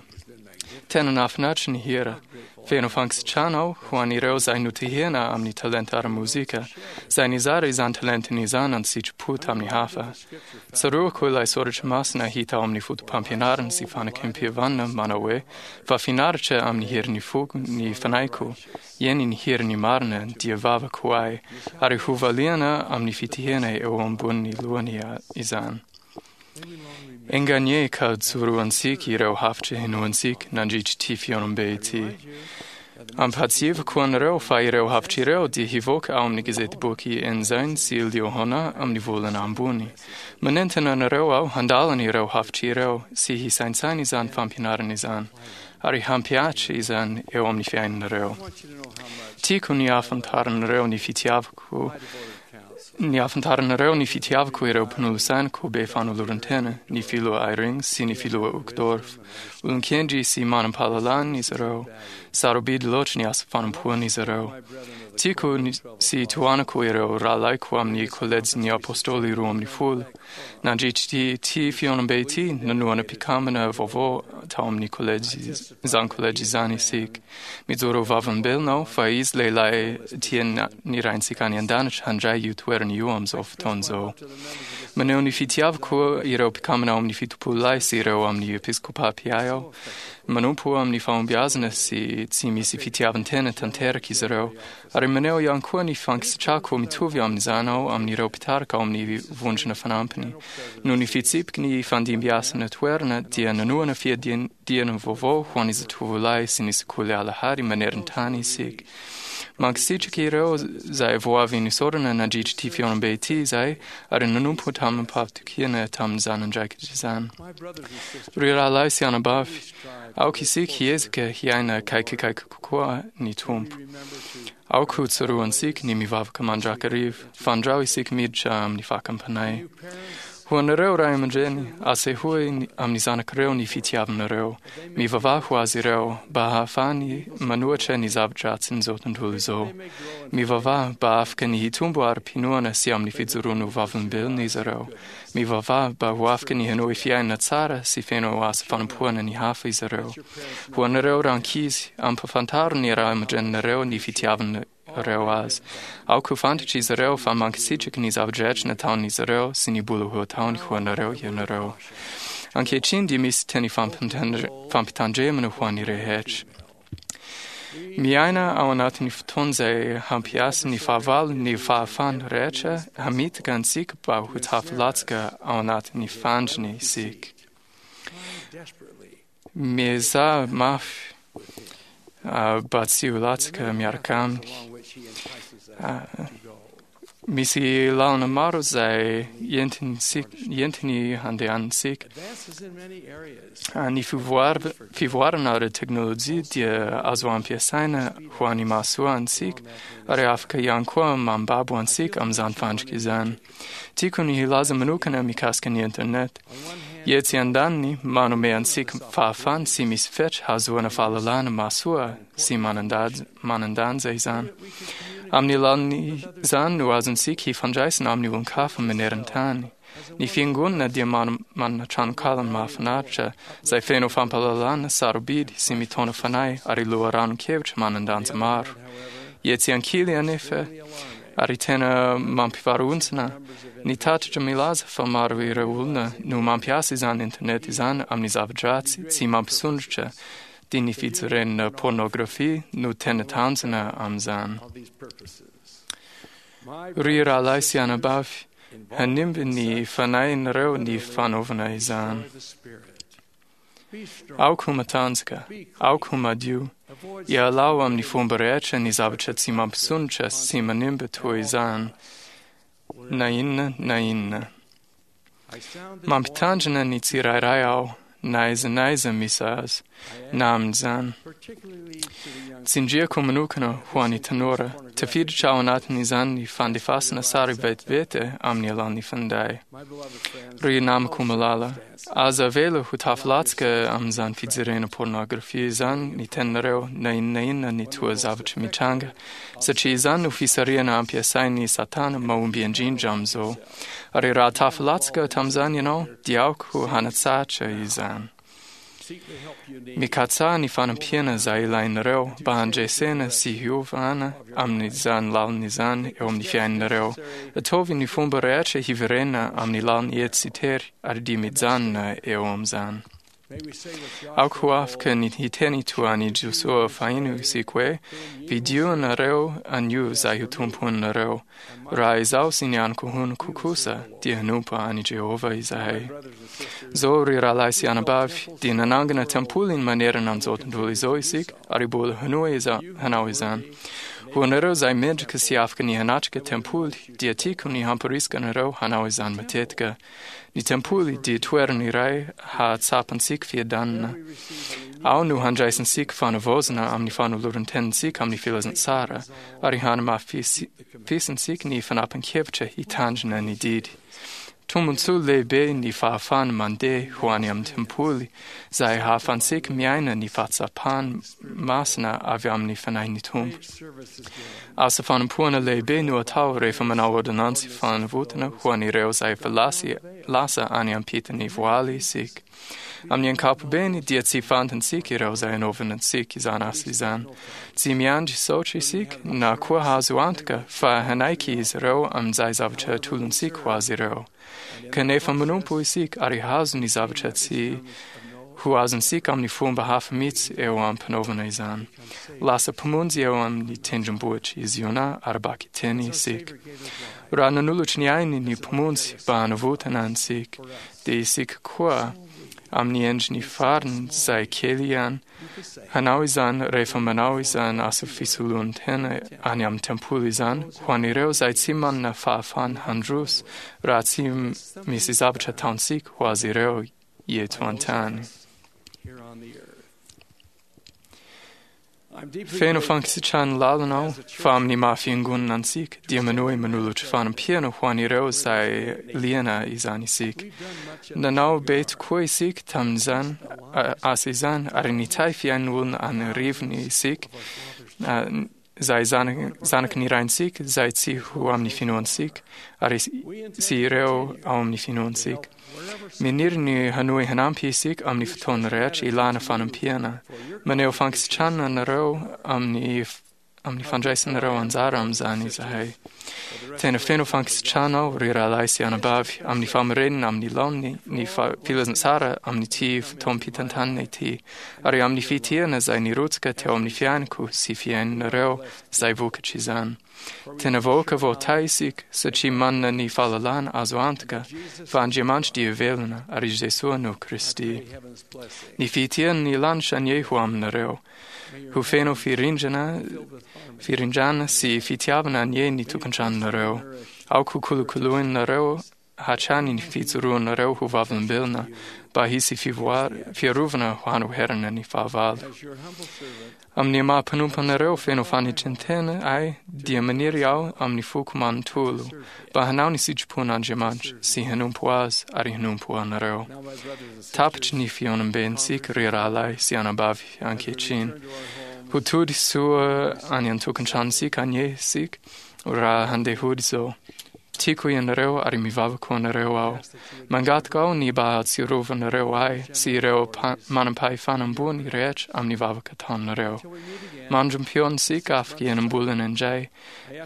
Tena nahafinaritra ny hira. Feno fankasitrahana aho ho an'ireo izay notahina amin'ny talenta ara-mozika, izay nizara izany talentany izany an-tsitrapo tamin'ny hafa. Tsaroako ilay soratra masina hita ao amin'ny foto-pampianarana sy fanekem-pihavanana manao hoe fa finaritra amin'ny herin'ny foko ny fanahiko, eny ny herin'ny marina dia vavaka ho ahy, ary ho valiana amin'ny fitahina eo ambonin'ny lohany izany. Enga anie ka joroantsika ireo hafatra henoantsika nandritra ity fihaonambe ity. Ampahatsiahivako anareo fa ireo hafatra ireo dia hivoaka ao amin'ny gazetiboky Ensign sy Liahona amin'ny volana ambony. Manentana anareo aho handalina ireo hafatra ireo sy hisaintsaina izany fampianarana izany, ary hampihatra izany eo amin'ny fiainanareo. Tiako ny ahafantaranareo ny fitiavako ny ahafantaranareo ny fitiavako ireo mpanolotsainako be fanoloran-tena, ny filoha Eyring sy ny filoha Uchtdorf. Olon-kendry sy manam-pahalalana izy ireo. Sarobidy loatra ny asa fanompoan'izy ireo. Tiako sy tohanako ireo rahalahiko amin'ny kolejin'ny Apôstôly roa ambin'ny folo. Nandritra ity fihaonambe ity, nanohana mpikambana vaovao tao amin'ny kolejy izany kolejy izany isika. Mijoro ho vavolombelona aho fa izy lehilahy tian'ny Raintsika any an-danitra handray io toerana io amin'izao fotoana izao. Maneho ny fitiavako ireo mpikambana ao amin'ny fitopolo lahy sy ireo amin'ny episkôpà mpiahy aho. Manompo amin'ny fahombiazana sy tsy misy fitiavan-tena tanteraka izy ireo, ary maneho ihany koa ny fankasitrahako mitovy amin'izany aho amin'ireo mpitarika ao amin'ny vondrona fanampiny. Noho ny fitsipiky ny fandimbiasana toerana dia nanohana fiadiana vaovao ho an'ny zatovolahy sy ny sekoly alahady maneran-tany isika. Mankasitraka ireo izay vao avy nisaorana nandritra ity fihaonambe ity izahay ary nanompo tamim-pahatokiana tamin'izany andraikitra izany. Ry rahalahy sy anabavy, aoka isika hiezaka hiaina akaikikaiky kokoa ny Tompo. Aoka ho tsaroantsika ny mivavaka mandrakariva, fandrao isika miditra amin'ny fakam-panahy. Ho anareo ray aman-dreny, asehoy amin'ny zanakareo ny fitiavanareo. Mivavaha ho azy ireo mba hahafahany manohitra ny zava-dratsin'izao tontolo izao. Mivavaha mba afaka ny hitombo ara-pinoana sy amin'ny fijoroana ho vavolombelona izy ireo. Mivavaha mba ho afaka ny hanohy fiainana tsara sy feno asa fanompoana ny hafa izy ireo. Ho anareo rankizy, ampahafantaro ny ray aman-dreninareo ny fitiavanareo azy. Aoka ho fantatry izy ireo fa mankasitraka ny zava-drehetra nataon'izy ireo sy ny mbola ho ataony ho anareo ianareo. Ankehitriny dia misy teny fampitandremana ho an'ny rehetra. Miaina ao anatin'ny fotoana izay hampiasa ny fahavalo ny fahafahana rehetra hamitaka antsika mba ho tafilatsaka ao anatin'ny fandriny isika. Miezaha mafy mba tsy ho latsaka miaraka aminy. Misy lalana maro izay entiny handehanantsika. Ny fivoarana ara-teknôlôjia dia azo ampiasaina ho an'ny mahasoa antsika ary afaka ihany koa mambabo antsika amin'izany fandrika izany. Tiako ny hilaza manokana mikasika ny internet. Etsy andaniny manome antsika fahafahana tsy misy fetra hahazoana fahalalana mahasoa sy manan-danja izany. Amin'ny alalan'izany no azontsika hifandraisana amin'ny olon-kafa maneran-tany. Ny fiangonana dia manana tranonkala mahafinaritra izay feno fampahalalana sarobidy sy mitaona fanahy ary loharanon-kevitra manan-danja maro. Etsy ankilany anefa, ary tena mampivarahontsana, ny tatitra milaza fa maro ireo olona no mampiasa izany internet izany amin'ny zava-dratsy tsy mampisondrotra dia ny fijerena pornografia no tena tanjona amin'izany. Ry rahalahy sy anabavy, hanimba ny fanahinareo ny fanaovana izany. Aoka ho matanjaka, aoka ho madio, ialao amin'ny fomba rehetra ny zavatra tsy mampisondrotra sy manimba toy izany, na inona na inona. Mampitandrina ny tsirairay aho, na aiza na aiza misy azy, na amin'izany. Tsindriako manokana ho an'ny tanora, tafiditra ao anatin'izany ny fandefasana sary vetivety amin'ny alalan'ny finday. Ry namako malala, aza avela ho tafilatsaka amin'izany fijerena pornografia izany ny teninareo na inona na inona ny toa zavatra mitranga, satria izany no fisarihana ampiasain'ny Satana mahomby indrindra amin'izao. Ary raha tafilatsaka tamin'izany ianao, dia aoka ho hanatsahatra izany. Mikatsaha ny fanampiana izay ilainareo mba handresena sy hiovana amin'izany lalana izany eo amin'ny fiainanareo. Ataovy ny fomba rehetra hiverena amin'ny lalana ety sy tery ary dia mijanona eo amin'izany. Aoka ho afaka ny hiteny toa an'i Josoa fahiny isika hoe, Vidio nareo anio izay ho tomponareo. Raha izaho sy ny ankohonako kosa dia hanompo an'i Jehovah izahay. Izao ry rahalahy sy anabavy, dia nanangana tempoly manerana an'izao tontolo izao isika ary mbola hanohy hanao izany. Ho anareo izay mendrika sy afaka ny hanatrika tempoly, dia tiako ny hamporisika anareo hanao izany matetika. Ny tempoly dia toerana iray hahatsapantsika fiadanana. Ao no handraisantsika fanavaozana amin'ny fanoloran-tenintsika amin'ny filazantsara ary hanamafisantsika ny fanapan-kevitra hitandrina ny didy. Tombontsoa lehibe ny fahafahana mandeha ho any amin'ny tempoly izay ahafahantsika miaina ny fahatsapana masina avy amin'ny fanahin'ny Tompo. Asa fanompoana lehibe no atao rehefa manao ordonnantsy fanavotana ho an'ireo izay efa lasa any ampitan'ny voaly isika. Amin'ny ankapobeny dia tsy fantatsika ireo izay anaovana antsika izany asa izany. Tsy miandry saotra isika na koa hahazo antoka fa hanaiky izy ireo amin'izay zavatra atolontsika ho azy ireo. Kanefa manompo isika ary hahazo ny zavatra tsy ho azontsika amin'ny fomba hafa mihitsy eo am-panaovana izany. Lasa mpamonjy eo amin'ny tendrombohitra i Ziona ara-bakiteny isika. Raha nanolotra ny ainy ny mpamonjy mba hanavotana antsika, dia isika koa amin'ny endriny farany izay kely ihany hanao izany rehefa manao izany asa fisoloan-tena any amin'ny tempoly izany ho an'ireo izay tsy manana fahafahana handroso raha tsy misy zavatra ataontsika ho azy ireo eto an-tany. Feno fankasitrahana lalina aho fa amin'ny maha fiangonana antsika dia manohy manolotra fanampiana ho an'ireo izay liana izany isika. Nanao be tokoa isika tamin'izany asa izany ary nitahy fiainan'olona an'arivony isika izay zanaky ny raintsika izay tsy ho amin'ny finoantsika ary sy ireo ao amin'ny finoantsika. Maniry ny hanohy hanampy isika amin'ny fotoana rehetra ilana fanampiana. Maneho fankasitrahana anareo amin'ny amin'ny fandraisanareo anjara amin'izany izahay. Tena feno fankasitrahana aho ry rahalahy sy anabavy amin'ny famarinana amin'ny laoniny ny filazantsara amin'ity fotoam-pitantanana ity ary amin'ny fitiavana izay nirotsaka teo amin'ny fiainako sy fiainanareo izay vokatra izany. Tena vahoaka voatahy isika satria manana ny fahalalana azo antoka fa Andriamanitra dia velona ary Jesoa no Kristy. Ny fitiavana ny lanitra anie ho aminareo. Ho feno firindrana, firindrana sy fitiavana anie ny tokantranonareo. Aoka ho kolokoloinareo hatrany ny fijoroanareo ho vavolombelona mba hisy fiarovana ho hanoherana ny fahavalo. Amin'ny maha mpanompo anareo feno fanetren-tena ahy dia maniry aho amin'ny foko manontolo mba hanao ny sitrapon'Andriamanitra sy hanompo azy ary hanompo anareo. Tapitry ny fihaonambentsika ry rahalahy sy anabavy ankehitriny. Ho tody soa any an-tokantranontsika anie isika raha handeha hody izao. Tiako ianareo ary mivavaka ho anareo aho. Mangataka aho ny mba hahatsiarovanareo ahy sy ireo manam-pahefana ambony rehetra amin'ny vavaka ataonareo. Mandra-pihaonantsika afaka enam-bolana indray,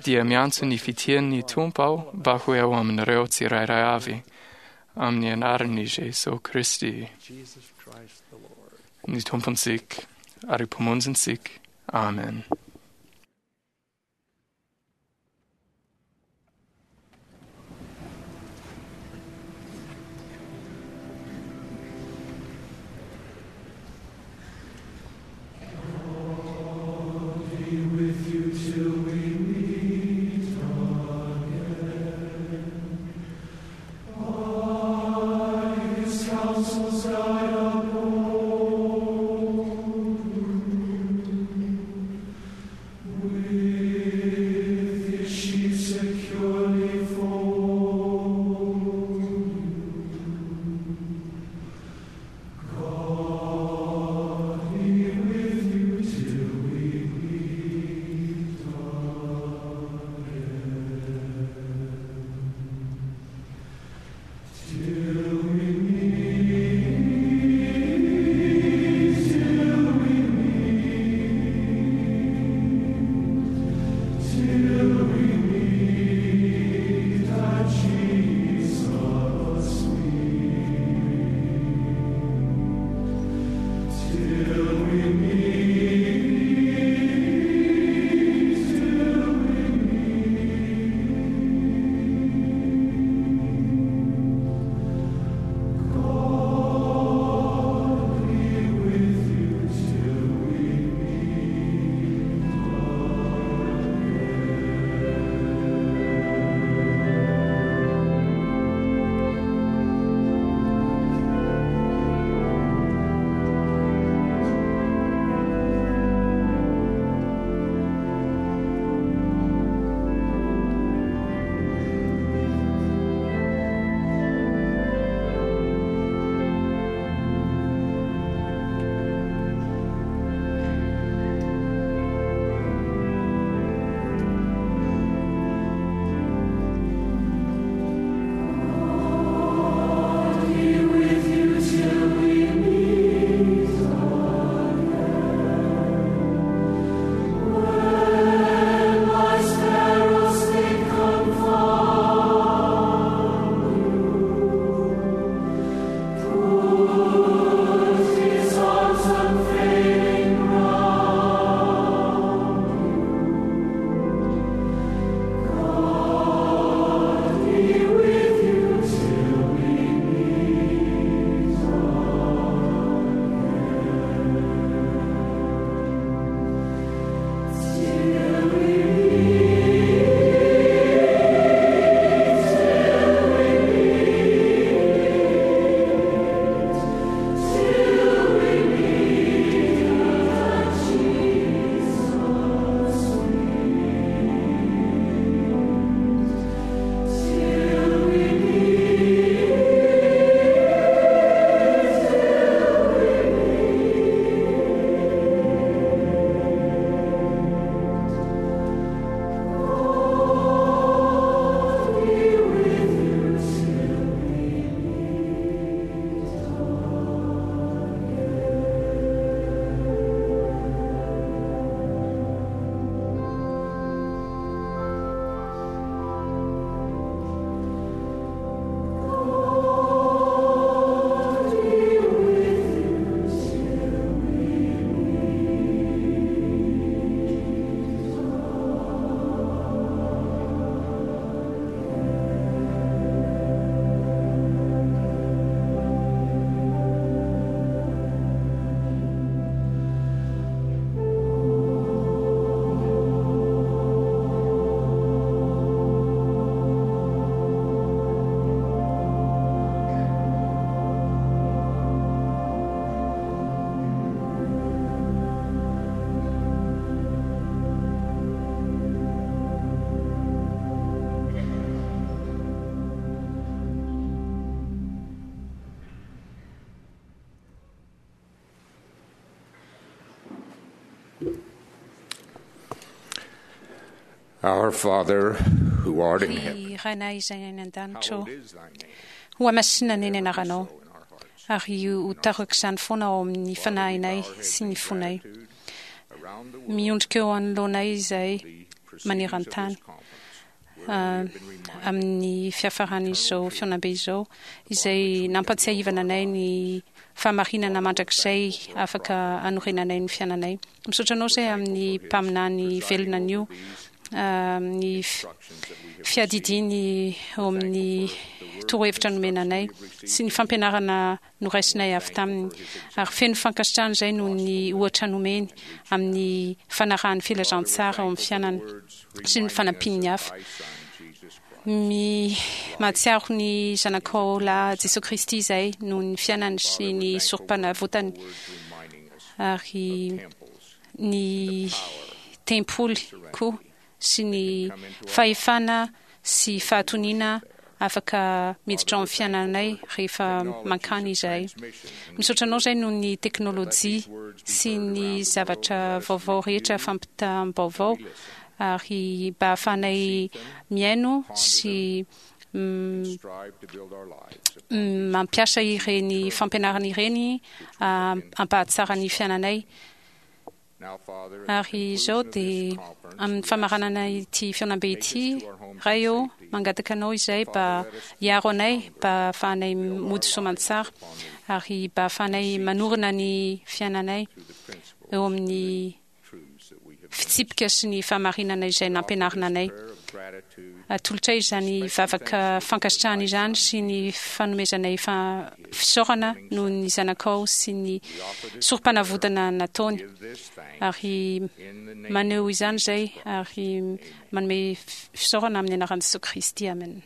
dia miantso ny fitiavan'ny Tompo aho mba ho eo aminareo tsirairay avy. Amin'ny anaran'i Jesoa Kristy, ny Tompontsika ary Mpamonjintsika. Amen. With you till we meet again. By his counsel's guide uphold you. Our Father, who art in heaven, Ry Rainay izay any an-danitra ô, ho hamasinina anie ny anaranao, ary ho tarako izany foana ao amin'ny fanahinay sy ny fonay. Miondrika eo anoloanay izay maneran-tany amin'ny fiafaran'izao fihaonambe izao, izay nampatsiahivana anay ny fahamarinana mandrakizay afaka anorenanay ny fiainanay. Misaotra anao izay amin'ny mpaminany velona anio, ny fiadidiany eo amin'ny torohevitra nomena anay sy ny fampianarana noraisinay avy taminy, ary feno fankasitrahana izay noho ny ohatra nomeny amin'ny fanarahan'ny filazantsara ao amin'ny fiainany sy ny fanampian'ny hafa. Mi mahatsiaro ny zanakao lahy Jesoa Kristy izay noho ny fiainany sy ny sorom-panavotany ary ny tempoly koa sy ny fahefana sy fahatoniana afaka miditra ao amin'ny fiainanay rehefa mankany izahay. Misaotra anao izay noho ny teknolojia sy ny zavatra vaovao rehetra fampitam-baovao ary mba ahafahanay mihaino sy mampiasa ireny fampianarana ireny hampahatsara ny fiainanay. Ary izao dia amin'ny famaranana ity fihaonambe ity, Ray ô, mangataka Anao izay mba hiaro anay, mba hahafahanay mody soamantsara, ary mba hahafahanay manorina ny fiainanay eo amin'ny fitsipika sy ny fahamarinana izay nampianarina anay. Atolotray izany vavaka fankasitrahana izany sy ny fanomezanay fisaorana noho ny zanakao sy ny sorom-panavotana nataony, ary maneho izany izay ary manome fisaorana amin'ny anaran'i Jesosy Kristy. Amen.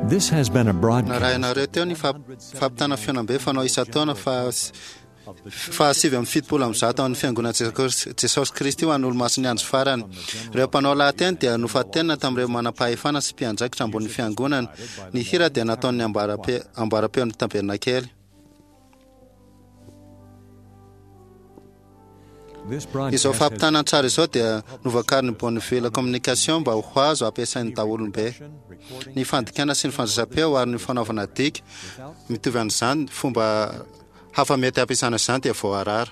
This has been a broadcast. Narahinareo teo ny fampitana fihaonambe fanao isan-taona fa fahasivy amby fitopolo amby zato amin'ny fiangonana Jesosy Kristy ho an'ny Olomasin'ny Andro Farany. Ireo mpanao lahateny dia nofantenina tamin'ireo manam-pahefana sy mpiandraikitra ambonin'ny fiangonana. Ny hira dia nataon'ny amboaram-peon'ny tabernakely. Izao fampitana an-tsary izao dia novakarin'ny Bonneville Communication mba ho azo ampiasain'ny daholobe. Ny fandikana sy ny fandraisam-peo ary ny fanaovana dika mitovy amin'izany fomba hafa mety hampiasana izany dia voarara.